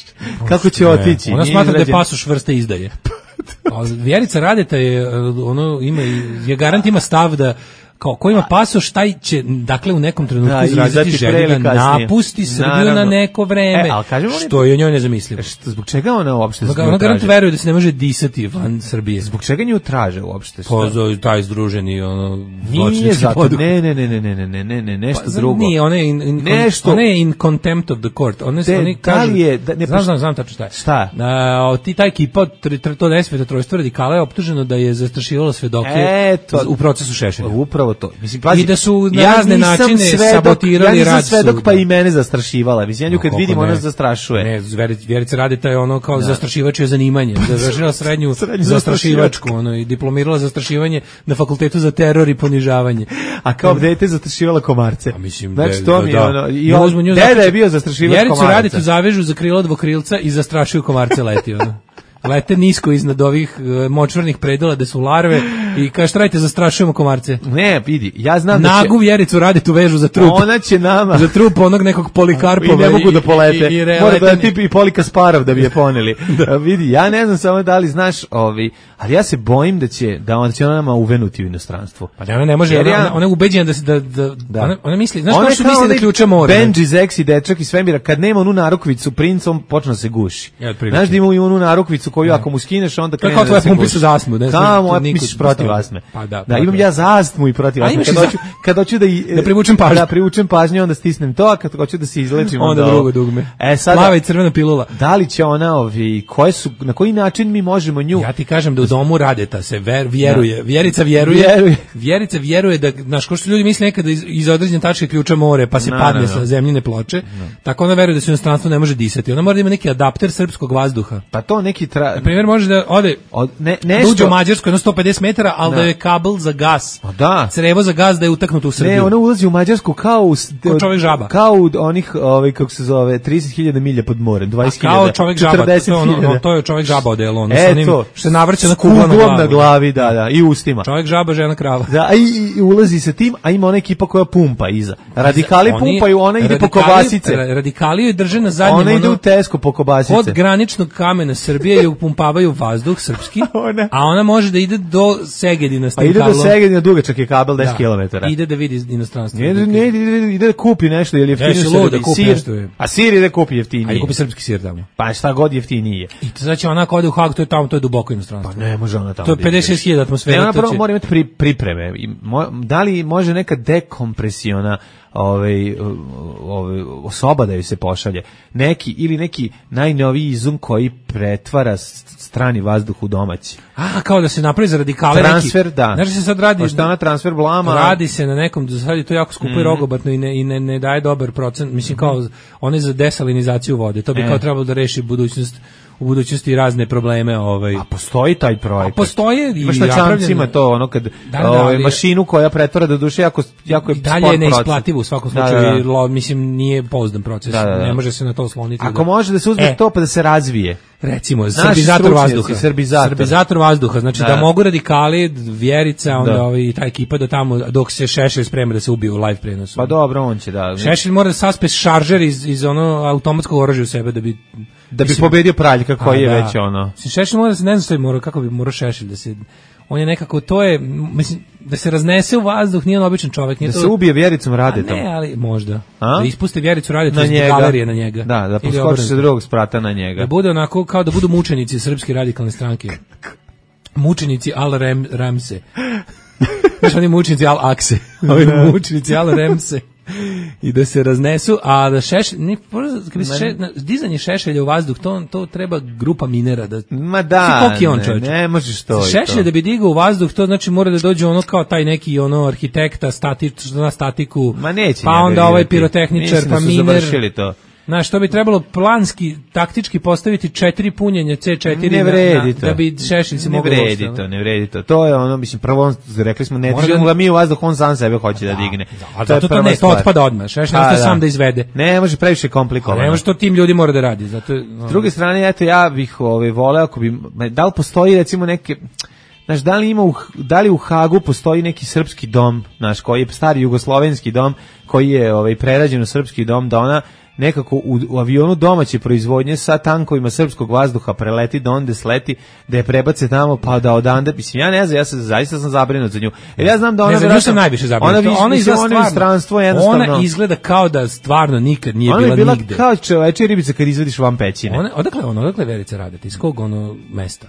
Kako će otići? Ona smatra da je pasoš vrste izdaje. Vjerica Radeta je ono ima je garant ima stav da kao ko ima pasoš, taj će dakle u nekom trenutku da, izraziti želju da napusti Srbiju Naravno. na neko vreme, e, što je njoj nezamislivo. Što, zbog čega ona uopšte zbog, ona garant veruje da se ne može disati van Srbije. Zbog čega nju traže uopšte? Po taj združeni ono nije zato, ne, ne, ne, ne, ne, ne, ne, ne, nešto pa, drugo. Nije, ona je in, in, nešto, ona je in contempt of the court. Ona se oni kažu, je, da, ne, znam, znam, znam tačno šta je. Šta? A, ti taj ekipa, to desveto trojstvo radikala je optuženo da je zastrašivalo svedoke Eto, u procesu Šešelja. Upravo to. Mislim, pazi, i da su na ja razne načine svedok, sabotirali ja rad suda. Svedok pa i mene zastrašivala. Mislim, ja nju kad no, vidim, ona zastrašuje. Ne, Vjerica Radeta je ono kao da. zastrašivač je zanimanje. Završila srednju zastrašivačku, ono, i diplomirala zastrašivanje na fakultetu za teror i ponižavanje. A kao dete zastrašivala komarce. A mislim, znači, de, to mi je da. ono, i on, deda je bio zastrašivač Vjericu komaraca. Radetu zavežu za krilo dvokrilca i zastrašuju komarce leti, ono. Lete nisko iznad ovih uh, močvarnih predela da su larve i kaže trajte zastrašujemo komarce. Ne, vidi, ja znam da će Nagu Vjericu Radetu vežu za trup. Ona će nama za trup onog nekog Polikarpova i ne mogu da polete. I, i, i mora da tipi i Polikasparov da bi je poneli. da. Vidi, ja ne znam samo da li znaš, ovi, ali ja se bojim da će da ona će ona nama uvenuti u inostranstvo. Pa ona ne može, Jer ona, ja, ona je ubeđena da se da, da, da. Ona, ona misli, znaš ona kako su misli da ključa more. Benji, Zeksi, dečak i svemira kad nema onu narukvicu princom počne da se guši. Ja, znaš da ima i onu narukvicu koju ako mu skineš onda krene da se guši. Za astmu, ne znam. Kamo, misliš protiv astme. Pa da, da, imam ja za astmu i protiv astme. Kad hoću, kad hoću da da privučem pažnju, da privučem pažnju, onda stisnem to, a kad hoću da se izlečim onda, onda drugo dugme. E sad plava i crvena pilula. Da li će ona ovi koje su na koji način mi možemo nju? Ja ti kažem da u domu Radeta se ver, vjeruje, Vjerica vjeruje, vjeruje. Vjerica vjeruje da naš ko što ljudi misle nekada iz, iz određene tačke ključa more, pa se no, padne no, no. sa zemljine ploče. No. Tako ona veruje da se u inostranstvu ne može disati. Ona mora da ima neki adapter srpskog vazduha. Pa to neki tra... na primjer može da ode od ne nešto uđe u Mađarsku jedno sto pedeset metara, al da. da je kabel za gas. Pa da. Crevo za gas da je utaknuto u Srbiju. Ne, ona ulazi u Mađarsku kao u kao čovjek žaba. Kao u onih ovaj kako se zove trideset hiljada milja pod morem, dvadeset hiljada. Kao čovjek žaba, to je ono, to je čovjek žaba odelo, ono sa onim što se navrće na kuglom na glavi. na glavi, da, da, i ustima. Čovjek žaba, žena krava. Da, i, i ulazi sa tim, a ima ona ekipa koja pumpa iza. Radikali oni, pumpaju, ona ide radikali, po kobasice. Radikali je drže na zadnjem, ona ide ono, u Tesco po kobasice. Od graničnog kamena Srbije je upumpavaju vazduh srpski, ona. A ona može da ide do Segedina s tim kablom. A ide do Segedina, dugačak je kabel deset kilometara. Ide da vidi inostranstvo. Ne, ne, ide, ide da kupi nešto, jer jeftinije da kupi sir, nešto. A sir ide kupi jeftinije. Ajde kupi srpski sir tamo. Pa šta god jeftinije. I to znači ona ako ode u Hag, to je tamo, to je duboko inostranstvo. Pa ne može ona tamo. To je pedeset šest hiljada atmosfera. Ne, ona prvo mora imati pri, pripreme. Da li može neka dekompresiona ovaj ovaj osoba da joj se pošalje neki ili neki najnoviji izum koji pretvara strani vazduh u domaći. A kao da se napravi za radikale transfer, neki. Da. Znači se sad radi šta na transfer blama. Radi se na nekom, sad je to jako skupo mm. i rogobatno i ne i ne, ne daje dobar procent. Mislim kao one za desalinizaciju vode. To bi e. kao trebalo da reši budućnost u budućnosti razne probleme, ovaj. A postoji taj projekat. A postoje i imaš na čamcima to ono kad da, da, ovaj mašinu koja pretvara do duše jako jako je dalje je neisplativo u svakom slučaju, da, da, da. Lo, mislim nije pouzdan proces. Da, da, da. Ne može se na to osloniti. Ako da. može da se uzme e. to pa da se razvije. Recimo srbizator vazduha. Srbizator. srbizator vazduha, znači da. da mogu radikali, Vjerica, onda ovaj ta ekipa do tamo dok se Šešelj sprema da se ubije u live prenosu. Pa dobro, on će da. Šešelj mora da saspe šaržer iz iz ono automatskog oružja u sebe da bi da bi mislim, pobedio Praljka koji je da. već ono. Šešelj mora da se ne znam što mora kako bi morao Šešelj da se on je nekako to je mislim da se raznese u vazduh, nije on običan čovjek, nije da to se ubije Vjericom Radetom. Ne, ali možda. A? Da ispuste Vjericu Radetom iz galerije na njega. Da, da poskoči se drugog sprata na njega. Da bude onako kao da budu mučenici srpske radikalne stranke. Mučenici Al Rem, Remse. Znaš, oni mučenici Al Akse. Ovi mučenici Al Remse. I da se raznesu, a da šeš, ne, kad bi se še, dizanje šešelja u vazduh, to, to treba grupa minera. Da, Ma da, on, ne, ne možeš to. Šešelje da bi digao u vazduh, to znači mora da dođe ono kao taj neki ono arhitekta, statič, na statiku, Ma neće pa onda ovaj pirotehničar, pa miner. To. Znaš, to bi trebalo planski, taktički postaviti četiri punjenja C četiri ne vredi na, na, da bi šešelj se mogao. Ne vredi to, ne vredi to. To je ono, mislim, prvo on, rekli smo, ne dižemo ga mi u vazduh, on sam sebe hoće da, da digne. Da, zato to, to ne, to otpada odmah, šešelj ostaje sam da izvede. Ne, može previše komplikovano. Ne može to tim ljudi mora da radi. Zato, no. S druge strane, eto, ja bih ovaj, voleo, ako bi, da li postoji recimo neke... Znaš, da li ima u, da li u Hagu postoji neki srpski dom, znaš, koji je stari jugoslovenski dom, koji je ovaj, prerađen u srpski dom, da ona nekako u, u avionu domaće proizvodnje sa tankovima srpskog vazduha preleti do onde sleti, da je prebace tamo, pa da odande, mislim, ja ne znam, ja sam, zaista sam zabrinut za nju. Jer ja znam da ona... Ne znam, sam najviše zabrinut. Ona, ona, izgleda, ona, stvarno, jednostavno, ona izgleda kao da stvarno nikad nije ona bila, bila nigde. Ona je bila kao čoveče ribica kad izvadiš van pećine. Ona, odakle, ona, odakle Verica Radeta? Iz kog ono mesta?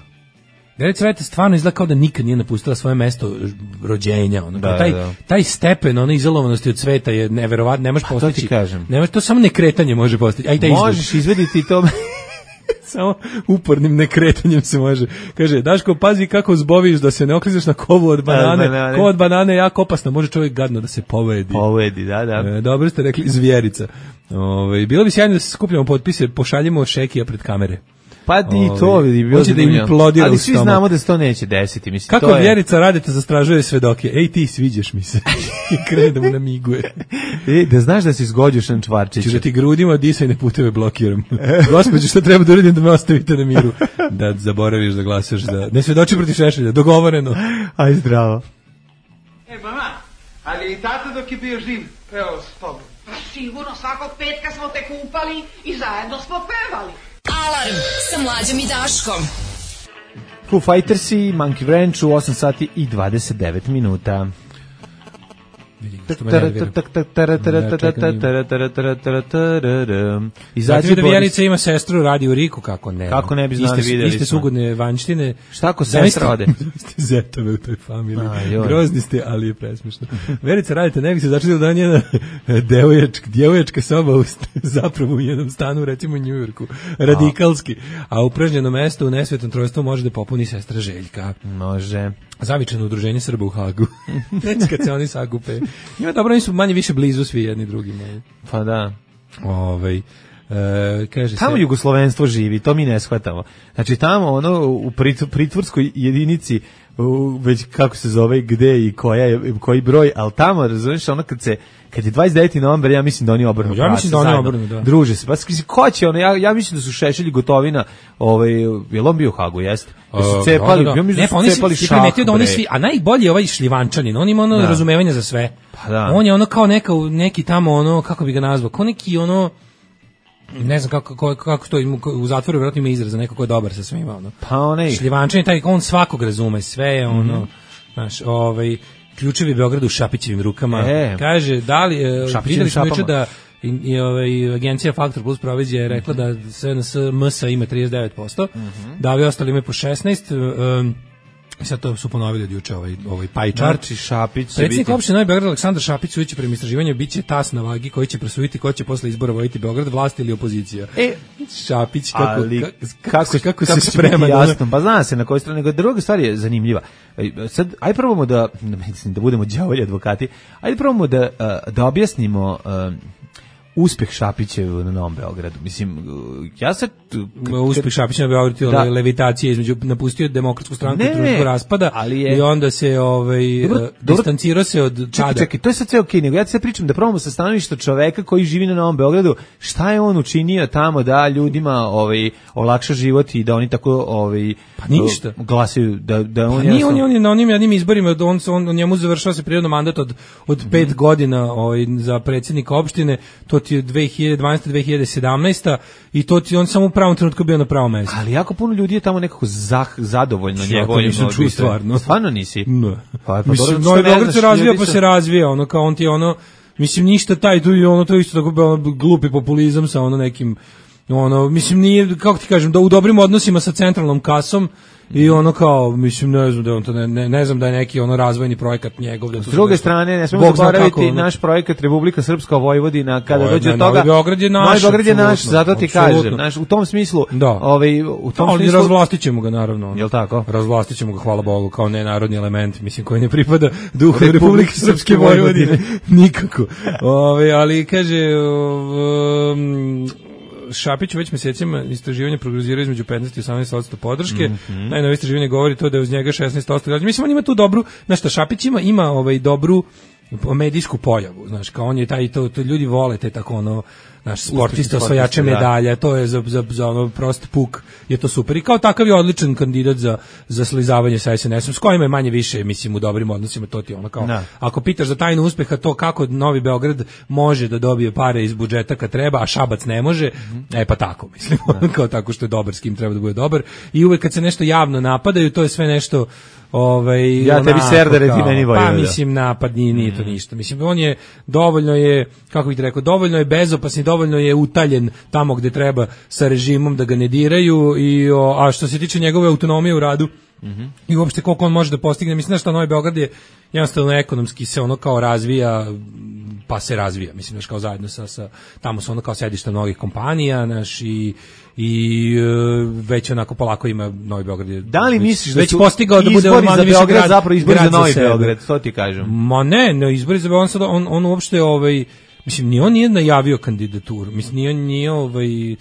Verica Radeta stvarno izgleda kao da nikad nije napustila svoje mesto rođenja, ono, da, taj, da. taj stepen ono izolovanosti od sveta je neverovatno, ne možeš postići. To ti kažem. Ne možeš, to samo nekretanje može postići. Aj taj možeš izvediti to. Samo upornim nekretanjem se može. Kaže, Daško, pazi kako zboviš da se ne oklizaš na kovu od banane. Da, ko od banane je jako opasno, može čovjek gadno da se povedi. Povedi, da, da. E, dobro ste rekli, zvijerica. Ove, bilo bi sjajno da se skupljamo potpise, pošaljimo Šekija pred kamere. Pa i to vidi, bilo da im implodira. Ali svi znamo da se to neće desiti, mislim. Kako to je... Vjerica Radeta zastražuje svedoke. Ej, ti sviđaš mi se. I krene da mu namiguje. Ej, da znaš da si zgođušan Čvarčić. Ću da ti grudima disajne puteve blokiram. Gospođo, šta treba da uradim da me ostavite na miru? Da zaboraviš da glasaš za... Ne svedoči protiv Šešelja, dogovoreno. Aj, zdravo. E, mama, ali i tata dok je bio živ, peo s tobom. Pa sigurno, svakog petka smo te kupali i zajedno smo pevali. Alarm sa Mlađom i Daškom. Foo Fightersi, Monkey Ranch u osam sati i dvadeset devet minuta. Izaći da Vjerica ima sestru, radi u Riku, kako ne? Kako ne bi znali, iste, vidjeli iste sugodne vanjštine. Šta ako sestra ode? Ste zetove u toj familiji. Grozni ste, ali je presmišno. Vjerica, radite, ne bi se začeli da njena devoječka, djevoječka soba u, zapravo u jednom stanu, recimo u Njujorku, radikalski. A upražnjeno mesto u nesvetom trojstvu može da popuni sestra Željka. Može. Zavičano udruženje Srba u Hagu. Neći kad se oni sagupe. Ima dobro, oni su manje više blizu svi jedni drugima. Pa da. Ovaj, e, kaže tamo se... jugoslovenstvo živi, to mi ne shvatamo. Znači tamo ono u pritvorskoj jedinici, u, već kako se zove, gde i koja je, koji broj, ali tamo, razumiješ, ono kad se kad je dvadeset deveti novembar, ja mislim da oni obrnu. Ja mislim da oni obrnu, da. Druže se. Pa ko će ono, ja, ja mislim da su Šešelj i Gotovina, ovaj, je on bio u Hagu, jeste? Da su cepali, da, da. ja mislim ne, da pa su cepali si, šah, da oni svi, a najbolji je ovaj Šljivančanin, on ima ono da. razumevanja za sve. Pa da. On je ono kao neka, neki tamo ono, kako bi ga nazvao, kao neki ono, ne znam kako, kako, kako to u zatvoru vjerojatno ima izraz za neko ko je dobar sa svima. Ono. Pa onaj. Šljivančanin, taj, on svakog razume, sve je ono, mm-hmm. znaš, ovaj, ključevi Beogradu u Šapićevim rukama. E, kaže, da li, videli smo juče da i, i ovaj, agencija Faktor Plus provizija je rekla da S N S M S ima trideset devet posto, mm-hmm. da ovi ostali imaju po šesnaest posto, um, sad to su ponovili od juče ovaj, ovaj pie chart. Znači, Šapić predsjednik opštine Novi Beograd Aleksandar Šapić sujeći prema istraživanju biće tas na vagi koji će prosuditi ko će posle izbora voditi Beograd, vlast ili opozicija. E, Šapić kako, ali, kako, kako, kako, kako se sprema. Jasno, pa zna se na kojoj strani. Nego druga stvar je zanimljiva. Sad, aj probamo da, da budemo đavolji advokati, ajde probamo da, da objasnimo uspeh Šapićev na Novom Beogradu. Mislim, ja sad... Uspeh Šapića na Beogradu, da. Levitacije između, napustio demokratsku stranku i društvo raspada ali je, i onda se ovaj, dobro, distancirao se od tada. Čekaj, čekaj, to je sad sve okej, nego ja ti sad pričam da probamo sa stanovišta čoveka koji živi na Novom Beogradu, šta je on učinio tamo da ljudima ovaj, olakša život i da oni tako ovaj, pa ništa. Glasaju, da, da on... Pa nije on, on je na onim jednim izborima, on, on, on njemu završava se prirodno mandat od, od mm-hmm. pet godina ovaj, za predsjednika opštine, to ti je dve hiljade dvanaesta dve hiljade sedamnaesta i to ti on samo u pravom trenutku bio na pravom mjestu. Ali jako puno ljudi je tamo nekako zah, zadovoljno njegovim. Nisam čuo stvarno. Stvarno nisi? Ne. Pa, pa mislim, Novi Beograd se razvija pa se razvija, ono kao on ti je ono, mislim ništa taj, tu je ono, to isto tako glupi populizam sa ono nekim ono, mislim, nije, kako ti kažem, da u dobrim odnosima sa centralnom kasom i ono kao, mislim, ne znam da je on to, ne, ne, ne znam da je neki ono razvojni projekat njegov. Da S druge strane, ne smemo zaboraviti ono, naš projekat Republika Srpska Vojvodina, kada dođe do toga. Novi Beograd je naš. Novi Beograd je naš, zato ti kažem. Naš, u tom smislu, da. Ovaj, u tom ali smislu... razvlastit ćemo ga, naravno. Jel tako? Razvlastit ćemo ga, hvala Bogu, kao nenarodni element, mislim, koji ne pripada duhu Republike Srpske Vojvodine. Nikako. Ove, ali, kaže... Um, Šapić već mesecima istraživanje prognoziraju između petnaest i osamnaest posto podrške. Mm -hmm. Najnovije istraživanje govori to da je uz njega šesnaest posto građana. Mislim, on ima tu dobru, znaš šta, Šapić ima, ima ovaj dobru medijsku pojavu, znaš, kao on je taj, to, to ljudi vole te tako ono, naš sportista, osvajače medalja, to je za, za, za ono prost puk, je to super. I kao takav je odličan kandidat za, za slizavanje sa es en esom, s kojima je manje više, mislim, u dobrim odnosima, to ti ono kao, no. Ako pitaš za tajnu uspeha, to kako Novi Beograd može da dobije pare iz budžeta kad treba, a Šabac ne može, mm-hmm. e pa tako, mislim, no. Kao tako što je dobar, s kim treba da bude dobar. I uvek kad se nešto javno napadaju, to je sve nešto ovaj ja tebi serdare ti meni pa mislim napad nije, nije to ništa. Mislim on je dovoljno je kako bih rekao dovoljno je bezopasan, dovoljno je utaljen tamo gde treba sa režimom da ga ne diraju i o, a što se tiče njegove autonomije u radu mm-hmm. i uopšte koliko on može da postigne, mislim da što Novi Beograd je jednostavno ekonomski se ono kao razvija pa se razvija, mislim da kao zajedno sa, sa tamo su ono kao sedišta mnogih kompanija naš i i uh, već onako polako ima Novi Beograd. Da li misliš da već su postigao da bude izbori za Beograd grad, zapravo izbori za Novi za Beograd, to ti kažem. Ma ne, ne izbori za Beograd, on, on, on uopšte ovaj, mislim, ni on nije najavio kandidaturu, mislim, nije, nije ovaj,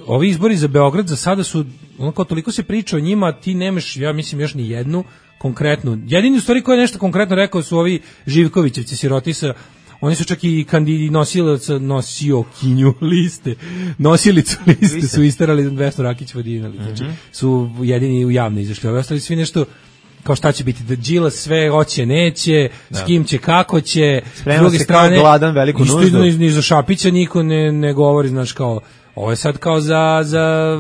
ovi izbori za Beograd za sada su, onako toliko se priča o njima, ti nemaš, ja mislim, još ni jednu konkretnu, jedini u stvari koji je nešto konkretno rekao su ovi Živkovićevci, sirotisa. Oni su čak i kandidi nosilac nosio kinju liste, nosilicu liste, liste. Su isterali Vesnu Rakić Vodinali, znači mm-hmm. su jedini u javno izašli. Ovi ostali svi nešto kao šta će biti, da Đilas sve hoće, neće, da. S kim će, kako će, sprema s druge strane, gladan veliku nuždu. Isto ni, ni za Šapića niko ne, ne govori, znaš, kao, ovo je sad kao za, za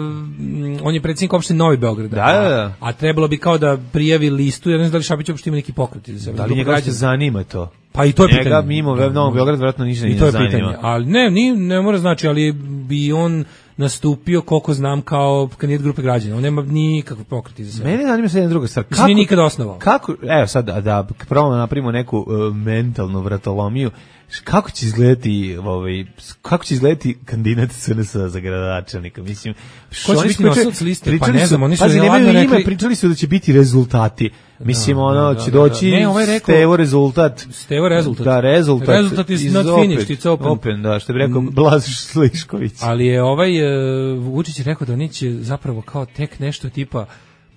on je predsjednik opštine Novi Beograd, da, da, da. A, a trebalo bi kao da prijavi listu, ja ne znam da li Šapić uopšte ima neki pokret za sebe. Da li njega se zanima to? Pa i to je njega pitanje. Njega mimo da, Novog Beograd vjerojatno ništa ne zanima. I to je pitanje, ali ne, ni, ne mora znači, ali bi on nastupio, koliko znam, kao kandidat grupe građana. On nema nikakve pokreti za sebe. Mene zanima se jedna druga stvar. Kako, nije nikada osnovao. Kako, evo sad, da, da probamo napravimo neku uh, mentalnu vratolomiju, kako će izgledati ovaj kako će izgledati kandidat S N S za gradonačelnika, mislim ko će biti nosilac liste, pa ne znam, oni su pa nemaju ime, pričali su da će biti rezultati, mislim, da, ono da, će da, doći da, da. Ne, ovaj rekao, Stevo rezultat Stevo rezultat da, rezultat rezultat is not finished, it's open, open da, što bi rekao Blaž Slišković. Ali je ovaj uh, Vučić rekao da oni će zapravo kao tek nešto tipa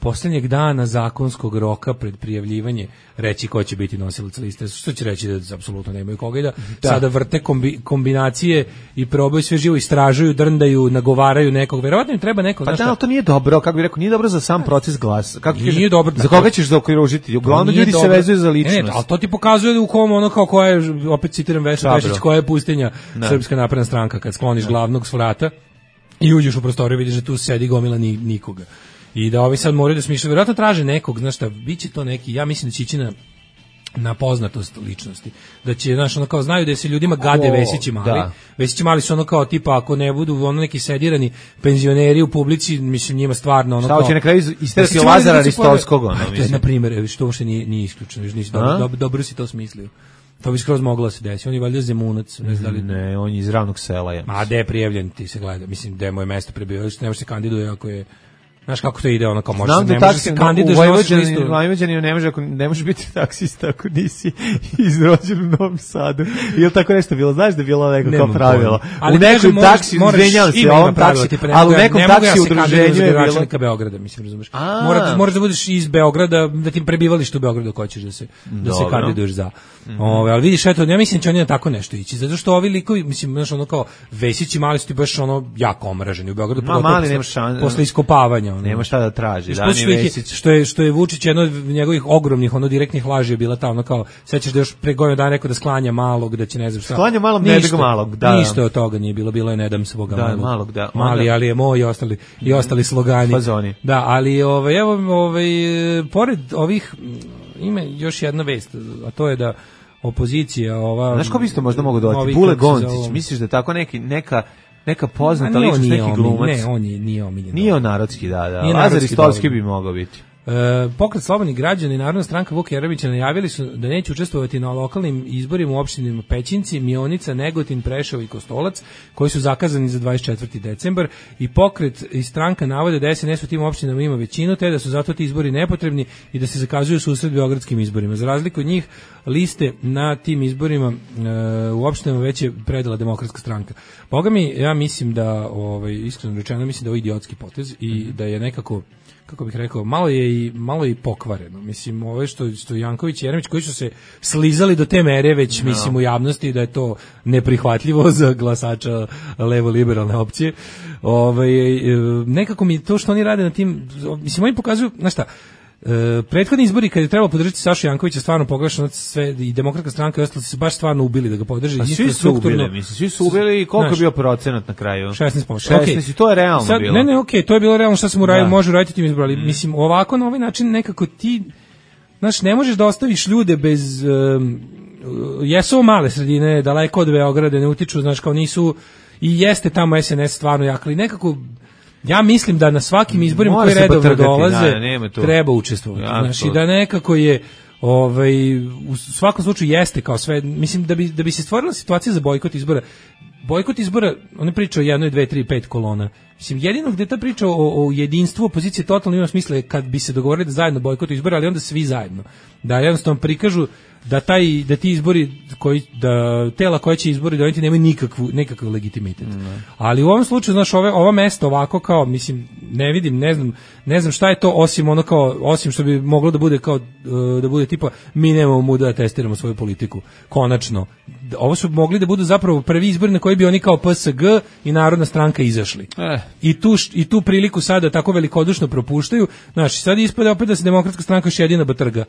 poslednjeg dana zakonskog roka pred prijavljivanje reći ko će biti nosilac liste, što će reći da apsolutno nemaju koga i da, da. Sada vrte kombi, kombinacije i probaju sve živo, istražuju, drndaju, nagovaraju nekog, verovatno im treba nekog. Pa da, ali to nije dobro, kako bih rekao, nije dobro za sam proces glasa. Kako nije kažeš, dobro. Za koga ćeš zaokružiti? Uglavnom ljudi dobro. Se vezuju za ličnost. Ne, ali to ti pokazuje u kom ono kao koja je, opet citiram Vesnu Pešić, koja je pustinja da. Srpska napredna stranka, kad skloniš da. Glavnog s vrata i uđeš u prostoriju, vidiš da tu sedi gomila ni, nikoga. I da ovi sad moraju da smišljaju, vjerojatno traže nekog, znaš šta, bit će to neki, ja mislim da će ići na, na poznatost ličnosti. Da će, znaš, ono kao, znaju da se ljudima gade o, Vesići mali. Da. Vesići mali su ono kao, tipa, ako ne budu ono neki sedirani penzioneri u publici, mislim, njima stvarno ono šta, kao... Šta će na kraju isterati Lazara Ristovskog, ono, mislim. To je, na primjer, što uopšte nije, nije isključeno, nisi dobro, dobro, dobro si to smislio. To bi skroz moglo da se desi. On je valjda Zemunac, ne znam da li... Ne, on je iz ravnog sela, ja mislim. A gde je prijavljen, ti se gleda, mislim, gde je moje mesto prebivalište, ne može se kandiduje ako je... Znaš kako to ide, ono kao može, ne može se kandiduješ na listu. U Vojvođani ne može, ako ne može biti taksista ako nisi izrođen u Novom Sadu. Ili tako nešto bilo, znaš da je bilo neko kao pravilo. Ali u nekom taksi, izvinjavam se, ovom taksi, ali u nekom taksi udruženju je bilo... Beograda, mislim, razumeš. Moraš, moraš da budeš iz Beograda, da ti prebivalište u Beogradu hoćeš da se, da se kandiduješ za. Ove, ali vidiš, eto, ja mislim da će oni na tako nešto ići, zato što ovi likovi, mislim, znaš, ono kao Vesići mali su ti baš ono jako omraženi u Beogradu, posle iskopavanja. Nema šta da traži, da, ni Vesić. Što je, što je Vučić jedno od njegovih ogromnih, ono direktnih laži je bila ta, ono kao, sećaš da još pre godinu dana rekao da sklanja malog, da će ne znam šta. Sklanja malog, ne da malog, da. Ništa od toga nije bilo, bilo je ne dam svoga da, malog. malog da. Mali, ali je moj i ostali, i ostali slogani. Fazoni. Da, ali ovaj, evo, ovaj, pored ovih, ima još jedna vest, a to je da opozicija, ova... Znaš ko bi isto možda mogu dodati? Bule Goncić, misliš da tako neki, neka neka poznata A, ličnost, neki omiljen, glumac. Ne, on je, nije omiljen. Nije on narodski, da, da. Nije Lazar narodski Istovski dovoljno. bi mogao biti. E, pokret slobodnih građana i Narodna stranka Vuka Jeremića najavili su da neće učestvovati na lokalnim izborima u opštinama Pećinci, Mionica, Negotin, Preševo i Kostolac, koji su zakazani za dvadeset četvrti decembar, i pokret i stranka navode da S N S u tim opštinama ima većinu, te da su zato ti izbori nepotrebni i da se zakazuju susret beogradskim izborima. Za razliku od njih, liste na tim izborima e, u opštinama već je predala Demokratska stranka. Boga mi, ja mislim da, ovaj, iskreno rečeno, mislim da je ovo idiotski potez i da je nekako, kako bih rekao, malo je i malo je i pokvareno. Mislim, ove što što Janković i Jeremić koji su se slizali do te mere već, no. mislim, u javnosti da je to neprihvatljivo za glasača levo liberalne opcije. Ovaj nekako mi to što oni rade na tim, mislim, oni pokazuju, znaš šta, E, prethodni izbori kad je trebalo podržati Sašu Jankovića stvarno pogrešno sve i Demokratska stranka i ostali su baš stvarno ubili da ga podrži. A svi su ubili, mislim, svi su ubili i koliko je bio procenat na kraju? šesnaest posto. šesnaest okay. I to je realno sad, bilo. Ne, ne, okej, okay, to je bilo realno šta se mu radio, može raditi tim izborima, mm. mislim, ovako na ovaj način nekako ti, znaš, ne možeš da ostaviš ljude bez, um, jesu male sredine, daleko od Beograda, ne utiču, znaš, kao nisu, i jeste tamo S N S stvarno jak, ali nekako ja mislim da na svakim izborima koji redovno dolaze da, treba učestvovati. Ja, znači to. Da nekako je ovaj u svakom slučaju jeste kao sve, mislim da bi da bi se stvorila situacija za bojkot izbora. Bojkot izbora, oni pričaju o jednoj, dve, tri, pet kolona. Mislim, jedino gde ta priča o, o jedinstvu opozicije totalno ima smisla kad bi se dogovorili da zajedno bojkotuju izbore, ali onda svi zajedno. Da jednostavno prikažu da taj da ti izbori koji da tela koja će izbori doneti nemaju nikakvu nekakav legitimitet. Mm. Ali u ovom slučaju, znaš, ove ova mesta ovako kao, mislim, ne vidim, ne znam, ne znam šta je to osim ono kao osim što bi moglo da bude kao da bude tipa mi nemamo muda da testiramo svoju politiku. Konačno, ovo su mogli da budu zapravo prvi izbori na koji bi oni kao P S G i Narodna stranka izašli. Eh. I tu i tu priliku sada tako velikodušno propuštaju. Znaš, sad ispada opet da se Demokratska stranka još jedina batrga.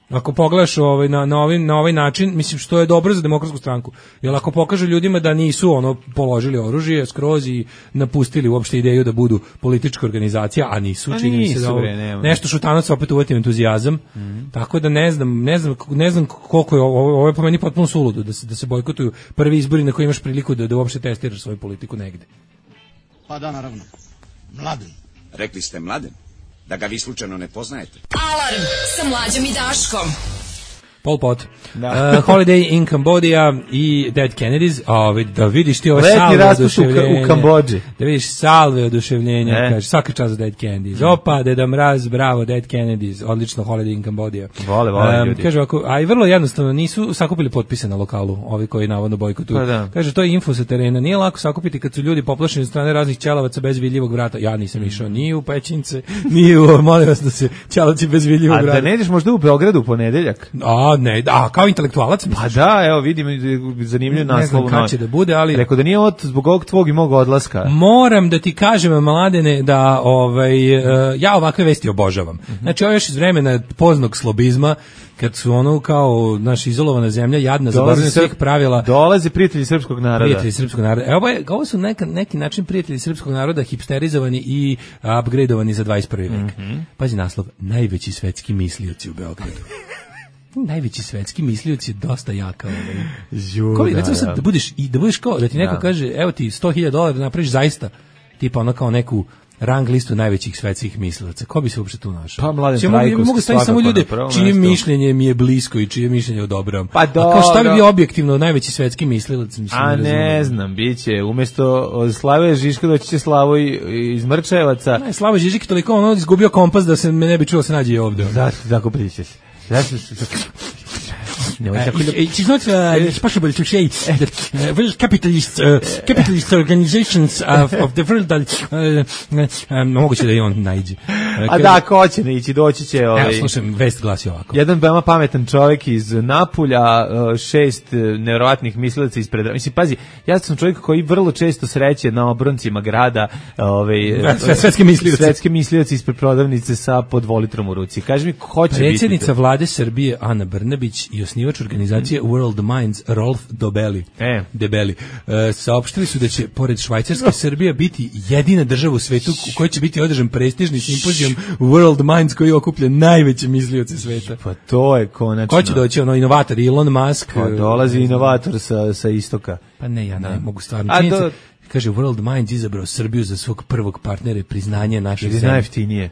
Ako pogledaš ovaj, na, na, ovaj, na ovaj način, mislim što je dobro za Demokratsku stranku. Jer ako pokaže ljudima da nisu ono položili oružje skroz i napustili uopšte ideju da budu politička organizacija, a nisu, a čini nisu, se da ovo, bre, nešto Šutanovac opet uvati entuzijazam. Mm-hmm. Tako da ne znam, ne znam, ne znam koliko je ovo, ovo je po meni potpuno suludo da se, da se bojkotuju prvi izbori na koji imaš priliku da, da uopšte testiraš svoju politiku negde. Pa da, naravno. Mladen. Rekli ste Mladen? Da ga vi slučajno ne poznajete. Alarm sa Mlađom i Daškom. Pol Pot. Da. Uh, Holiday in Cambodia i Dead Kennedys. O, da vidiš ti ove letnji salve oduševljenja. U Kambodži. Da vidiš salve oduševljenja. E. Kaže, svaka čast za Dead Kennedys. Opa, Deda Mraz, bravo, Dead Kennedys. Odlično, Holiday in Cambodia. Vole, vole um, ljudi. Kaže, ako, a i vrlo jednostavno, nisu sakupili potpise na lokalu, ovi koji navodno bojkotuju. Pa da. Kaže, to je info sa terena. Nije lako sakupiti kad su ljudi poplašeni od strane raznih ćelavaca bez vidljivog vrata. Ja nisam išao ni u Pećince, ni u, molim vas da se ćelavci bez vidljivog vrata. A da ne ideš možda u Beogradu u ponedeljak? A, ne, da, kao intelektualac. Pa da, evo vidim zanimljiv naslov. Ne znam kada će da bude, ali rekao da nije od zbog ovog tvog i mog odlaska. Moram da ti kažem, Mladene, da ovaj ja ovakve vesti obožavam. Mm-hmm. Znači, ovo još iz vremena poznog slobizma, kad su ono kao naša izolovana zemlja, jadna, zaboravljena svih pravila. Dolaze prijatelji srpskog naroda. Prijatelji srpskog naroda. Evo, ovo su neka, neki način prijatelji srpskog naroda hipsterizovani i upgradeovani za dvadeset prvi vek. Mm-hmm. Pazi naslov, najveći svetski mislioci u Beogradu. Najveći svetski mislioci je dosta jaka. Kao da, recimo sad da budeš i da budeš kao da ti neko da. kaže evo ti sto hiljada dolara da napraviš zaista tipa ono kao neku rang listu najvećih svetskih mislilaca. Ko bi se uopšte tu našao? Pa Mladen Trajkovski. Mogu staviti samo ljude čije mišljenje mi je blisko i čije mišljenje odobravam. Pa do, a kao šta bi bio objektivno najveći svetski mislilac? Mislim, a ne, ne znam, biće umesto Slave Žižka doći će Slavo iz Mrčajevaca. Ne, Slavo Žižik toliko ono izgubio kompas da se me ne bi čuo se nađe ovde. Da, tako pričaš. No, it is not uh, possible to say that uh, well, capitalist uh, capitalist organizations of, of the world uh, um, moguće da i on najde. A da, ko će ne ići, doći će ovaj. Evo, slušam, vest glasi ovako. Jedan veoma pametan čovjek iz Napulja, šest nevjerovatnih mislilaca ispred. Mislim, pazi, ja sam čovjek koji vrlo često sreće na obroncima grada, ovaj svetske mislioci. Svetske mislioci ispred prodavnice sa po dvolitrom u ruci. Kaži mi ko će biti? Predsjednica vlade Srbije Ana Brnabić i osnivač organizacije mm. World Minds Rolf Dobelli, e. Debeli, e, saopštili su da će pored Švajcarske Srbija biti jedina država u svetu u kojoj će biti održan prestižni simpozijum World Minds koji okuplja najveće mislioce sveta. Pa to je konačno. Ko će doći, ono, inovator Elon Musk? Pa dolazi inovator sa, sa istoka. Pa ne, ja ne da. mogu stvarno. A do... Kaže, World Minds izabrao Srbiju za svog prvog partnera i priznanje naše zemlje. Ili najjeftinije.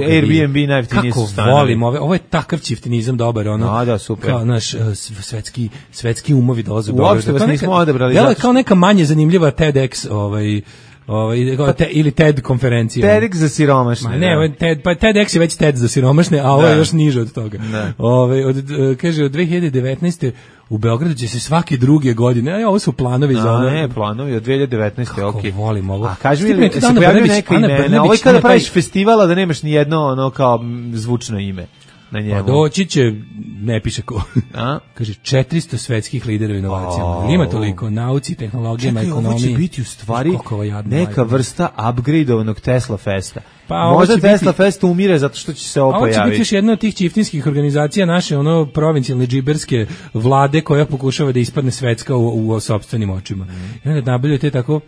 Airbnb najjeftinije su stanovi. Kako volim ove, ovo je takav čiftinizam dobar, ono. A, da, super. Kao naš svetski, svetski umovi dolaze u Beograd. Uopšte vas nismo odabrali. Delo je kao neka manje zanimljiva TEDx, ovaj, ovaj, te, ili TED konferencija. TEDx za siromašne. Ma ne, da. TED, pa TEDx je već TED za siromašne, a ovo je još niže od toga. Ovaj, od, kaže, od dve hiljade devetnaeste u Beogradu će se svake druge godine, a ovo su planovi za ono. Ne, planovi od dve hiljade devetnaeste, okej. Kako volim ovo. A kaži mi, se pojavljaju neka imena, ovo je kada praviš festivala da nemaš ni jedno ono kao zvučno ime na njemu. Pa doći će, ne piše ko, a? Kaže četiristo svetskih lidera u inovacijama. Oh. Ima toliko, nauci, tehnologijama, ekonomiji. Čekaj, ovo će biti u stvari neka vrsta upgradeovanog Tesla Festa. Pa, možda Tesla biti, Fest umire zato što će se ovo pojaviti. Ovo će biti još jedna od tih čiftinskih organizacija naše, ono, provincijalne džiberske vlade koja pokušava da ispadne svetska u, u sopstvenim očima. Mm. I onda nabavljaju te tako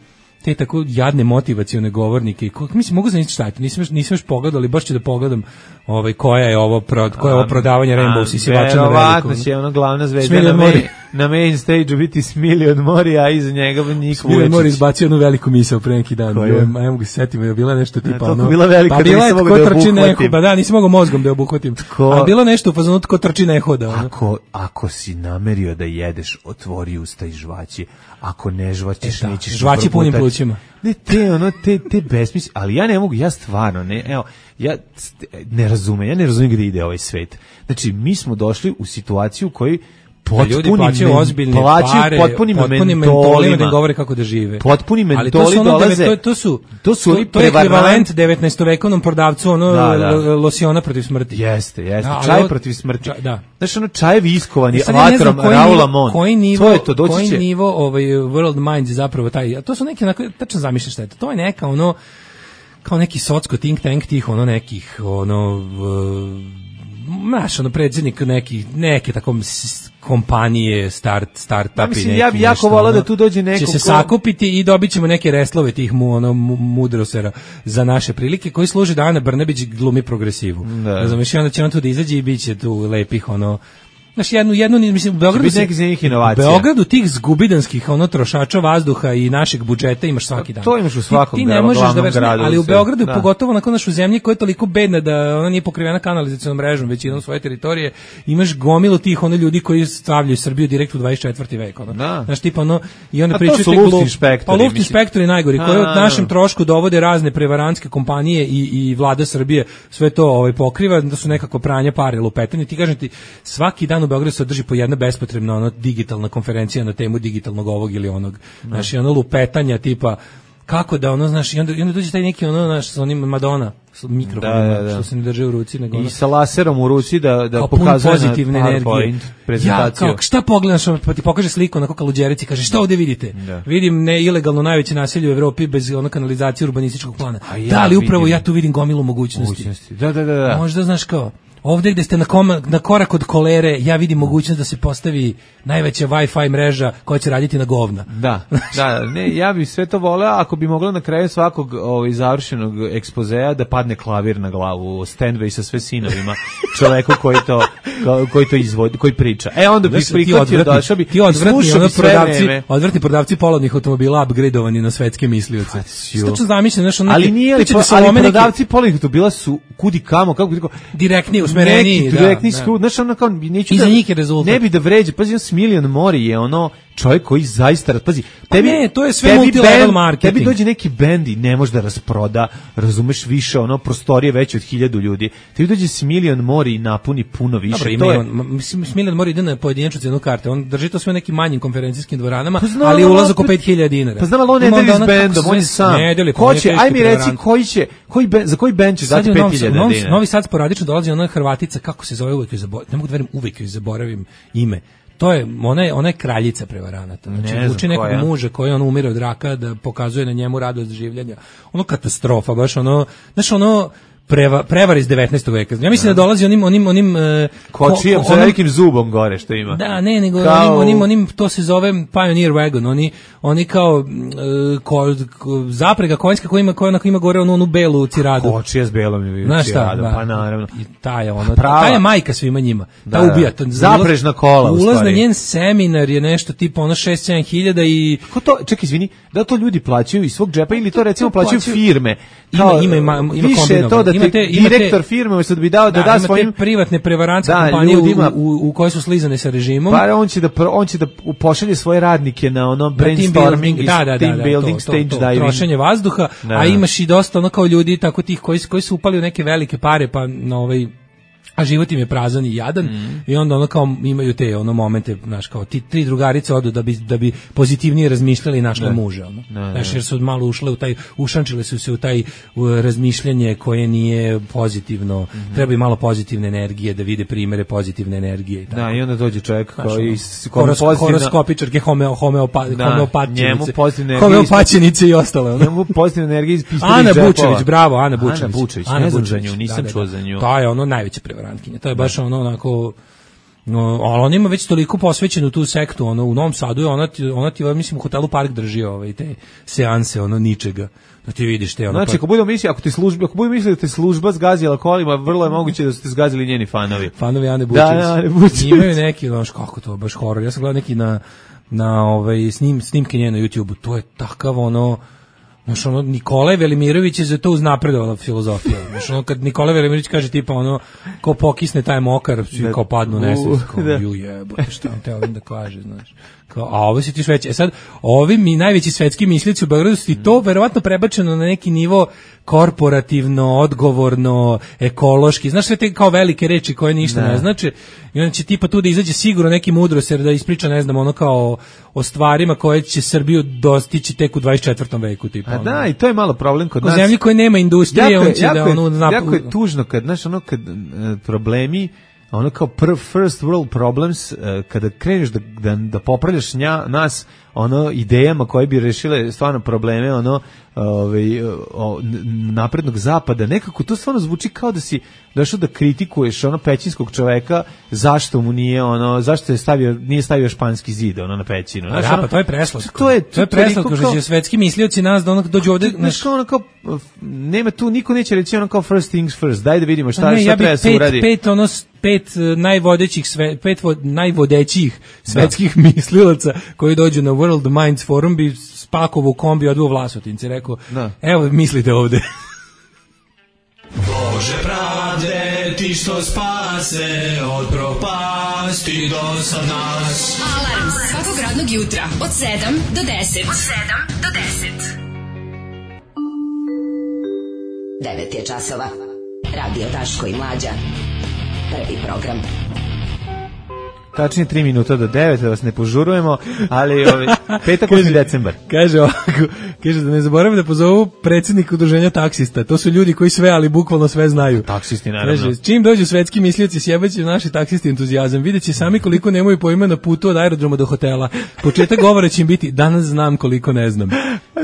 te tako jadne motivacione govornike. Mislim, mogu zamisliti šta je to, nisam, nisam još pogledao, ali baš ću da pogledam ovaj, koja je ovo, pro, koja je ovo prodavanje Rainbow Sisivača na velikom. Verovatno će ono glavna zvezda na main, na main stage-u biti Smiljan Mori, a iza njega Nik Vuječić. Smiljan Mori izbacio jednu veliku misao pre neki dan. A ja mogu se setiti, je bila nešto tipa... ono, bila velika pa da nisam mogu da je obuhvatim. Pa da, nisam mogu mozgom da je obuhvatim. Tko, a bilo nešto u fazonu tko trči ne hoda. Ono. Ako, ako si namerio da jedeš, otvori usta i žvaći. Ako ne žvaćeš, e, nećeš... Žvaći punim plućima. Ne, te, ono, te, te besmisli, ali ja ne mogu, ja stvarno, ne, evo, ja ne razumem, ja ne razumem gde ide ovaj svet. Znači, mi smo došli u situaciju u kojoj potpuni ljudi plaćaju ozbiljne pare, potpunim potpuni mentolima da govore kako da žive. Potpuni mentoli dolaze. To, to su to su to, to je ekvivalent devetnaestovekovnom prodavcu ono da, da. losiona protiv smrti. Jeste, jeste. Da, čaj ovo, protiv smrti. Čaj, da. Znaš, ono čajevi iskovani ja vatrom Raula Mon. Koji nivo, to je to, doći koji će. nivo ovaj World Minds zapravo taj. To su neki onako tačno zamišljaš šta je to. To je neka ono kao neki socsko think tank tih ono nekih ono naš ono predsjednik nekih neke tako kompanije start startupi ja mislim, neki ja jako volao da tu dođe neko će se ko... sakupiti i dobićemo neke reslove tih mu ono mudrosera za naše prilike koji služe da Ana Brnabić glumi progresivu. Da. Znači onda će on tu da izađe i biće tu lepih ono Znači jednu jednu mislim u Beogradu se u Beogradu tih zgubidanskih ono trošača vazduha i našeg budžeta imaš svaki dan. To imaš u svakom ti, ti ne možeš da verš, gradu, ali u Beogradu da. Pogotovo na našu zemlji koja je toliko bedna da ona nije pokrivena kanalizacionom mrežom većinom svoje teritorije, imaš gomilu tih ono ljudi koji stavljaju Srbiju direkt u dvadeset četvrti vek ono. Da. Znaš tipa ono i onda pričaju te luft inspektori. Pa luft inspektori najgori koji od našem trošku dovode razne prevarantske kompanije i i vlada Srbije sve to ovaj pokriva da su nekako pranje pare lupetanje. Ti kažem ti svaki dan u Beogradu se održi po jedna bespotrebna ono digitalna konferencija na temu digitalnog ovog ili onog. Znači ono lupetanja tipa kako da ono znaš i onda, i onda dođe taj neki ono naš sa onim Madonna sa mikrofonom da, da, da. Što se ne drži u ruci nego i sa laserom u ruci da da pokazuje pozitivne energije prezentaciju. Ja, kao, šta pogledaš pa ti pokaže sliku na kako luđerici kaže šta ovde vidite? Da. Vidim ne ilegalno najveće naselje u Evropi bez ono kanalizacije urbanističkog plana. Ja da li upravo vidim. Ja tu vidim gomilu mogućnosti. mogućnosti. Da, da, da, da. Možda znaš kao ovdje gde ste na, koma, na korak od kolere, ja vidim mogućnost da se postavi najveća Wi-Fi mreža koja će raditi na govna. Da, da, ne, ja bih sve to voleo ako bi moglo na kraju svakog ovaj, završenog ekspozea da padne klavir na glavu, Stanway sa sve sinovima, čoveku koji to, koji to izvodi, koji priča. E, onda bih prihvatio, došao bi, ti odvratni, ono prodavci, odvratni prodavci polovnih automobila upgradeovani na svetske mislioce. Stačno zamišljam, znaš, ono ali nije li, ali prodavci polovnih automobila su kudi kamo, kako bi rekao, direktni usmereniji, da. Direktni skrud, znaš, ono kao, neću da, ne bi da vređe, pazi, Smiljan Mori je ono, čovjek koji zaista, pazi, tebi, pa ne, to je sve multilevel marketing. Tebi dođe neki bend i ne može da rasproda, razumeš više, ono, prostorije veće od hiljadu ljudi. Tebi dođe Smiljan Mori i napuni puno više. Dobro, to je... on, Smiljan Mori ide na pojedinačnu cenu karte, on drži to sve u nekim manjim konferencijskim dvoranama, pa znam, ali ulaz oko pet hiljada dinara. Pa znam, ali on ne deli s bendom, on je sam. Ko će, aj mi reci, koji će, koji ben, za koji bend će dati pet hiljada dinara? Novi Sad sporadično dolazi ona Hrvatica, kako se zove, uvek joj zaboravim, ne mogu da verujem, uvek joj zaboravim ime. To je, ona je, ona je kraljica prevaranata. Znači, uči nekog koja. muža koji on umire od raka da pokazuje na njemu radost življenja. Ono katastrofa, baš ono, znaš ono, preva, prevar iz devetnaestog veka. Ja mislim da, da dolazi onim onim onim uh, kočijom ko, sa velikim zubom gore što ima. Da, ne, nego kao... onim, onim onim to se zove Pioneer Wagon, oni oni kao uh, ko, ko, zaprega konjska koja ima koja onako ima gore onu, onu belu ciradu. Kočija s belom je Znaš ciradu, šta, pa naravno. I ta je ona, ta je majka svima njima. Ta da, ubija. Ta, zaprežna kola u ulaz stvari. Na njen seminar je nešto tipa ono šest sedam hiljada i kako to, čekaj, izvini, da to ljudi plaćaju iz svog džepa ili to recimo plaćaju firme? Kao, ima ima ima više to da ti imate, direktor imate, firme umesto da bi dao da da, da svojim privatne prevarantske da, kompanije u, u, u koje su slizane sa režimom. Pa on će da on će da pošalje svoje radnike na ono brainstorming i da, da, team da, building, to, stage to, to, diving, trošenje vazduha, da. A imaš i dosta ono kao ljudi tako tih koji koji su upali u neke velike pare pa na ovaj a život im je prazan i jadan mm. i onda ono kao imaju te ono momente, znaš, kao ti tri drugarice odu da bi da bi pozitivnije razmišljali i našle muža, ono. Znaš, jer su malo ušle u taj, ušančile su se u taj u razmišljanje koje nije pozitivno, mm-hmm. treba i malo pozitivne energije da vide primere pozitivne energije i tako. Da, i onda dođe čovjek koji horos, horoskopičarke, homeo, homeopa, da, homeopatinice, pozitivne homeopatinice i ostale. Ono. Njemu pozitivne energije iz pištolja. Ana Bučević, bravo, Ana Bučević. Ana Bučević, ne znam za nju, nisam čuo za nju. To je ono najveće prevarantkinja. To je baš ono onako, no, ali on ima već toliko posvećenu tu sektu, ono u Novom Sadu je ona ti, ona ti mislim u hotelu Park drži ovaj te seanse ono ničega. Da ti vidiš te ono. Znači, ako budemo misliti, ako ti služba, ako budemo misliti da te služba zgazila kolima, vrlo je moguće da su te zgazili njeni fanovi. Fanovi Ane Bučević. Da, Ane Bučević. Imaju neki, znaš kako to baš horor. Ja sam gledao neki na na ovaj snim snimke nje na YouTubeu. To je takav ono. Znaš, ono, Nikolaj Velimirović je za to uznapredovala filozofija. Znaš, ono, kad Nikolaj Velimirović kaže tipa, ono, ko pokisne taj mokar, svi kao padnu nesvijest, kao, ju jebote, šta vam te ovim da kaže, znaš. Kao, a ovo si ti sveći. E sad, ovi mi najveći svetski mislici u Beogradu su ti to verovatno prebačeno na neki nivo korporativno, odgovorno, ekološki, znaš sve te kao velike reči koje ništa ne, ne znače, i onda će tipa tu da izađe sigurno neki mudroser da ispriča, ne znam, ono kao o stvarima koje će Srbiju dostići tek u dvadeset četvrtom veku, tipa. A da, i to je malo problem kod nas. U zemlji koje nema industrije, jako, on će jako da ono... Je, jako je tužno kad, znaš, ono, kad uh, problemi, ono kao prv, first world problems, uh, kada kreneš da, da, da popravljaš nja, nas, ono, idejama koje bi rešile stvarno probleme, ono, ovaj, o, naprednog zapada, nekako to stvarno zvuči kao da si došao da kritikuješ ono pećinskog čoveka, zašto mu nije ono, zašto je stavio, nije stavio španski zid ono na pećinu. Znaš, da, ono, pa to je preslatko. To je, to je preslatko što će svetski mislioci nas da onak dođu ovde, znaš, kao ono kao, nema tu, niko neće reći ono kao first things first, daj da vidimo šta, ne, šta ja treba se uradi. Pet, ono, pet najvodećih, sve, pet najvodećih svetskih da. mislilaca koji dođu na World Minds Forum bi spakovo u kombi odveo Vlasotince, rekao, da. Evo mislite ovde. Bože pravde, ti što spase od propasti do sad nas. Alarm svakog radnog jutra od sedam do deset. Od sedam do deset. devet je časova. Radio Daško i Mlađa. Prvi program. Tačnije tri minuta do devet, da vas ne požurujemo, ali ovaj, petak osmi decembar. Kaže ovako, kaže da ne zaboravim da pozovu predsjednika udruženja taksista. To su ljudi koji sve, ali bukvalno sve znaju. Taksisti, naravno. Kaže, čim dođu svetski mislioci, sjebaće naši taksisti entuzijazam. Vidjet će sami koliko nemaju pojma na putu od aerodroma do hotela. Početak govora će im biti, danas znam koliko ne znam.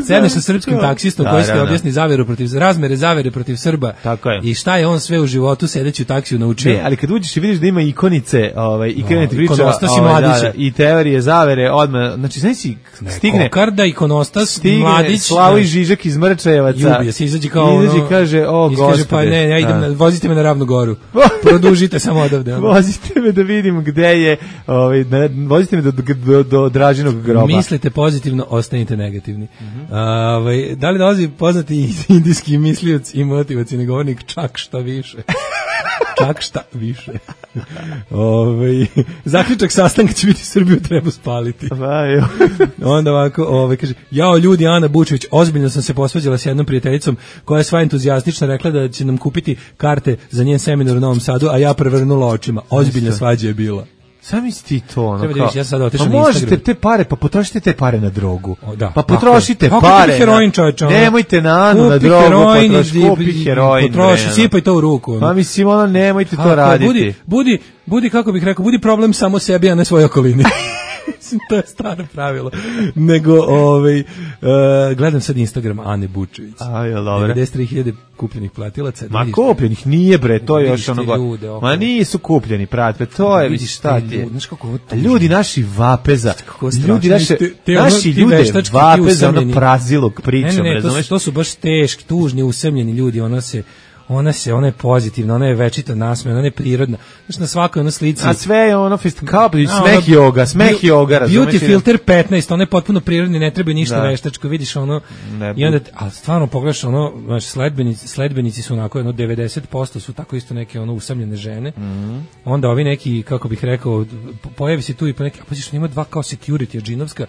Sedneš sa srpskim taksistom da, koji ste objasni zaveru protiv, razmere zavere protiv Srba. Tako je. I šta je on sve u životu sedeći u taksiju naučio. Ne, ali kad uđeš i vidiš da ima ikonice, ovaj, i krenete priča, ovaj, da, da, i teorije zavere, odmah, znači, znači si stigne... Kokarda, ikonostas, stigne Mladić... Slavoj Žižak iz Mrčajevaca. Jubije se, izađe kao ono... Izađe kaže, o, gospode. Pa ne, ja idem, na, vozite me na Ravnu Goru. Produžite samo odavde. Ono. Vozite me da vidim gde je, ovaj, vozite me do, do, do Dražinog groba. Mislite pozitivno, ostanite negativni. Mm-hmm. A, ovaj, da li dolazi poznati indijski mislioc i motivacijni govornik čak šta više? Čak šta više. Ove, zaključak sastanka će biti Srbiju treba spaliti. Onda ovako, ove, kaže, jao ljudi, Ana Bučević, ozbiljno sam se posvađala s jednom prijateljicom koja je sva entuzijastična, rekla da će nam kupiti karte za njen seminar u Novom Sadu, a ja prevrnula očima. Ozbiljna svađa je bila. Sami si ti to, ono kao... Vidiš, ja sad otišao pa na Instagram. Možete te pare, pa potrošite te pare na drogu. O, da. Pa potrošite pa, pare. Kupi heroin, čovječe. Nemojte na Anu, na drogu, heroin, potroši, kupi heroin. Potroši, sipaj to u ruku. Pa mislim, ono, nemojte to a, raditi. Budi, budi, budi, kako bih rekao, budi problem samo sebi, a ne svojoj okolini. Mislim, to je staro pravilo. Nego, ovaj, uh, gledam sad Instagram Ane Bučević. A, je dobro. devedeset tri hiljade kupljenih platilaca. Ma kupljenih nije, bre, to je još ono... Ljude, Ma nisu kupljeni, prate, to je, vidiš šta ti je. Ljudi naši vape za... Ljudi naše, te, te naši ono, ljude vape za ono prazilog pričom, ne, ne, ne, razumeš? To su, to su baš teški, tužni, usamljeni ljudi, ona se... Ona se, ona je pozitivna, ona je večito nasmejana, ona je prirodna. Znaš, na svakoj ono slici... A sve je ono, kao smeh joga, smeh joga, razumeš? Beauty filter petnaest, ona je potpuno prirodni, ne treba ništa da. Veštačko, vidiš ono... Ne, i onda, a stvarno pogledaš ono, znaš, sledbenici, sledbenici su onako, jedno devedeset posto su tako isto neke ono usamljene žene. Mm. Onda ovi neki, kako bih rekao, pojavi se tu i po neki, a poziš, ima dva kao security, džinovska,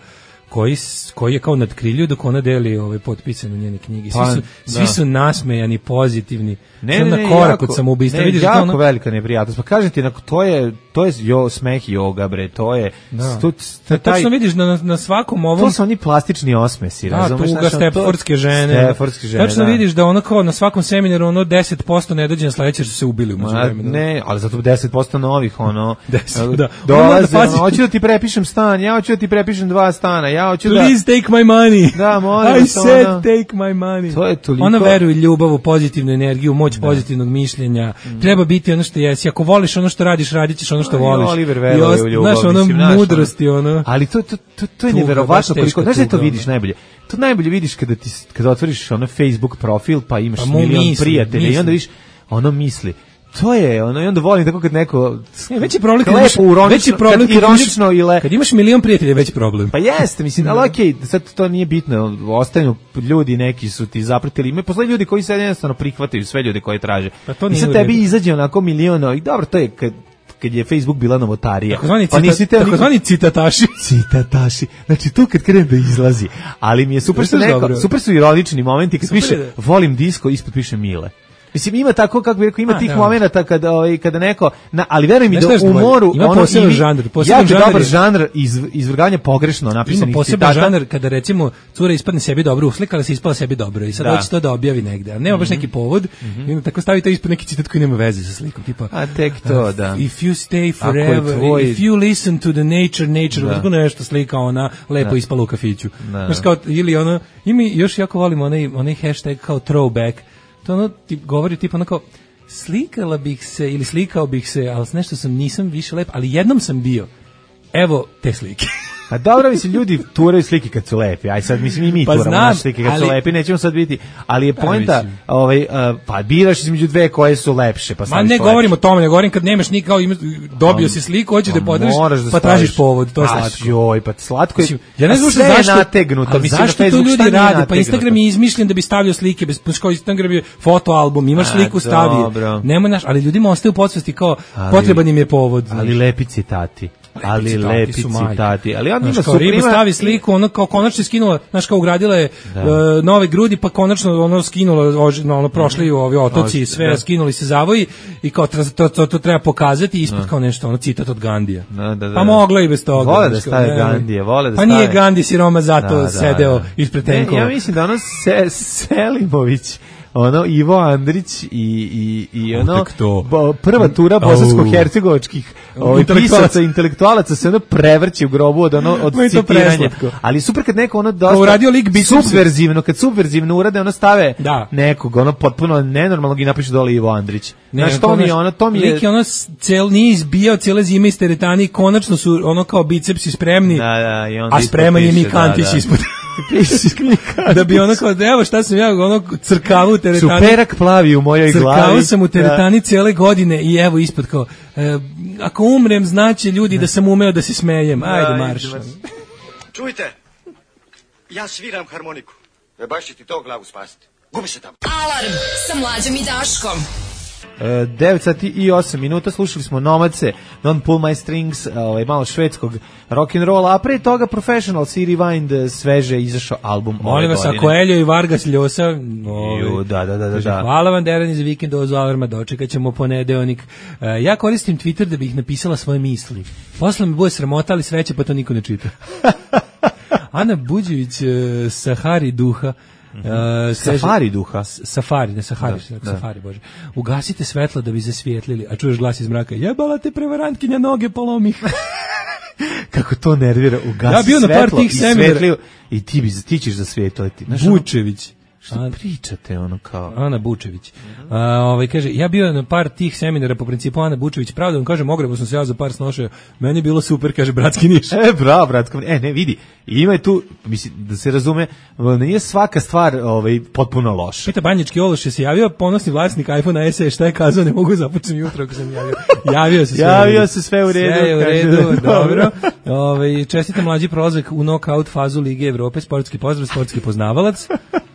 koji, koji je kao nadkrilju dok ona deli ovaj potpisan u njene knjigi. Svi su, pa, svi su nasmejani, pozitivni. Ne, ne, ne, na korak jako, od samoubistva. Ne, vidiš jako ono... velika neprijatnost. Pa kažem ti, to je, to je jo, smeh joga, bre, to je... Da. To, to, taj, točno vidiš na, na svakom ovom... To su oni plastični osmesi, da, razumeš? Da, tuga, stepfordske žene. Stepfordske žene, točno da. vidiš da ono kao na svakom seminaru ono deset posto ne dođe na sledeće što se ubili u međuvremenu. Ne, ali zato deset posto novih, ono... deset, da. Dolaze, ono, hoću da ti prepišem stan, ja hoću da ti prepišem dva stana, ja hoću da... Please take my money. Da, molim I vas, said ono, take my money. To je toliko... Ona veruje ljubav, u pozitivnu energiju, moć da. Pozitivnog mišljenja. Mm. Treba biti ono što jesi. Ako voliš ono što radiš, radit ćeš ono što voliš. Oliver veruje u ljubav. Znaš, ono mudrosti, ono. Ali to, to, to, to je neverovatno koliko... Znaš da to vidiš najbolje? To najbolje vidiš kada, ti, kada otvoriš ono Facebook profil, pa imaš pa milion misli, prijatelja misli. I onda vidiš ono misli. To je ono, i onda volim tako kad neko e, veći problem kad imaš veći problem kad ironično ile kad imaš milion prijatelja, veći problem. Pa jeste, mislim, ali okej, okay, sad to nije bitno, ostaju ljudi, neki su ti zapratili, ima posle ljudi koji se jednostavno prihvataju sve ljude koje traže. Pa to i sad tebi izađe onako milion, i dobro, to je kad kad je Facebook bila novotarija. Takozvani pa cita, takozvani citataši. Citataši. Znači to kad krene da izlazi. Ali mi je super što neko, super su ironični momenti kad super piše da. Volim disko, ispod piše Mile. Mislim, ima tako, kako bi rekao, ima A, tih da. Momenata kada, ovaj, kada neko, na, ali veruj mi da u moru... Ima ono, poseban žanr. Jako žanr dobar žanr iz, izvrganja pogrešno napisanih ima poseban citata. Žanr kada, recimo, cura ispadne sebi dobro uslikala, se ispala sebi dobro i sad da. Hoće to da objavi negde. Ali nema baš neki povod mm-hmm. i onda tako stavi to ispod neki citat koji nema veze sa slikom. Tipa, a tek to, da. If you stay forever, tvoj... if you listen to the nature, nature, da. Tako nešto slika ona lepo da. Ispala u kafiću. Da. Znaš, kao, ili ono, i mi još jako volimo onaj, onaj hashtag kao throwback. To ono ti govori tipa onako slikala bih se ili slikao bih se, ali s nešto sam nisam više lep, ali jednom sam bio. Evo te slike. Pa dobro, mislim, ljudi turaju slike kad su lepi. Aj sad, mislim, i mi pa turamo naše slike kad ali, su lepi, nećemo sad biti. Ali je poenta, ovaj, uh, pa biraš između dve koje su lepše. Pa ma ne govorim o tome, ne govorim kad nemaš nikao, dobio si sliku, hoćeš da podeliš, pa tražiš povod, to je slatko. Joj, pa slatko je, mislim, ja ne znam zašto, nategnuto. Mislim, zašto to ljudi rade? Pa Instagram je izmišljen da bi stavljao slike, bez kao Instagram je fotoalbum, imaš sliku, stavi. Nema naš, ali ljudima ostaje u podsvesti kao potreban im je povod. Ali lepi citati. Ali lepi citati, ali on ima su riba stavi sliku, ono kao konačno skinula, znaš kao ugradila je uh, nove grudi, pa konačno ono skinula, ono prošli u ovi otoci, sve da. Skinuli se zavoji i kao to, to, to, to treba pokazati ispod da. Kao nešto, ono citat od Gandija. Da, da, da. Pa mogla i bez toga. Vole da stave Gandije, vole da pa stave. Pa nije Gandi siroma zato da, da, sedeo da. Ispred tenkova. Ja mislim da ono se, Selimović ono Ivo Andrić i i i ono bo, prva tura bosansko-hercegovačkih ovih pisaca intelektualaca se ono prevrće u grobu od ono od citiranja. Ali super kad neko ono dosta uradio lik subverzivno, kad subverzivno urade ono stave da. Nekog ono potpuno nenormalnog i napiše dole Ivo Andrić. Ne, znaš, to mi je ono, to mi je... Lik je ono cel nije izbijao cijele zime iz teretani i konačno su ono kao bicepsi spremni, da, da, i a spreman je Mikantić da, da. Ispod. Da bi ono kao, evo šta sam ja ono crkavu u teretani. Superak plavi u mojoj crkavu glavi. Crkavu sam u teretani da. Cijele godine i evo ispod kao, e, ako umrem znaće ljudi da sam umeo da se smejem. Ajde marš. Čujte, ja sviram harmoniku. E baš će ti to glavu spasiti. Gubi se tamo. Alarm sa Mlađom i Daškom. devet sati i osam minuta, slušali smo Nomadse, Don't Pull My Strings, ovaj, malo švedskog rock'n'rolla, a pre toga Professional, Siri Wind, sveže izašao album ove godine. Molim vas, ako Elio i Vargas Ljosa, ovaj, da, da, da, da, da. Hvala vam Derani za vikend uz Alarma, dočekat ćemo ponedeonik. Uh, ja koristim Twitter da bih napisala svoje misli. Posle me bude sramota, ali sreće, pa to niko ne čita. Ana Buđević, uh, Sahari duha, Uh, safari duha. Safari, ne Sahari, da, Safari, da. Bože. Ugasite svetlo da bi zasvijetlili, a čuješ glas iz mraka, jebala te prevarantkinja, noge polomih. kako to nervira, ugasi Ja bio na par svetlo tih i seminara. svetliju i ti, bi, ti ćeš zasvetljati. Bučević. Šta pričate, ono kao... Ana Bučević. A, ovaj, kaže, ja bio na par tih seminara po principu Ana Bučević, pravda vam kažem, ogrebo sam se ja za par snošao, meni je bilo super, kaže, bratski Niš. E, bravo, bratsko, e, ne, vidi, ima je tu, mislim, da se razume, nije svaka stvar ovaj, potpuno loša. Pita Banjički Ološ je se javio, ponosni vlasnik iPhone S E, šta je kazao, ne mogu započeti jutro ako sam javio. Javio se sve javio u redu. se sve u redu. Sve je u redu, dobro. Ovaj, čestitam mlađi prolazak u knockout fazu Lige Evrope, sportski pozdrav, sportski poznavalac.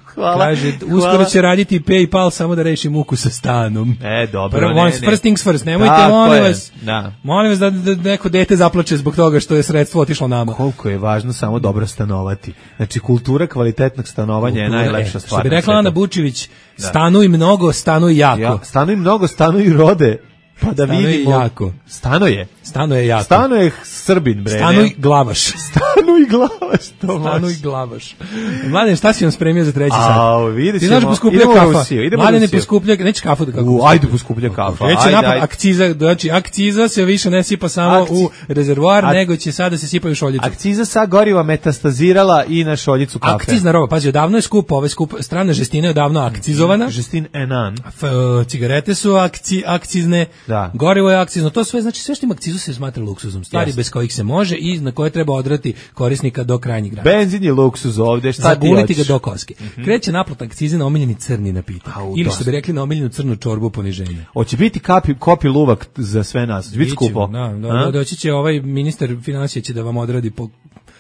Hvala. Kaže, uskoro će raditi PayPal samo da reši muku sa stanom. E, dobro, Prvo, ne, ne. First things first, nemojte, Tako molim je, vas, da. molim vas da, da neko dete zaplače zbog toga što je sredstvo otišlo nama. Koliko je važno samo dobro stanovati. Znači, kultura kvalitetnog stanovanja Kultura, je najlepša e, stvar. Što bi rekla Ana Bučević, Da. stanuj mnogo, stanuj jako. Ja, stanuj mnogo, stanuj rode. Pa da Stanuj vidimo. jako. Stanoje. Stanoje jako. Stanoje Srbin, bre. Stanuj ne? glavaš. Stanuj glavaš. To Stanuj može. glavaš. Mladen, šta si vam spremio za treći sat? Au, vidjet Ti ćemo. znaš poskuplja Idemo u kafa. Rusiju, idemo u Mladen je Rusiju. poskuplja, neće kafu da kako. U, ajde poskuplja kafa. Kreće Ajde, napad ajde. akciza, znači akciza se više ne sipa samo Akci- u rezervoar, Ak- nego će sada se sipaju u šoljicu. Akciza sa goriva metastazirala i na šoljicu kafe. Akcizna roba, pazi, odavno je skup, ove skup, strana žestina je odavno akcizovana. Žestin Enan. F, e, cigarete su akci, akcizne, Da. gorivo je akcizno, to sve, znači sve što ima akcizu se smatra luksuzom, stvari Jeste. bez kojih se može i na koje treba odrati korisnika do krajnjih granica. Benzin je luksuz ovde, šta ti Zaguliti ga hoćeš? do koske. Kreće naplata akcize na omiljeni crni napitak. Au, Ili dosta. što bi rekli na omiljenu crnu čorbu poniženja. Hoće biti kapi, kopi luvak za sve nas. Biti Biće, skupo. Da, da, A? da, doći će ovaj ministar financija će da vam odradi po,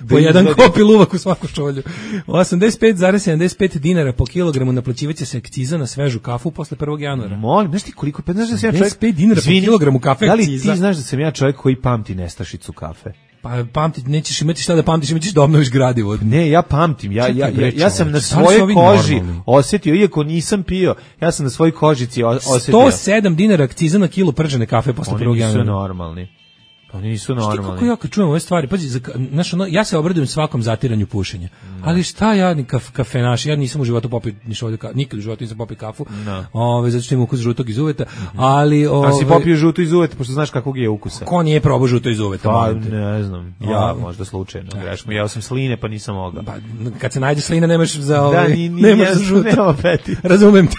po Da jedan izvadi. kopi luvak u svaku šolju. osamdeset pet zarez sedamdeset pet dinara po kilogramu naplaćivaće se akciza na svežu kafu posle prvog januara. Molim, znaš ti koliko, pa znaš da sam ja čovjek... osamdeset pet dinara po Izvini, kilogramu kafe Da li akciza? ti znaš da sam ja čovjek koji pamti nestašicu kafe? Pa pamti, nećeš imati šta da pamtiš, imaćeš da obnoviš gradivo. Ne, ja pamtim, ja, Čekaj, ja, bre, ja, ja sam na čoveče, da li su svojoj ovi koži normalni? osjetio, iako nisam pio, ja sam na svojoj kožici o- osjetio. sto sedam dinara akciza na kilo pržene kafe posle Oni prvog nisu januara. normalni. Oni nisu Šti kako normalni. ja kad čujem ove stvari, pazi, za, znaš, ono, ja se obradujem svakom zatiranju pušenja. Ali šta ja ni kaf, kafenaš, ja nisam u životu popio ni šolju kafu, nikad u životu nisam popio kafu. No. Ove, zato što ima ukus žutog iz uveta, ali A si ove, popio žuto iz uveta, pošto znaš kakvog je ukusa. ko nije probao žuto iz uveta? Pa, molim te? ne znam, ja O, možda slučajno greškom. Ja sam sline, pa nisam mogao. Pa, kad se nađe slina nemaš za Da, ovaj, ni- ni- nemaš ja za sam- žuto. nema peti. Razumem te.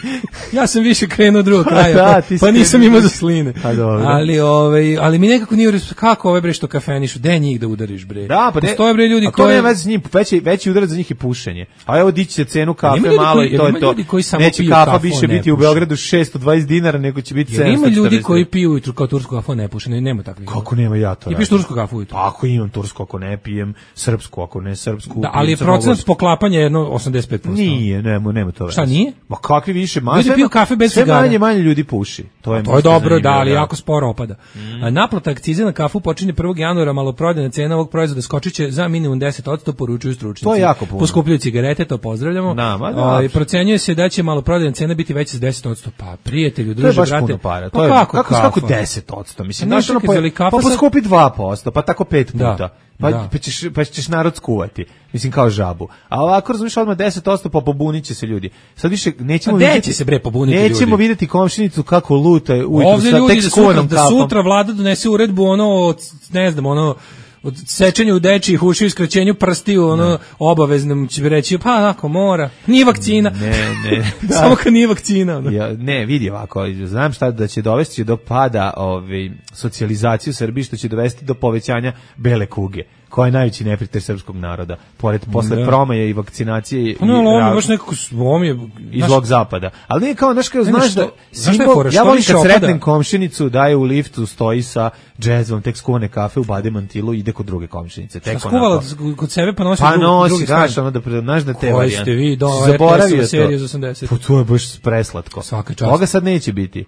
Ja sam više krenuo od drugog kraja, Da, pa, ti si pa nisam krenuo imao za više. sline. Pa dobro. Ali ovaj, ali mi nekako nije ures- kako ove bre što kafenišu, de njih da udariš bre. Da, pa ne, postoje bre ljudi a to koji nema veze s njim, veći, veći udarac za njih je pušenje. A evo dići će cenu kafe Ima ljudi malo koji- i to ima je to. ljudi koji samo Neće piju kafa kafu, više a ne biti u puše. Beogradu šesto dvadeset dinara, nego će biti Jer sedamsto ima ljudi četrdeset. koji piju ujutru kao tursku kafu, a ne puše, ne, nema takvih. Kako nema ja to? Ti piješ radim? tursku kafu ujutru? Pa ako imam tursku, ako ne pijem srpsku, ako ne srpsku. Da, ali pijem je procenat crnogorsku. poklapanja jedno osamdeset pet posto. Nije, nema, nema to. Šta, veze. nije? Ma kakvi više, ma Ljudi sve piju ma- kafe bez sve cigara. manje manje ljudi puši. To je, To je možda dobro, da, zanimljivo, ali jako sporo opada. A naplata akcize na kafu počinje prvog januara, maloprodajna cena ovog proizvoda skočiće za minimum deset posto, poručuju stručnjaci. To je jako puno. Poskupljuju cigarete, to pozdravljamo. Da, ma da. Ovaj, procenjuje se da će maloprodajna cena biti veća za deset posto. Pa prijatelju, To je druže, baš brate. puno para. Pa To je, kako, kako, kafa? kako deset posto? Mislim, Pa znaš, ne, ono, čekaj, pa, zali kafa pa sad- poskupi dva posto, pa tako pet Da, puta. Pa, da. pa, ćeš, pa ćeš narod skuvati. Mislim, kao žabu. A ovako, razumiješ, odmah deset posto, pa pobunit će se ljudi. Sad više nećemo A gde vidjeti... će se, bre, pobuniti Nećemo ljudi? vidjeti komšinicu kako luta ujutru Ovdje sa ljudi tek da skuvanom sutra, da kafom. sutra vlada donese uredbu ono, od, ne znam, ono, od sečenju u dečijih ušiju i skraćenju prstiju, ono, obaveznom će bi reći, pa onako, mora. Nije vakcina. Ne, ne. Da. Samo kad nije vakcina. Ono. Ja, ne, vidi ovako, znam šta da će dovesti do pada ovaj, socijalizacije u Srbiji, što će dovesti do povećanja bele kuge, koja je najveći neprijatelj srpskog naroda, pored posle Da. promaje i vakcinacije Pa ne, ali i on je ra- baš nekako, on je, iz znaš, zlog zapada. Ali nije kao, znaš, kao, Ne, ne, znaš što- da, znaš šta je simbol- fora, ja što volim više kad opada? sretnem komšinicu da je u liftu, stoji sa džezvom, tek skuvane kafe u bade mantilu i ide kod druge komšinice. Tek šta skuvala onako. kod sebe pa nosi Pa drugi, nosi, drugi znaš, stan. ono da, pre- znaš da te Koji varijante. ste vi, do, Zaboravio R T S-ova to. serija iz osamdeset. Pa to je baš preslatko. Svaka čast. Toga sad neće biti.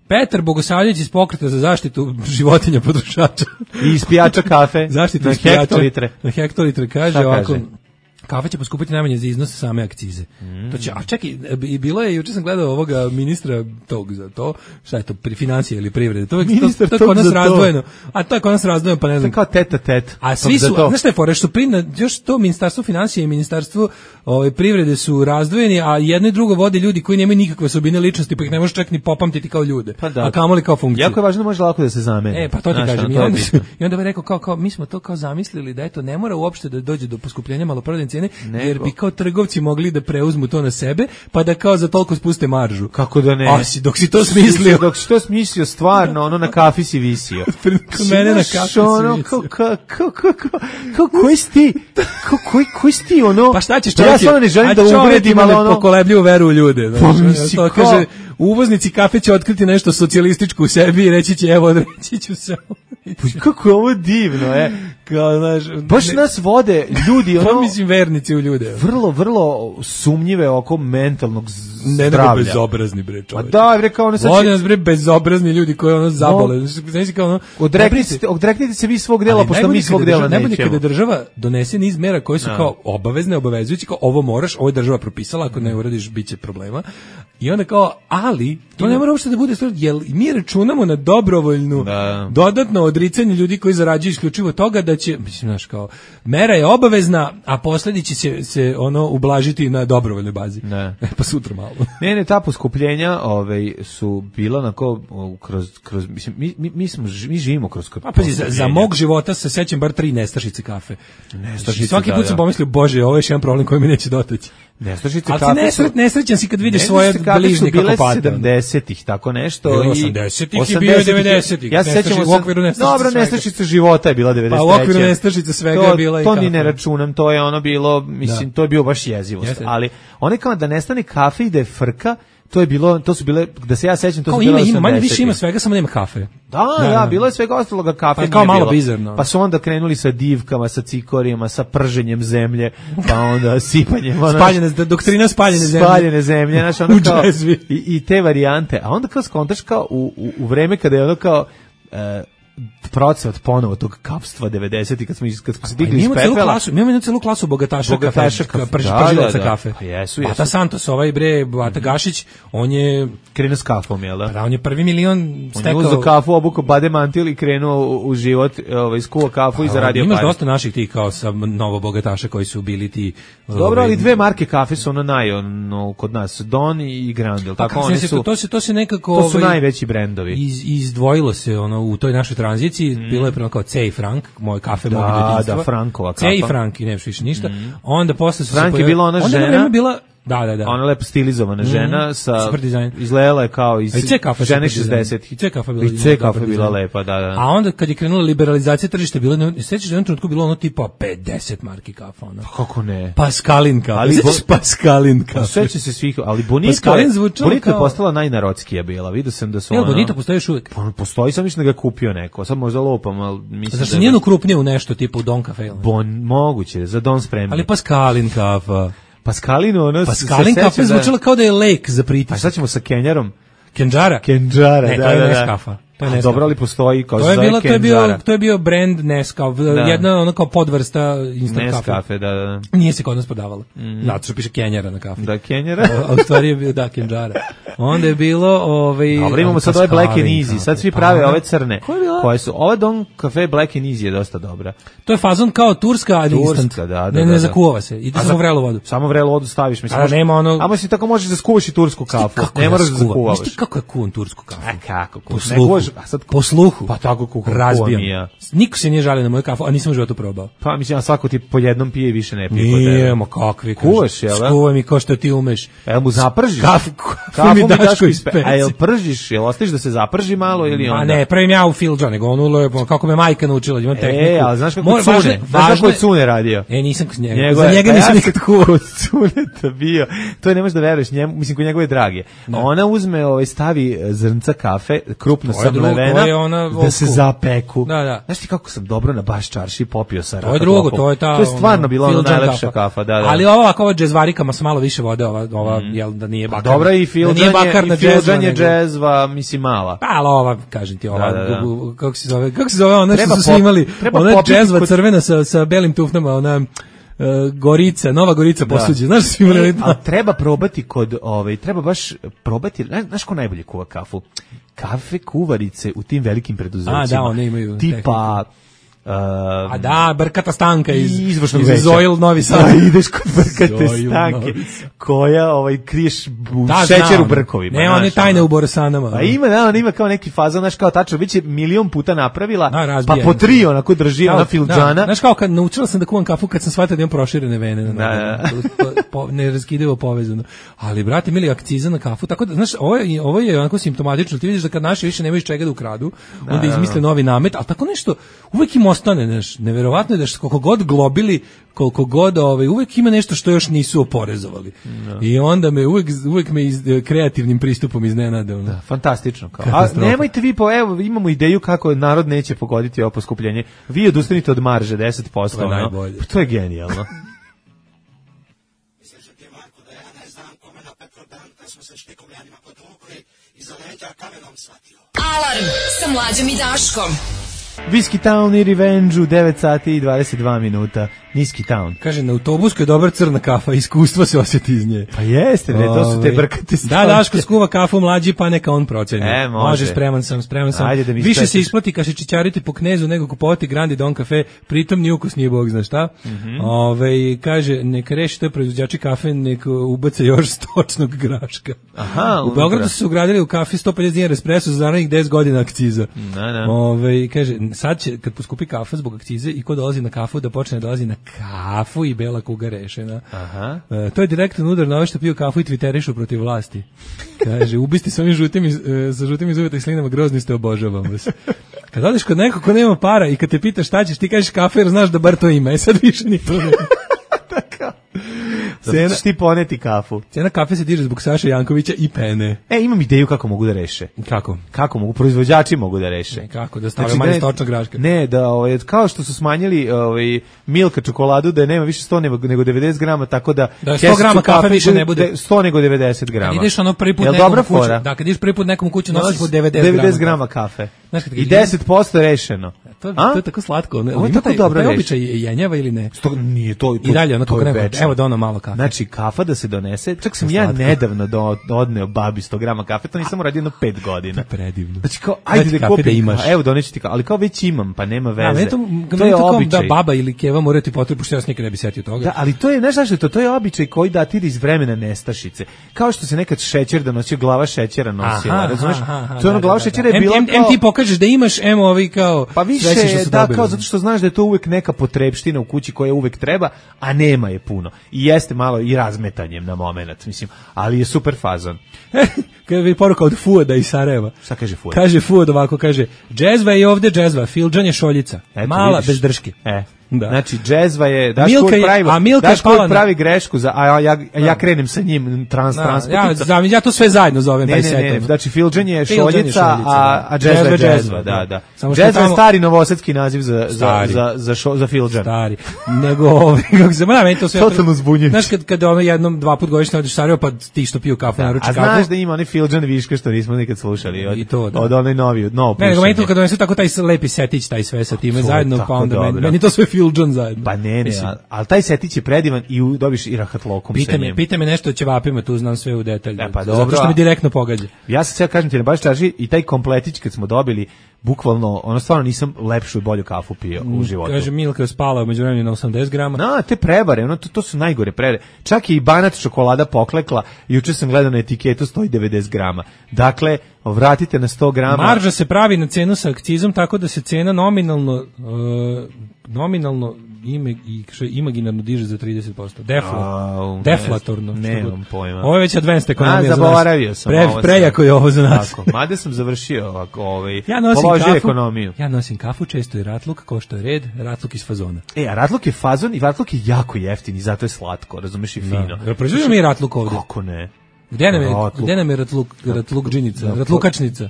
Petar Bogosavljević iz Pokreta za zaštitu životinja potrošača. I ispijača kafe Zaštitu na ispijača hektolitre. Na hektolitre kaže Šta ovako. kaže? kafa će poskupiti najmanje za iznos same akcize. Mm. To će, a čekaj, i bilo je, juče sam gledao ovoga ministra tog za to, šta je to, pri financije ili privrede, to, Ministar to, to, to tog kod nas za to. razdvojeno, a to je kod nas razdvojeno, pa ne znam. To je kao teta tet. A svi su, znaš šta je fora, što pri, još to ministarstvo financije i ministarstvo ovaj, privrede su razdvojeni, a jedno i drugo vode ljudi koji nemaju nikakve osobine ličnosti, pa ih ne možeš čak ni popamtiti kao ljude, pa da. A kamoli kao funkcije. Jako je važno, može lako da se zameni. E, pa to ti znaš, kažem. I to onda, i onda bi rekao, kao, kao, mi smo to kao zamislili da eto, ne mora uopšte da dođe do poskupljenja maloprodajne cijene, Nego. jer bi kao trgovci mogli da preuzmu to na sebe, pa da kao za toliko spuste maržu. Kako da ne? A si, dok si to smislio. Dok si to smislio, stvarno, ono na kafi si visio. Kod mene na kafi si ono, visio. Kao, kao, kao, kao, kao, koji si ti? Kao, koji, koji si ti, ono? Pa šta ćeš Ja čovjek? stvarno ne želim da uvredim, ali ono... pokolebljivu veru u ljude. Znači, Pa misli, to kao- kaže, uvoznici kafe će otkriti nešto socijalističko u sebi i reći će, evo, reći ću se. Kako je ovo divno, e? Kao, znaš, Baš ne- nas vode ljudi, Pa ono... mislim vernici u ljude. Vrlo, vrlo sumnjive oko mentalnog z- Ne, nego zdravlja. bezobrazni, bre, Ma čovječ. da, bre, kao ono sad... Vode će- nas, bre, bezobrazni ljudi koji ono zabole. Znači, kao ono... Odreknite se, odreknite se vi svog dela, Ali pošto najbolje mi svog kada dela država- Najbolje nećemo. kada država donese niz mera koje su Da. kao obavezne, obavezujući, kao ovo moraš, ovo je država propisala, ako ne uradiš, bit će problema. I onda kao, ali, to ne mora uopšte da bude stvar, jer mi računamo na dobrovoljnu, Da. dodatno odricanje ljudi koji zarađuju isključivo toga da će, mislim, znaš, kao, mera je obavezna, a posledice će se ono ublažiti na dobrovoljnoj bazi. Ne. E, pa sutra malo. Ne, ne, ta poskupljenja ovaj, su bila onako o, kroz, kroz mislim, mi, mi, mi, smo, ži- mi živimo kroz kroz Pa pazi, za, za poskupljenja. mog života se sećam bar tri nestašice kafe. Nestašice, Svaki da, put sam da. pomislio, bože, ovo je još jedan problem koji mi neće dotaći. Nestašice Ali kafe ti nesret, nesrećan si kad vidiš Ne, svoje nestašice kafe bližnje su bile kako pate. sedamdesetih, tako nešto. Bilo i osamdesetih i bio je devedesetih. Ja se sećam Nestašice- u okviru nestašice Dobro, svega. nestašice života je bila devedeset treće. Pa u okviru nestašice svega to, je bila i To ni kafa. ne računam, to je ono bilo, mislim, Da. to je bio baš jezivost. Jeste. Ali one kao da nestane kafe i da je frka, to je bilo, to su bile, da se ja sećam, to Kao su ima, bile ima, manje osamdesetih. više ima svega, samo nema kafe. Da, da, Da, da. bilo je svega ostaloga, kafe Pa nije kao malo bilo. bizarno. Pa su onda krenuli sa divkama, sa cikorijama, sa prženjem zemlje, pa onda sipanjem. ono, Spaljene, doktrina spaljene zemlje. Spaljene zemlje, znaš, ono U kao, džezvi. i, i te varijante. A onda kao skontaš kao u, u, u vreme kada je ono kao... E, procvat ponovo tog kapstva devedesetih kad smo iz- kad smo se Pa digli mi iz imamo celu pepela. klasu, mi imamo jednu celu klasu bogataša, Bogataša kafe, kafe. prž, Da, pržilaca da, da. kafe. Pa jesu, Bata jesu. Santos, ovaj bre, Bata Gašić, on je, Krenuo s kafom, jel da? da, on je prvi milion On je stekao. uzeo kafu, obukao bade mantil i krenuo u, u život, ovaj, skuo kafu i zaradio Imaš pare. dosta naših tih kao sa novo bogataša koji su bili ti. Dobro, ovaj, ali dve marke kafe su ono naj, ono, kod nas, Don i Grand, jel pa tako? kako Oni se su, to, to se to se nekako to su ovaj, najveći brendovi. iz, izdvojilo se ono u toj našoj tranziciji, bilo je prema kao C i Frank, moj kafe Da, mog djetinjstva. da, Frankova C i kafa. Frank i nemaš više ništa. Onda posle su se Frank je pojavili- bila ona onda je žena- vreme bila, da, da, da. Ona lepo stilizovana žena sa Super dizajn. izgledala je kao iz A i C kafa je žene super dizajn. šezdesetih. I C kafa je bila I C dobar kafa je bila dizajn. lepa, da, da. A onda kad je krenula liberalizacija tržišta, bilo je, sećaš da je u jednom trenutku bilo ono tipa pedeset marki kafa, ono. Kako ne? Pascalin kafa. Ali Sećaš bo- Pascalin Pa kafa? seća se svih, ali Bonito Pascalin je, zvučalo Bonito je kao- postala najnarodskija bila. Vidio sam da su Jel, ono... Bonito postoji još uvijek? Pa, postoji, sam mislim da ga je kupio neko. Sad možda lopam, ali mislim Zašto da... nije ukrupnije u nešto tipa u Don Cafe? Bon, moguće, za Don spremni. Ali Pascalin kafa. Pascalino, ono... Pascalin se kafa seća je da- zvučala kao da je lek za A pritisak. šta ćemo sa Kenjarom? Kenđara? Kenđara, Ne, da, to je da, da. Nescafa. To je A, Nescafa. dobro, ali postoji kao To se je zove bilo, to je bio, Kenđara. to je bio brand Nescafe, jedna ono kao podvrsta instant kafe. Nescafe, da, da, da. Nije se kod nas prodavala. Zato što piše Kenjara na kafi. Da, Kenjara. A u stvari je bio, da, Kenđara. Onda je bilo, ovaj... Dobro, imamo sad ove Black and Pascalin Easy. kafe. Sad svi Pa prave onda- ove crne. Koja je bila? Koje su, ova Don Cafe Black and Easy je dosta dobra. To je fazon kao turska, ali Turska, instant. da, da, ne, da, ne da. zakuva se. Ide A samo za- vrelu vodu. Samo vrelu vodu staviš, mislim. A možeš- nema ono- A mislim tako možeš da skuvaš i tursku kafu. Kako Ne ja moraš da skuvam? zakuvavaš. Znaš ti kako ja kuvam tursku kafu? A kako? Po Ne sluhu. kuvaš, a sad Po sluhu. Pa tako kuvam, kuvam Razbijam. i ja. Niko se nije žalio na moju kafu, a nisam u životu probao. Pa mislim, a svako ti po jednom pije i više ne pije. kod Nije, tebe. ma kakvi. Kuvaš, jel da? Skuvaj mi kao što ti umeš. Jel mu zapržiš? Kafu, Kafu mi mi Daško Daško iz ispe. A jel pržiš? Jel ostaviš da se zaprži malo ili onda? Ma ne, pravim ja u filđa, nego ono lepo, kako me majka naučila, imam tehniku. E, ali znaš kako Mora- Cune? važno je- Znaš kako važno je je- Cune radio? E, nisam kod njega. Njegove- Za njega pa nisam ja nikad kuvao. Kod Cuneta bio. To ne možeš da veruješ njemu, mislim kod njegove drage. Ona uzme, ovaj, stavi e, zrnca kafe, krupno To je drugo, samlevena, to je ona da se old school. zapeku. Da, da. Znaš ti kako sam dobro na baš čarši popio sa To je drugo, to je ta... To je stvarno bila ona Filđan najlepša kafa, da, da. Ali ova ovako, ova džezvarikama sa malo više vode, ova, ova jel, da nije Pa bakarna. dobra i da nije filđan bakarna je, i filđan je nego- džezva, mislim mala. Pa, ali ova, kažem ti, ova, Da, da, da. u- u- kako se zove, kako se zove, ona što Treba su svi pop- imali, treba ona popiti džezva kod- crvena sa, sa belim tufnama, ona, uh, Gorica, Nova Gorica posuđe. Znaš svi imali... E, a treba probati kod, ovaj, treba baš probati, znaš ko najbolje kuva kafu? Kafe kuvarice u tim velikim preduzećima. A, da, one imaju tipa... Uh, a da, Brkata Stanka iz, izvršnog iz veća. Zoil Novi Sad. Da, ideš kod Brkate Stanke, koja ovaj, kriješ u da, šećer u brkovima. Ne, one tajne u Borosanama. A ima, da, on ima kao neki fazon, znaš, kao tačno, već je milion puta napravila, da, pa po tri onako drži ona filđana. Da, znaš kao, kad naučila sam da kuvam kafu, kad sam shvatila da imam proširene vene. Da, da. Po, po, ne raskidevo povezano. Ali, brate, mili, akciza na kafu, tako da, znaš, ovo je, ovo je onako simptomatično. Ti vidiš da kad naši više nemaju iz čega da ukradu, da, onda izmisle novi namet, ali tako nešto, uvek im ostane, znaš, neverovatno je da koliko god globili, koliko god, ovaj, uvek ima nešto što još nisu oporezovali. No. I onda me uvek, uvek me iz, kreativnim pristupom iznenade. Ono. Da, fantastično. Kao. A nemojte vi, po, evo, imamo ideju kako narod neće pogoditi ovo poskupljenje. Vi odustanite od marže deset posto. To je ono. najbolje. To je genijalno. Alarm sa Mlađom i Daškom. Whiskey Town i Revenge u devet sati i dvadeset dva minuta. Niski Town. Kaže, na autobusku je dobra crna kafa, iskustvo se osjeti iz nje. Pa jeste, ne, to su te Brkate Stanke. Da, Daško skuva kafu Mlađi, pa neka on proceni. E, može. Može, spreman sam, spreman sam. Ajde da mi više spetiš. se isplati kaše čičariti po Knezu nego kupovati Grandi Don kafe, pritom ni ukus nije bog zna šta. Mm-hmm. Ove, kaže, neka reši to proizvođači kafe, neka ubace još stočnog graška. Aha, u Beogradu su se ugradili u kafi sto pedeset dinara espresso za narednih deset godina akciza. Da, da. Ove, kaže, sad će, kad poskupi kafa zbog akcize i ko dolazi na kafu, da počne da dolazi na kafu i bela kuga rešena. Aha. E, to je direktan udar na ove što piju kafu i twitterišu protiv vlasti. Kaže, ubisti s ovim žutim iz, e, sa žutim iz uveta i slinama, grozni ste, obožavam vas. Kad odeš kod nekog ko nema para i kad te pitaš šta ćeš, ti kažeš kafe jer znaš da bar to ima. E sad više ni to nema. Tako. Cena, ćeš ti poneti kafu. Cena kafe se diže zbog Saše Jankovića i pene. E, imam ideju kako mogu da reše. Kako? Kako mogu, proizvođači mogu da reše. Ne, kako, da stave znači, manje stočnog graška. Ne, da, ovaj, kao što su smanjili ovaj, Milka čokoladu, da nema više sto nego devedeset grama, tako da... Da sto grama kafe više ne bude. sto nego devedeset grama. Kad ideš ono prvi put nekom u kuću, da, kad ideš prvi put nekom u kuću, nosiš po devedeset grama kafe. Znaš, i deset posto rešeno. To, to je tako slatko. Ovo je tako dobro reši. Običaj jenjava ili ne? Sto, nije to, to, I dalje, ono to kako je neko, evo da ono malo kafe. Znači, kafa da se donese, čak sam ja nedavno do, odneo babi sto grama kafe, to nisam uradio jedno pet godina. Predivno. Znači kao, ajde da kupim, da imaš. Evo doneću ti kao, ali kao već imam, pa nema veze. A, to, to je običaj. Da baba ili keva moraju ti potrebu, što ja nikad ne bi setio toga. Da, ali to je, znaš zašto je to? To je običaj koji datira iz vremena nestašice. Kao što se nekad šećer da nosio, glava šećera nosila, razumeš? To je ono, glava šećera je bila kao... Em ti pokažeš da imaš, emo ovi kao... Pa više, da, kao zato što znaš da je to uvek neka potrebština u kući koja uvek treba, a nema je puno. I jeste malo i razmetanjem na moment, mislim, ali je super fazon. Kada je poruka od Fuoda iz Sarajeva. Šta kaže Fuod? Kaže Fuod ovako, kaže, džezva je ovde džezva, filđan je šoljica, eto, mala, vidiš. Bez drške. E. Da. Znači, džezva je, daš Milka kod pravi, a Milka daš kod na... pravi grešku, za, a ja, ja, ja krenem sa njim trans, da, transportica. Ja, ja to sve zajedno zovem. Ne, taj ne, set, ne, znači filđan je šoljica, je šoljica, a, a džezva je džezva, da, da. Džezva je stari novosadski naziv za, za, za, za, šo, za filđan. Stari. Nego, ovaj, kako se, ma, meni to sve... Totalno zbunjujuće. Znaš, kad, kad ono jednom, dva put godišnje odeš Sarajevo, pa ti što piju kafu, naruči kafu. A znaš da ima oni filđan viška što nismo nikad slušali od, I to, da. Od onoj novi, novo pušenje. Ne, nego meni to kad donesu tako taj lepi setić, taj sve sa time zajedno, pa onda meni, meni to sve filđan zajedno. Pa ne, ne, ali taj setić je predivan i u, dobiš i rahatlokom pita sa me, njim. Pita me nešto o ćevapima, tu znam sve u detalju. E, pa dobro, zato što mi direktno pogađa. Ja sam sve kažem ti, ne baš traži i taj kompletić kad smo dobili, bukvalno, ono stvarno nisam lepšu i bolju kafu pio u životu. Kaže, Milka je spala umeđu vremenu na osamdeset grama. Na, te prevare, ono, to, to su najgore prevare. Čak i banat čokolada poklekla, juče sam gledao na etiketu, stoji devedeset grama. Dakle, vratite na sto grama. Marža se pravi na cenu sa akcizom, tako da se cena nominalno, uh, nominalno ime i imaginarno diže za trideset posto. Defla, A, deflatorno. Nemam pojma. Ovo je već advanced ekonomija A, za nas. zaboravio sam. Pre, ovo prejako je ovo za nas. Tako, mada sam završio ovako, ovaj, ja nosim kafu, ekonomiju. Ja nosim kafu, često i ratluk, kao što je red, ratluk iz fazona. E, a ratluk je fazon i ratluk je jako jeftin i zato je slatko, razumeš, i fino. Da. Proizvodimo mi ratluk ovdje. Kako ne? Gde nam je, gde nam je ratluk, ratluk džinica, ratlukačnica?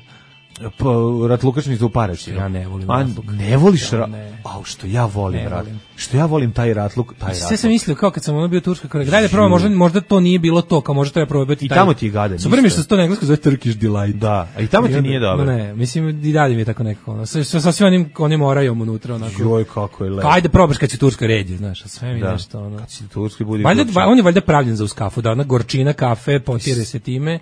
Pa, ratlukačnicu u Paraćinu. Ja ne volim A, ratluk. ne voliš Ja ra... ne. Au, što ja volim Ne ratluk. volim. Što ja volim taj ratluk, taj Sve ratluk. sam mislio kao kad sam ono bio u Turskoj, kao daj da probam, možda možda to nije bilo to, kao možda treba probati I taj. tamo ti je gadan. Super mi što se to na engleskom zove Turkish delight. Da, a i tamo ti onda- nije dobro. No, ne, mislim i dalje mi je tako nekako. Ono, sa, sa svim onim onim orajom unutra onako. Joj, kako je lepo. Ajde probaš kad si u Turskoj red, znaš, a sve mi Da. nešto ono. Kad si u Turskoj budi Valjda gorčina. on je valjda pravljen za uz kafu, da ona gorčina kafe potire se time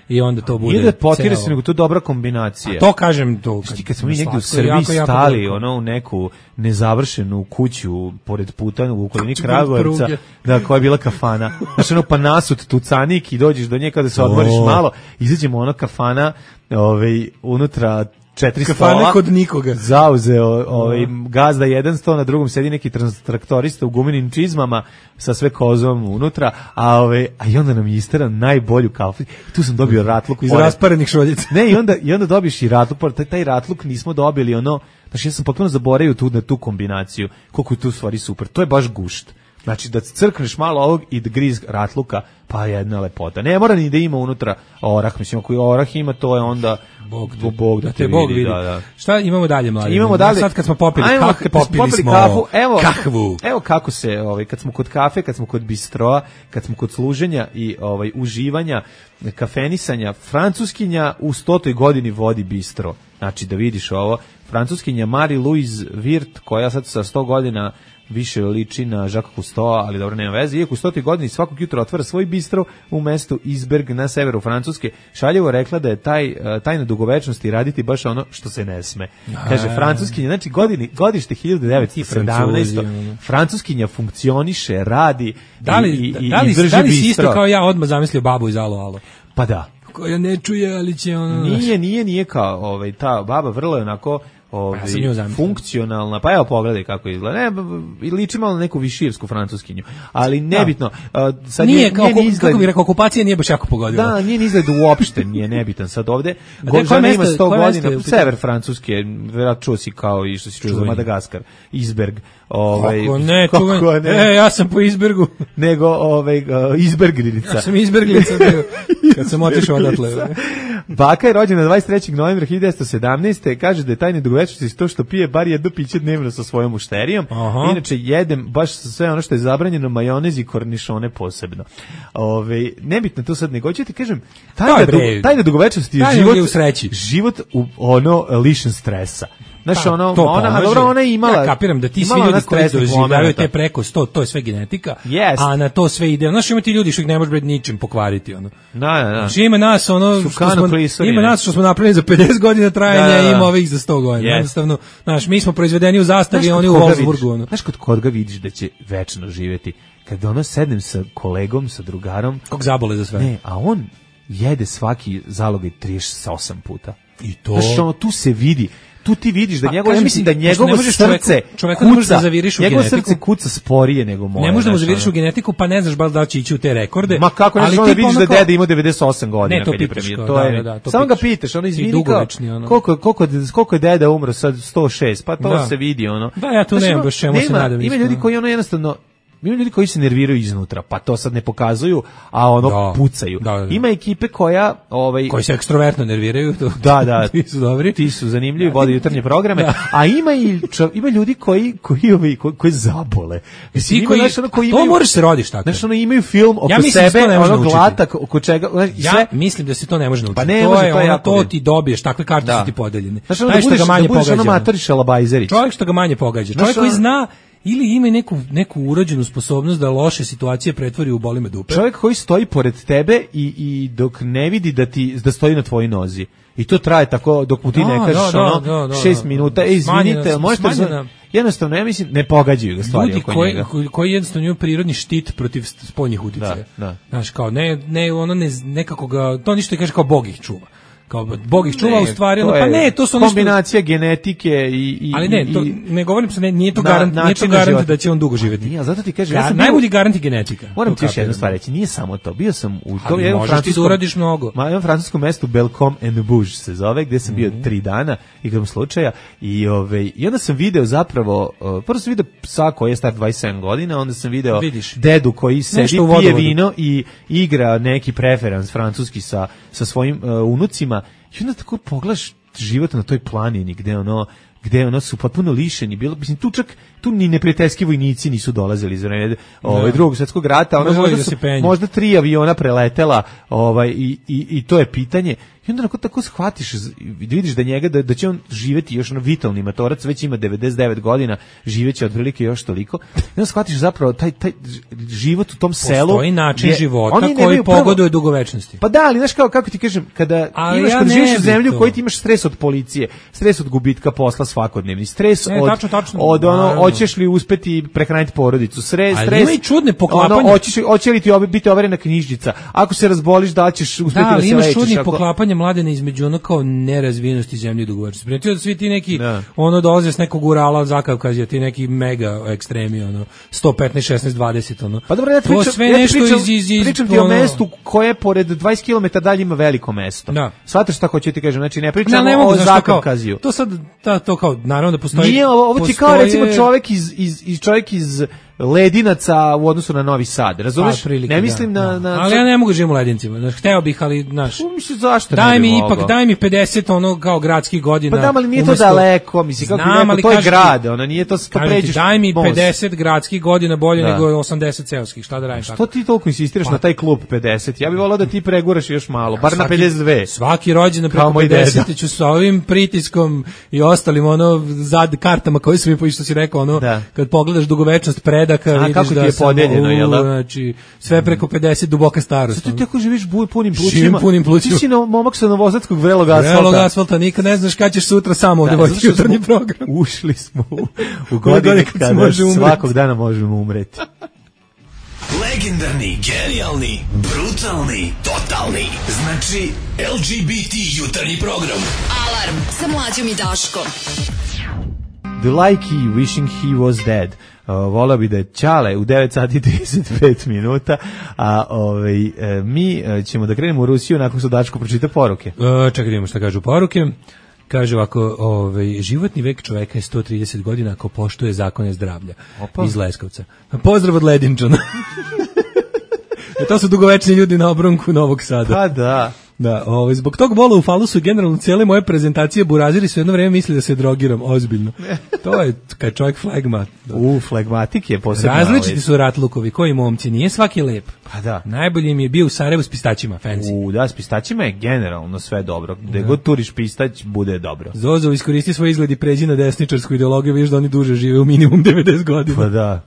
i onda to bude. Nije da potire celo. se, nego to je dobra kombinacija. A to kažem to. Kad, kad smo mi negdje u slatko je Srbiji jako, jako stali, dobro. ono, u neku nezavršenu kuću pored puta u okolini Kuću Kragujevca, pored pruge. da, koja je bila kafana. Znaš, ono, pa nasut tucanik i dođeš do nje kada se odmoriš O. malo, izađemo ono kafana, ovaj, unutra četiri Kafana stola. kod nikoga. Zauzeo ovaj, gazda jedan sto, na drugom sedi neki trans- traktorista u gumenim čizmama sa sve kozom unutra, a, ovaj, a i onda nam je isteran najbolju kafu. Tu sam dobio ratluk. Iz pored. rasparenih šoljica. Ne, i onda, i onda dobiš i ratluk, pored taj, taj ratluk nismo dobili, ono, znači ja sam potpuno zaboravio tu, na tu kombinaciju, koliko je tu u stvari super, to je baš gušt. Znači da crkneš malo ovog i da griz ratluka, pa jedna lepota. Ne mora ni da ima unutra orah, mislim, ako je orah ima, to je onda Bog te, Bog da, da te te Bog vidi. vidi. Da, da. Šta imamo dalje, mladi? Imamo dalje. Sad kad smo popili Ajmo, kah, kad smo popili popili smo kafu, evo, kahvu. Evo kako se, ovaj, kad smo kod kafe, kad smo kod bistroa, kad smo kod služenja i ovaj uživanja, kafenisanja, francuskinja u stotoj godini vodi bistro. Znači da vidiš ovo, francuskinja Marie-Louise Wirth, koja sad sa sto godina više liči na Jacques Cousteau, ali dobro, nema veze. Iako u stotoj godini svakog jutra otvara svoj bistro u mestu Isberg na severu Francuske, šaljivo rekla da je taj, tajna dugovečnosti raditi baš ono što se ne sme. Kaže, francuskinja, znači godini, godište hiljadu devetsto sedamnaeste. Francuskinja funkcioniše, radi Da li, i, i, da li, i drži da li si bistro. isto kao ja odmah zamislio babu iz Alo Alo? Pa da. Koja ne čuje, ali će ono... Nije, nije, nije kao ovaj, ta baba vrlo je onako ovaj, Ja sam nju zamislio. funkcionalna, pa evo pogledaj kako izgleda. Ne, b- b- liči malo na neku višijevsku francuskinju, ali nebitno. a, Sad Nije, nje- kao, njen izgled- kako bih rekao, okupacija nije baš jako pogodila. Da, njen izgled uopšte nije nebitan sad ovde. A Go, gde, koje žena ima mesto- sto koje mesto je godina, u pitanju? sever Francuske, verovatno čuo si kao i što si čuo za Čuveni. Madagaskar, Isberg. Ovaj, Kako ne, kako čuvan, ne, e, ja sam po Izbergu. nego ovaj, uh, Izberglinica. Ja sam Izberglica bio, kad sam otišao odatle. Baka je rođena dvadeset trećeg novembra hiljadu devetsto sedamnaeste. Kaže da je tajne dugovečnosti to što pije bar jedno piće dnevno sa svojom mušterijom. Aha. Inače jedem baš sve ono što je zabranjeno, majonez i kornišone posebno. Ove, nebitno to sad nego. Hoću ti kažem, tajna, Daj, bre. dugo, tajna dugovečnosti je Tajna život, je u sreći. život u ono lišen stresa. Znaš, Pa, ono, to ona, a pomaže. dobro, ona je imala... Ja kapiram da ti svi imala ona ljudi koji stresnih doživljavaju momenata. te preko sto, to je sve genetika, Jest. a na to sve ide. Znaš, ima ti ljudi što ih ne može bre ničim pokvariti, ono. Da, da, da. Znači, ima nas, ono, što Sukano smo, klisorine. ima nas što smo napravili za pedeset godina trajanja, Da, da, da. ima ovih za sto godina. Jest. Jednostavno, znaš, mi smo proizvedeni u zastavi, Znaš oni kod u koga Wolfsburgu, vidiš- ono. Znaš kod koga vidiš da će večno živjeti? Kad ono sednem sa kolegom, sa drugarom... Kog zabole za sve. Ne, a on jede svaki zalogaj trideset osam puta. I to... Znaš, ono, tu se vidi, tu ti vidiš da Pa, njegovo, ja kažem mislim ti, da pošto njegovo ne možeš srce čoveku- čoveku ne možeš da kuca, zaviriš u njegovo genetiku. srce kuca sporije nego moje. Ne možeš da mu znaš, zaviriš ono. u genetiku, pa ne znaš baš da li će ići u te rekorde. Ma kako ne ali znaš, onda tipa vidiš ono da kao- deda ima devedeset osam godina Ne, to kad je pitaš premijer. kao, To da, je, da, da, to samo ga pitaš. pitaš, ono I izvini kao, dugovečni, ono. koliko, koliko, koliko je deda umro sad, sto šest, pa to Da. se vidi, ono. Da, ja tu Znaš, nemam ono, baš čemu se nema- nadam Ima isto, ljudi ono. koji ono jednostavno, ima ljudi koji se nerviraju iznutra, pa to sad ne pokazuju, a ono Da. pucaju. Da, da, da. Ima ekipe koja, ovaj, Koji se ekstrovertno nerviraju. To, da, da, ti su dobri. ti su zanimljivi, vode jutarnje programe, Da. a ima i čo, ima ljudi koji koji ovi koji, koji zabole. Mislim, Ti ima, koji, znaš, ono, koji to imaju- moraš se rodiš tako. Znaš, ono, imaju film oko Ja mislim da se to sebe, ne može ono naučiti. glatak oko čega, znaš, i Ja sve, mislim da se to ne može naučiti. Pa ne to može, je to je ono, jako to bitno. ti dobiješ, takve karte Da. su ti podeljene. Znaš, ono, Taj da što budeš, ga manje da budeš ono pogađa. matori šalabajzerić. Čovjek što ga manje pogađa. Znaš, Čovjek koji ono- zna ili ima neku, neku urođenu sposobnost da loše situacije pretvori u boli me dupe. Čovjek koji stoji pored tebe i, i dok ne vidi da ti da stoji na tvojoj nozi. I to traje tako dok mu ti Da, ne kažeš da, da, ono da, da, šest da. minuta. E, izvinite, Smanjena- možete smanjena- jednostavno, ja mislim, ne pogađaju ga stvari Ljudi oko koji, njega. koji, koji jednostavno imaju prirodni štit protiv st- spoljnih uticaja. Da, da. Znaš, kao, ne, ne, ono ne, nekako ga, to ništa kaže kao Bog ih čuva. Kao, Bog ih čuva, Ne, u stvari, to ono, pa je ne, to su ono što... kombinacija genetike i, i Ali ne, to, i- ne govorim se, ne, nije to na- garant, nije to načina garant života. da će on dugo živjeti. Nije, ali zato ti kažem, ja Gar- sam bio- najbolji garant je genetika. Moram To ti još jednu kapiram. stvar reći, nije samo to. Bio sam u to Ali jednom možeš ti da francuskom, uradiš mnogo. Ma, jednom francuskom mestu Belcom and Bouge se zove, gdje sam bio Mhm. tri dana igrom slučaja i ove i onda sam video zapravo uh, prvo sam video psa koji je star dvadeset sedam godina, onda sam video Vidiš. dedu koji sedi, Nešto u pije vodovodu. vino i igra neki preferans francuski sa sa svojim uh, unucima. I onda tako pogledaš život na toj planini gde ono gde ono su potpuno lišeni, bilo mislim tu čak tu ni neprijateljski vojnici nisu dolazili iz vremena ovaj drugog svjetskog rata, ono možda, su, možda tri aviona preletela, ovaj i, i, i to je pitanje. I onda onako tako shvatiš, vidiš da njega, da, da će on živjeti još ono vitalni matorac, već ima devedeset devet godina, živeće otprilike još toliko. I onda shvatiš zapravo taj, taj život u tom selu. Postoji način je, života koji pogoduje dugovečnosti. Pa da, ali znaš kao, kako ti kažem, kada ali imaš, ja kada živiš u zemlju to. u kojoj ti imaš stres od policije, stres od gubitka posla svakodnevni, stres ne, od, tačno, tačno, od ono, hoćeš li uspeti prehraniti porodicu, stres, ali stres, ima i čudne poklapanje. Ono, hoćeš, hoće li ti biti overena knjižica, ako se razboliš da ćeš uspeti da, da se lečiš. Da, ali imaš čudne ako... poklapanje Mladene između ono kao nerazvijenosti zemlje i dugovečnosti. Primetio da svi ti neki, da. ono dolaze s nekog Urala, Zakavkazija, ti neki mega ekstremi, ono, sto petnaest, šesnaest, dvadeset, ono. Pa dobro, ja pričam, to sve ja nešto pričam, iz, iz, iz, pričam ti ono... o mestu koje pored dvadeset kilometara dalje ima veliko mesto. Da. Shvataš šta hoću ti kažem, znači ne pričamo ne, ne o Zakavkaziju. To sad, ta, to kao, naravno da postoji... Nije, ovo, ovo ti kao recimo čovjek iz, iz, iz, čovjek iz Ledinaca u odnosu na Novi Sad, razumeš? Prilike, ne mislim da, na, na... Ali ja ne mogu živim u Ledincima, znaš, hteo bih, ali, znaš... Mislim, zašto daj ne mi mogao? ipak, daj mi pedeset ono kao gradskih godina. Pa da, ali nije umesto... to daleko, mislim, kako Znam, bi rekao, to je grad, ono, nije to, to pređeš... Daj mi most. pedeset gradskih godina bolje da. nego osamdeset seoskih, šta da radim tako? Što ti toliko insistiraš pa. na taj klub pedeset? Ja bih volao da ti preguraš još malo, bar svaki, na pedeset dve. Svaki rođendan preko pedeset ću sa ovim pritiskom i ostalim ono zad kartama koje su mi po što si rekao, ono, da. kad pogledaš dugovečnost predaka, a, vidiš da sam podeljeno, jel da? Znači, sve preko pedeset duboka starost. Zato ti ako živiš buj punim plućima, Živim punim plućima. Ti si no, momak sa novosadskog vrelog asfalta. Vrelog asfalta, nikad ne znaš kad ćeš sutra samo ovdje voditi jutarnji program. Ušli smo u, u godinu kada svakog dana možemo umreti. Legendarni, genijalni, brutalni, totalni. Znači, L G B T jutarnji program. Alarm sa Mlađom i Daškom. The Likey Wishing He Was Dead. Uh, volao bi da je Ćale u devet sati i trideset pet minuta, a ovaj, uh, mi uh, ćemo da krenemo u Rusiju nakon što Dačko pročita poruke. Uh, čekaj, vidimo šta kažu poruke. Kaže ovako, ovaj, životni vek čoveka je sto trideset godina ako poštuje zakone zdravlja. Opa. Iz Leskovca. Pozdrav od Ledinčana. E, to su dugovečni ljudi na obronku Novog Sada. Pa da. Da, ovaj, zbog tog bola u falusu generalno cijele moje prezentacije buraziri su jedno vreme mislili da se drogiram, ozbiljno. To je kad čovjek flagmat. U, flagmatik je posebno. Različiti su ratlukovi, koji momci, nije svaki lep. Pa da. Najbolji mi je bio u Sarajevu s pistaćima, fancy. U, da, s pistaćima je generalno sve dobro. Gde god turiš pistać, bude dobro. Zozo, iskoristi svoj izgled i pređi na desničarsku ideologiju, vidiš da oni duže žive u minimum devedeset godina. Pa da.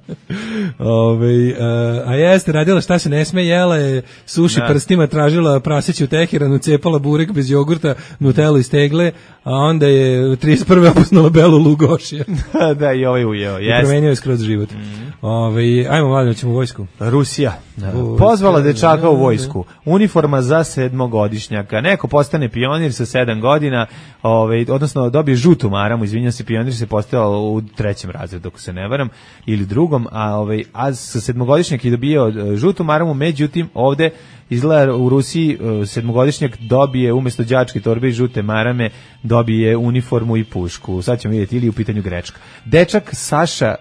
Ove, uh, a jeste, radila šta se ne sme, jela je suši da. prstima, tražila praseću u Teheranu, cepala burek bez jogurta, nutelu iz tegle, a onda je trideset prve opusnula belu lugošija. Da, i ovaj ujeo. I promenio je skroz život. Mm. Ove, ajmo, mladino, ćemo u vojsku. Rusija. Da. Pozvala dečaka u vojsku. Uniforma za sedmogodišnjaka. Neko postane pionir sa sedam godina, ovaj, odnosno dobije žutu maramu, izvinjam se, pionir se postavio u trećem razredu, ako se ne varam, ili drugom, a, ovaj, a sa sedmogodišnjak je dobio žutu maramu, međutim, ovde izgleda u Rusiji sedmogodišnjak dobije umjesto đačke torbe i žute marame, dobije uniformu i pušku. Sad ćemo vidjeti, ili u pitanju grečka. Dečak Saša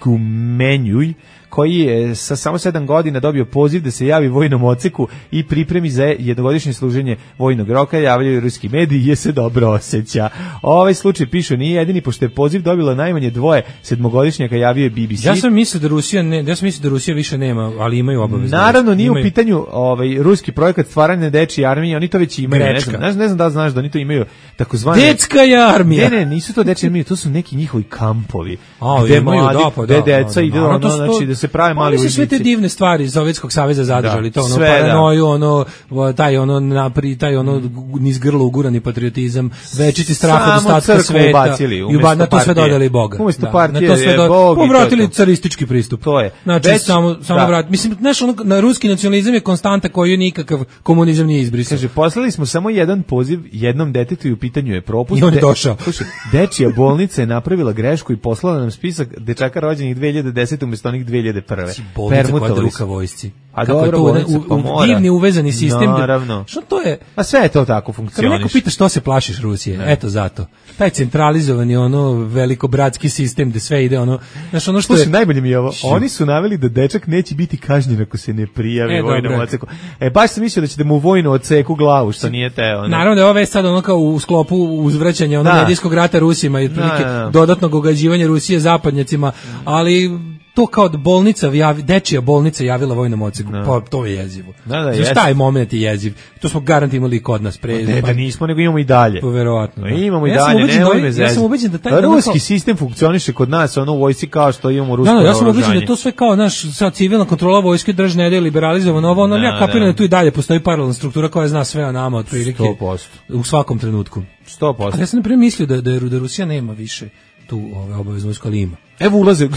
Gumenjuj, koji je sa samo sedam godina dobio poziv da se javi vojnom odseku i pripremi za jednogodišnje služenje vojnog roka, javljaju ruski mediji, je se dobro osjeća. Ovaj slučaj pišu nije jedini, pošto je poziv dobilo najmanje dvoje sedmogodišnjaka, javio je B B C. Ja sam mislio da Rusija ne, ja sam mislio da Rusija više nema, ali imaju obavezno. Naravno, nije imaju. U pitanju ovaj ruski projekat stvaranja dečije armije, oni to već imaju, ne znam, ne znam, ne znam da znaš da oni to imaju takozvane Dečka armija. Ne, ne, nisu to dečije armije, to su neki njihovi kampovi. A, gde imaju, mladi, da, pa, gde da, deca da, ide da, ono, to znači da se prave mali vojnici. Sve te divne stvari iz Sovjetskog saveza zadržali, da, to ono sve, paranoju, da. ono taj ono napri, taj ono niz grlo ugurani patriotizam, večiti strah od ostatka sveta. I ba, na to sve dodali Boga. Umesto da, partije na to sve je do, Bog. Povratili caristički pristup. To je. Znači Već, samo samo da. vrat. Mislim, znaš, ono, na ruski nacionalizam je konstanta koju nikakav komunizam nije izbrisao. Kaže, poslali smo samo jedan poziv jednom detetu i u pitanju je propust. I on je došao. Slušaj, dečija bolnica je napravila grešku i poslala nam spisak dečaka rođenih dve hiljade desete umjesto onih dve hiljade hiljade prve. Bolnica koja druka vojsci. A kako dobro, je to u, pa u, divni uvezani sistem. Naravno. Što to je? A sve je to tako funkcioniše. Kad neko pita što se plašiš Rusije, ne. Eto zato. Taj centralizovani ono velikobratski sistem gde sve ide ono, znaš ono što Slušaj, je najbolje mi je ovo. Oni su naveli da dečak neće biti kažnjen ako se ne prijavi e, vojnom odseku. E baš sam mislio da ćete mu vojnu odseku glavu, što nije teo. Ono. Naravno da je ovo već sad ono kao u sklopu uzvraćanja ono medijskog rata Rusima i otprilike dodatnog ogađivanja Rusije zapadnjacima, ali to kao da bolnica, javi, dečija bolnica javila vojnom odseku, no. Pa to je jezivo. Da, da, znaš, taj moment je jeziv. To smo garant imali kod nas pre. Ne, da nismo, nego imamo i dalje. To verovatno. Da. Imamo i ja dalje, ne da, me ja sam ubeđen da taj ruski kao... sistem funkcioniše kod nas, ono u vojsci kao što imamo rusko naoružanje. Da, ja sam ubeđen da to sve kao naš sad civilna kontrola vojske držne je liberalizovano, ovo ono, ja kapiram da tu i dalje postoji paralelna struktura koja zna sve o nama otprilike. sto posto U svakom trenutku. sto posto Ali ja sam na primjer mislio da, da, da Rusija nema više tu ove obaveznu vojsku, ali ima. Evo ulaze,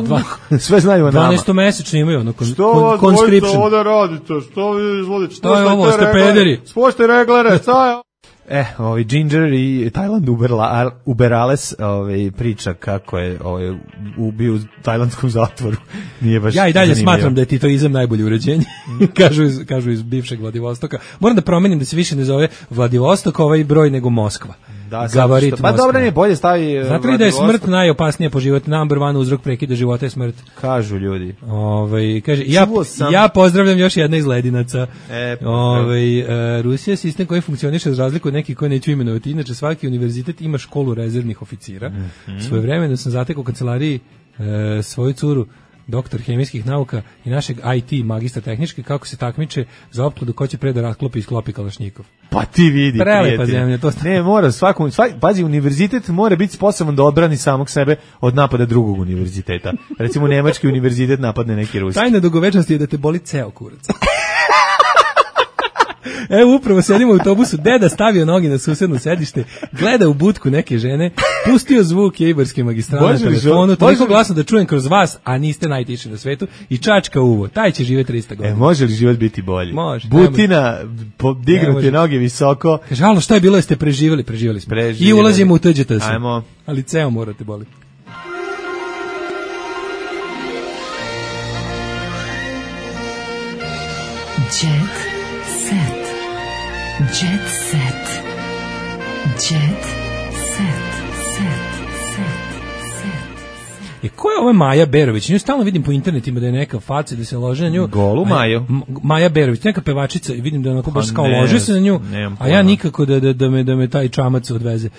dva, sve znaju o nama. dvanaestomesečno imaju ono kon, što kon, conscription. Što ovdje radite, što vi izvodite, što je ovo, ste pederi. Spošte reglere, šta je? E, ovaj Ginger i Tajland Uberla, Uberales ovaj, priča kako je ovaj, ubio u tajlandskom zatvoru. Nije baš ja i dalje zanimljivo. Smatram da je titoizam najbolje uređenje. kažu, iz, kažu iz bivšeg Vladivostoka. Moram da promenim da se više ne zove Vladivostok ovaj broj nego Moskva. Da, gabarit što, pa dobro, ne, bolje stavi. Znate li da je smrt najopasnija po život? Number one uzrok prekida života je smrt. Kažu ljudi. Ovaj kaže ja sam... ja pozdravljam još jedna iz Ledinaca. E, ovaj uh, Rusija je sistem koji funkcioniše za razliku od nekih koje neću imenovati. Inače svaki univerzitet ima školu rezervnih oficira. Mm-hmm. Svojevremeno sam zatekao u kancelariji uh, svoju curu doktor hemijskih nauka i našeg I T magistra tehnički kako se takmiče za opkladu ko će pre da rasklopi i sklopi kalašnjikov. Pa ti vidi, prelepa zemlja, to sta... Ne, mora svakom, svak, pazi, univerzitet mora biti sposoban da odbrani samog sebe od napada drugog univerziteta. Recimo nemački univerzitet napadne neki ruski. Tajna dugovečnosti je da te boli ceo kurac. Evo upravo sedimo u autobusu, deda stavio noge na susedno sedište, gleda u budku neke žene, pustio zvuk Jejbarske magistrale na telefonu, toliko glasno da čujem kroz vas, a niste najtiši na svetu, i čačka uvo, taj će živjeti tristo godina. E, može li život biti bolji? Može. Butina, dignute noge visoko. Kaže, alo, šta je bilo, jeste preživjeli? Preživjeli smo. Preživjeli. I ulazimo u T Đ T S. Ajmo. Ali ceo morate boli. Jet set. Jet set. Jet set. Set. Set. Set. E, ko je ova Maja Berović? Nju stalno vidim po internetima da je neka faca, da se lože na nju. Golu Maju. Maja Berović, neka pevačica, i vidim da onako baš kao lože se na nju, a ja nikako da, da, da, me, da me taj čamac odveze.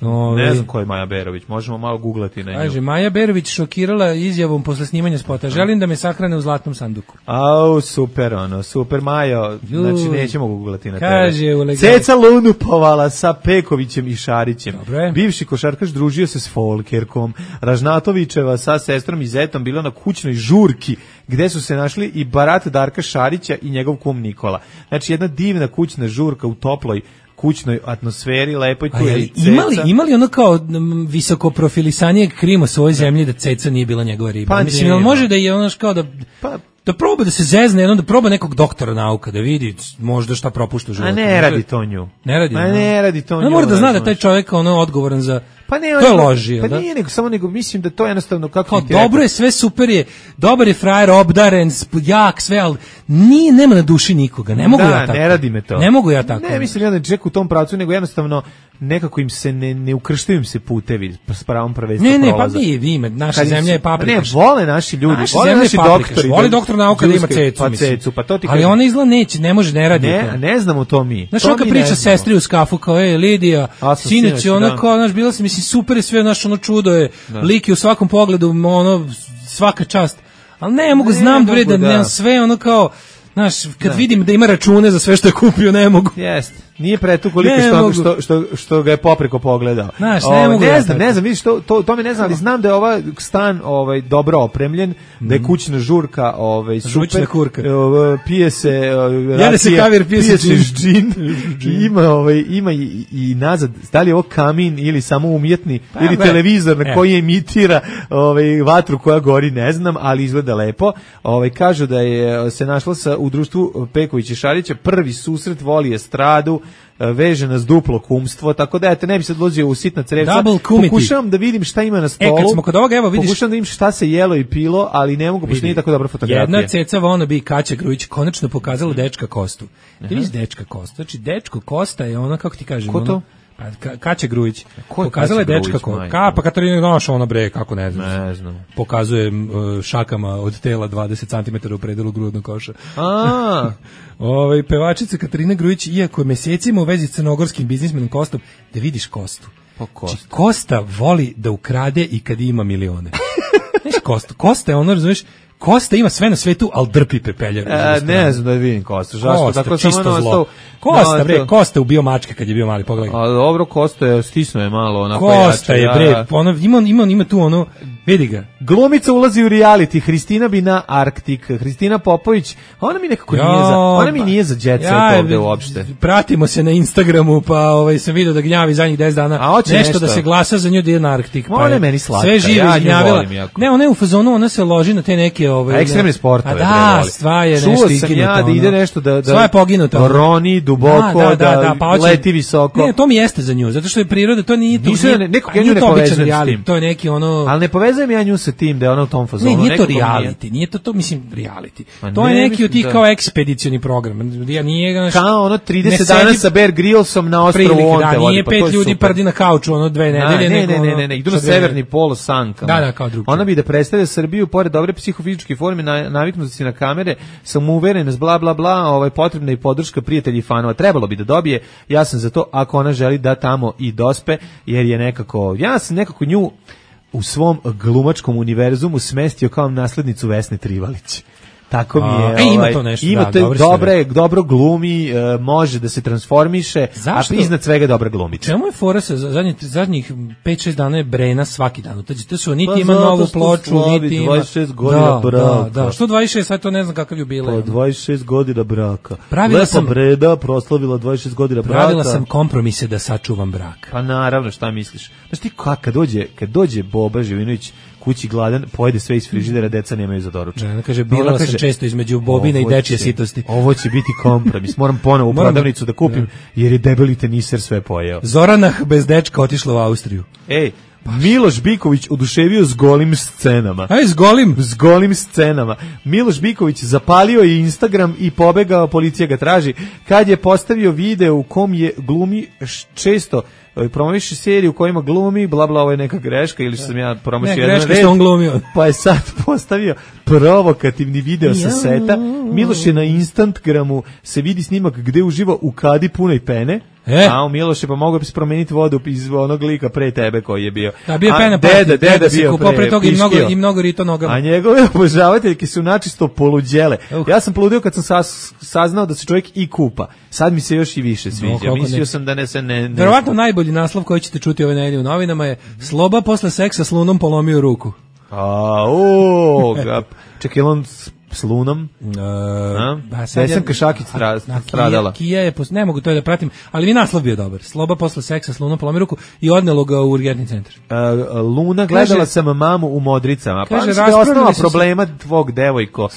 Ove, ne znam ko je Maja Berović, možemo malo googlati na nju. Kaže, Maja Berović šokirala izjavom posle snimanja spota. Želim da me sahrane u zlatnom sanduku. Au, super ono, super Majo. Znači nećemo googlati na kaže, tebe. Ceca lunupovala sa Pekovićem i Šarićem. Dobre. Bivši košarkaš družio se s Folkerkom. Ražnatovićeva sa sestrom i zetom bila na kućnoj žurki gde su se našli i barat Darka Šarića i njegov kum Nikola. Znači jedna divna kućna žurka u toploj kućnoj atmosferi, lepoj tu je Ceca. Imali, imali ono kao visoko profilisanije krima svoje zemlje da Ceca nije bila njegova riba. Pa mislim, ali može da je ono kao da... Pa, da proba da se zezne, jednom da proba nekog doktora nauka, da vidi možda šta propušta u životu. A ne radi to nju. Ne radi. Pa ne radi to nju. Ne mora da zna da taj čovjek ono odgovoran za... Pa ne, to je loži, pa da? nije nego, samo nego mislim da to jednostavno kako kao ti dobro rekao. Je, sve super je, dobar je frajer, obdaren, jak, sve, ali nije, nema na duši nikoga, ne mogu da, ja tako. ne radi me to. Ne mogu ja tako. Ne, mislim ja da ček u tom pravcu, nego jednostavno nekako im se ne, ne ukrštaju im se putevi s pravom prvenstva prolaza. Ne, ne, prolaza. pa vi, vi ime, naša Kad zemlja je paprikaš. Ne, vole naši ljudi, naša vole naši doktori. Voli doktor nauka da ima cecu, pa mislim. Cecu, pa to ti ali ona izla neće, ne može, ne radi. Ne, ne znamo to mi. Znaš, ona priča sestri u skafu, kao, ej, Lidija, sinoć, ona kao, znaš, bila sam, mislim, super je sve, naš, ono čudo je, lik je u svakom pogledu, ono, svaka čast. Ali ne mogu, znam bre, da nemam sve, ono kao, znaš, kad vidim da ima račune za sve što je kupio, ne mogu. Jeste. Nije pretu koliko što, što, što, što ga je popreko pogledao. Znaš, ne, o, ne znam, ne znam, vidiš, to, to, to mi ne znam, ali znam da je ovaj stan ovaj, dobro opremljen, mm. da je kućna žurka ovaj, super. Žučna kurka. Pije se racije, Jede se kavir, pije, pije se džin. Ima, ovaj, ima i, i nazad, da li je ovo kamin ili samo umjetni, pa, ili be. televizor na koji emitira ovaj, vatru koja gori, ne znam, ali izgleda lepo. Ovaj, kažu da je se našla sa, u, u društvu Peković i Šarića, prvi susret voli estradu, veže nas duplo kumstvo, tako da eto, ne bi sad vozio u sitna crevca. Pokušavam da vidim šta ima na stolu. E, kad smo kod ovoga, evo vidiš. Pokušavam da vidim šta se jelo i pilo, ali ne mogu, pošto nije tako dobra fotografija. Jedna ceca wannabe Kaća Grujić konačno pokazala dečka Kostu. Ti vidiš dečka Kostu, znači dečko Kosta je ona, kako ti kažem, ko to? Ona, pa Kaća Grujić. Pokazala je dečka Kosta. Ka, pa Katarina Noša, ona bre, kako ne znam. Ne znam. Pokazuje uh, šakama od tela dvadeset centimetara u predelu grudnog koša. A. Ovaj pevačica Katarina Grujić, iako je mesecima u vezi s crnogorskim biznismenom Kostom, da vidiš Kostu. Pa Kosta. Kosta voli da ukrade i kad ima milione. Znaš Kosta, Kosta je ono, razumiješ, Kosta ima sve na svetu, al drpi pepelje. E, ne znam da vidim Kosta. Zašto? Kosta, tako čisto samo zlo. Kosta, bre, Kosta ubio mačke kad je bio mali, pogledaj. A dobro, Kosta je stisnuo je malo onako Kosta jače, je, bre, ono, ima, ima, ima tu ono, vidi ga. Glumica ulazi u reality, Hristina bi na Arktik, Hristina Popović, ona mi nekako jo, nije za, ona mi nije za jet set ja, ovde uopšte. Pratimo se na Instagramu, pa ovaj, sam vidio da gnjavi zadnjih deset dana, a nešto, nešto da se glasa za nju da ide na Arktik. Pa ona je meni slatka, sve živo ja izgnjavila. Ne, ona je u fazonu, ona se loži na te neke... Ovaj, ekstremne sportove. A da, sva je nešto ikinuta. Čuo sam ja da ide nešto da... Sva je poginuta. Roni duboko, da, da, da, da pa leti visoko. Ne, to mi jeste za nju, zato što je priroda, to nije... Nisu, ne, nekog ja nju ne povezujem s tim. To je neki ono... Ali ne povezujem ja nju sa tim da je ona u tom fazonu. Ne, nije to reality, nije to to, mislim, reality. Ma to je neki od tih kao ekspedicioni program. Ja nije... Kao ono trideset dana sa Bear Grillsom na ostrvu Onte. Da, nije pet ljudi prdi na kauču, ono dve nedelje. Ne, ne, ne, ne, ne, idu na severni polo sankama. Da, da, kao drugo. Ona bi da predstavlja Srbiju, pored dobre psihofizičke forme, naviknuti na kamere, sam uveren, bla, bla, bla, ovaj, potrebna i podrška prijatelji i fanova. Trebalo bi da dobije, ja sam za to, ako ona želi da tamo i dospe, jer je nekako, ja sam nekako nju u svom glumačkom univerzumu smestio kao naslednicu Vesne Trivalić. Tako mi je. A, e, ima to nešto, ima da, to dobro, dobre, dobro glumi, uh, može da se transformiše, zašto? A iznad svega dobra glumica. Čemu je fora sa zadnjih, zadnjih pet šest dana je Brena svaki dan? To su niti pa ima novu ploču, niti ima... dvadeset šest godina da, braka. Da, da. Što dvadeset šest, sad to ne znam kakav jubilej. Pa dvadeset šest godina braka. Pravila Lepa sam, Breda proslavila dvadeset šest godina braka. Pravila sam kompromise da sačuvam brak. Pa naravno, šta misliš? Znaš ti kako, kad dođe, kad dođe Boba Živinović kući gladan, pojede sve iz frižidera, deca nemaju za doručak. Ne, kaže, birala sam često između bobine i dečje sitosti. Ovo će biti kompromis. Moram ponovo u prodavnicu da kupim, jer je debeli teniser sve pojeo. Zoranah bez dečka otišla u Austriju. Ej, Miloš Biković oduševio s golim scenama. Aj, s golim? S golim scenama. Miloš Biković zapalio je Instagram i pobegao, policija ga traži. Kad je postavio video u kom je glumi često promoviše seriju u kojima glumi, bla bla, ovo je neka greška ili što sam ja promoviše jedan red. Ne, greška što on glumio. Pa je sad postavio provokativni video sa seta. Miloš je na Instagramu, se vidi snimak gde uživa u kadi punoj pene. E? A u Miloše, pa mogu bi se promeniti vodu iz onog lika pre tebe koji je bio. Da, bio pena, deda, deda, deda bio pre, pre toga i mnogo, i mnogo rito nogama. A njegove obožavateljke su načisto poluđele. Uh. Ja sam poludio kad sam sas, saznao da se čovjek i kupa. Sad mi se još i više sviđa. No, mislio ne. sam da ne se ne... ne Verovatno najbolji naslov koji ćete čuti ove nedelje u novinama je Sloba posle seksa s Lunom polomio ruku. A, o, ga, čekaj, on s Lunom, uh, Vesanka Šakić stradala. Kija je, ne mogu to da pratim, ali mi naslov bio dobar. Sloba posle seksa s Lunom polomio ruku i odnelo ga u urgentni centar. Uh, Luna, gledala kaže, sam mamu u Modricama, pa kaže, je osnova problema se... tvog devojko.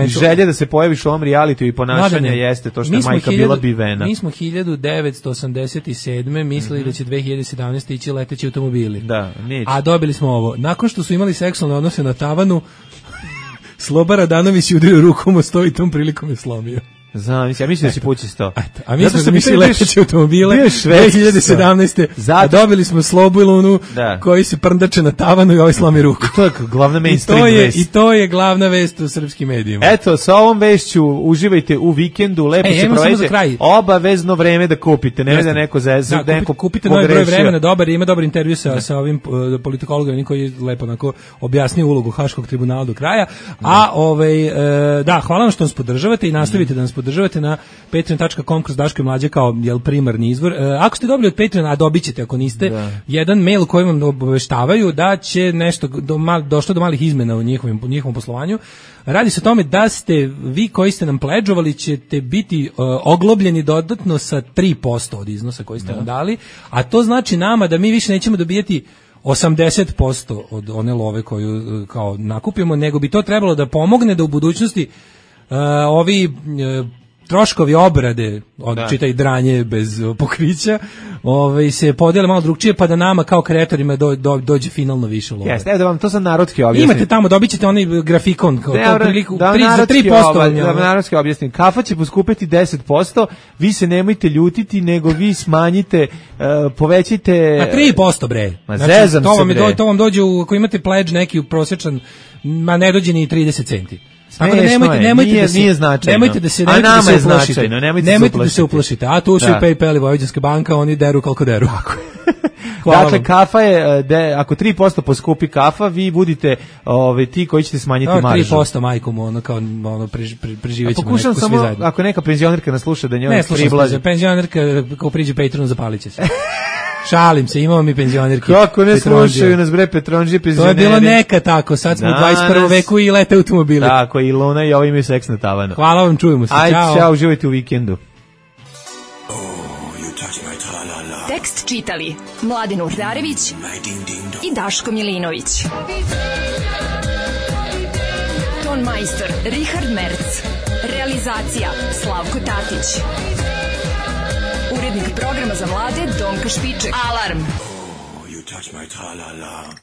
Želje da se pojaviš u ovom realitiju i ponašanja jeste to što je majka hiljadu, bila bivena. Mi smo hiljadu devetsto osamdeset sedme mislili mm-hmm. da će dve hiljade sedamnaeste ići leteći automobili. Da, neće. A dobili smo ovo. Nakon što su imali seksualne odnose na tavanu, Sloba Radanović je udario rukom o sto i tom prilikom je slomio. Znam, ja mislim da si pući sto. A mi smo mislili leteći automobile dve hiljade sedamnaeste. Zato... A dobili smo Slobu i Lunu da. koji se prndače na tavanu i ovaj slomi ruku. I to je glavna mainstream I vest. I to je glavna vest u srpskim medijima. Eto, sa ovom vešću uživajte u vikendu, lepo e, se provedite. Obavezno vreme da kupite, ne da neko za da, da neko kupite novi broj vremena, dobar, ima dobar intervju sa, da. sa ovim uh, politikologom koji je lepo onako objasnio ulogu Haškog tribunala do kraja. Da. A ovaj uh, da, hvala vam što nas podržavate i nastavite da nas podržavate na patreon dot com kroz Daško i Mlađa kao jel primarni izvor. E, ako ste dobili od Patreona, a dobit ćete ako niste, da. jedan mail koji vam obaveštavaju da će nešto do mal, došlo do malih izmena u njihovim, u njihovom poslovanju. Radi se o tome da ste vi koji ste nam pledžovali ćete biti uh, oglobljeni dodatno sa tri posto od iznosa koji ste da. nam dali, a to znači nama da mi više nećemo dobijati osamdeset posto od one love koju kao nakupimo, nego bi to trebalo da pomogne da u budućnosti ovi uh, troškovi obrade, od Da. čitaj dranje bez uh, pokrića, ovaj se podele malo drugčije, pa da nama kao kreatorima do, do, dođe finalno više love. Jeste, evo da vam to sad narodski objasnim. Imate tamo, dobit ćete onaj grafikon, kao to priliku, da tri, za tri posto. Da vam narodski objasnim. Kafa će poskupeti deset posto, vi se nemojte ljutiti, nego vi smanjite, uh, povećite... Ma tri posto bre. Ma znači, zezam to se vam, je, bre. do, to vam dođe, u, ako imate pledge neki prosječan, ma ne dođe ni trideset centi. Tako da Smešno nemojte, je, nemojte nije- da se, nije značajno. nemojte da se, A nemojte nama da se je uplašite. značajno, nemojte se nemojte da se uplašiti. uplašite. A tu su Da. i PayPal i Vojvođanska banka, oni deru koliko deru. Hvala Dakle, vam. kafa je, de, ako tri posto poskupi kafa, vi budite ove, ti koji ćete smanjiti Evo, maržu. tri posto majkom, ono kao ono prež, pre, A preživećemo pokušam nekako svi samo, zajedno. ako neka penzionerka nas sluša, da njoj Ne, slušam priblazi. se, penzionerka kao priđe Patronu zapalit će se. Šalim se, imamo mi penzionerke. Kako ne Petronđije. slušaju nas bre Petronđije To je penzioneri. bilo neka tako, sad smo u Danas- dvadeset prvom veku i lete automobili. Tako, i Luna i ovo imaju seks na tavanu. Hvala vam, čujemo se. Ajde, Ćao. čao, uživajte u vikendu. Tekst čitali Mladin Urdarević i Daško Milinović. Ton majstor Richard Merc. Realizacija Slavko Tatić. Urednik programa za mlade Donka Špiček. Alarm! You touch my tra-la-la.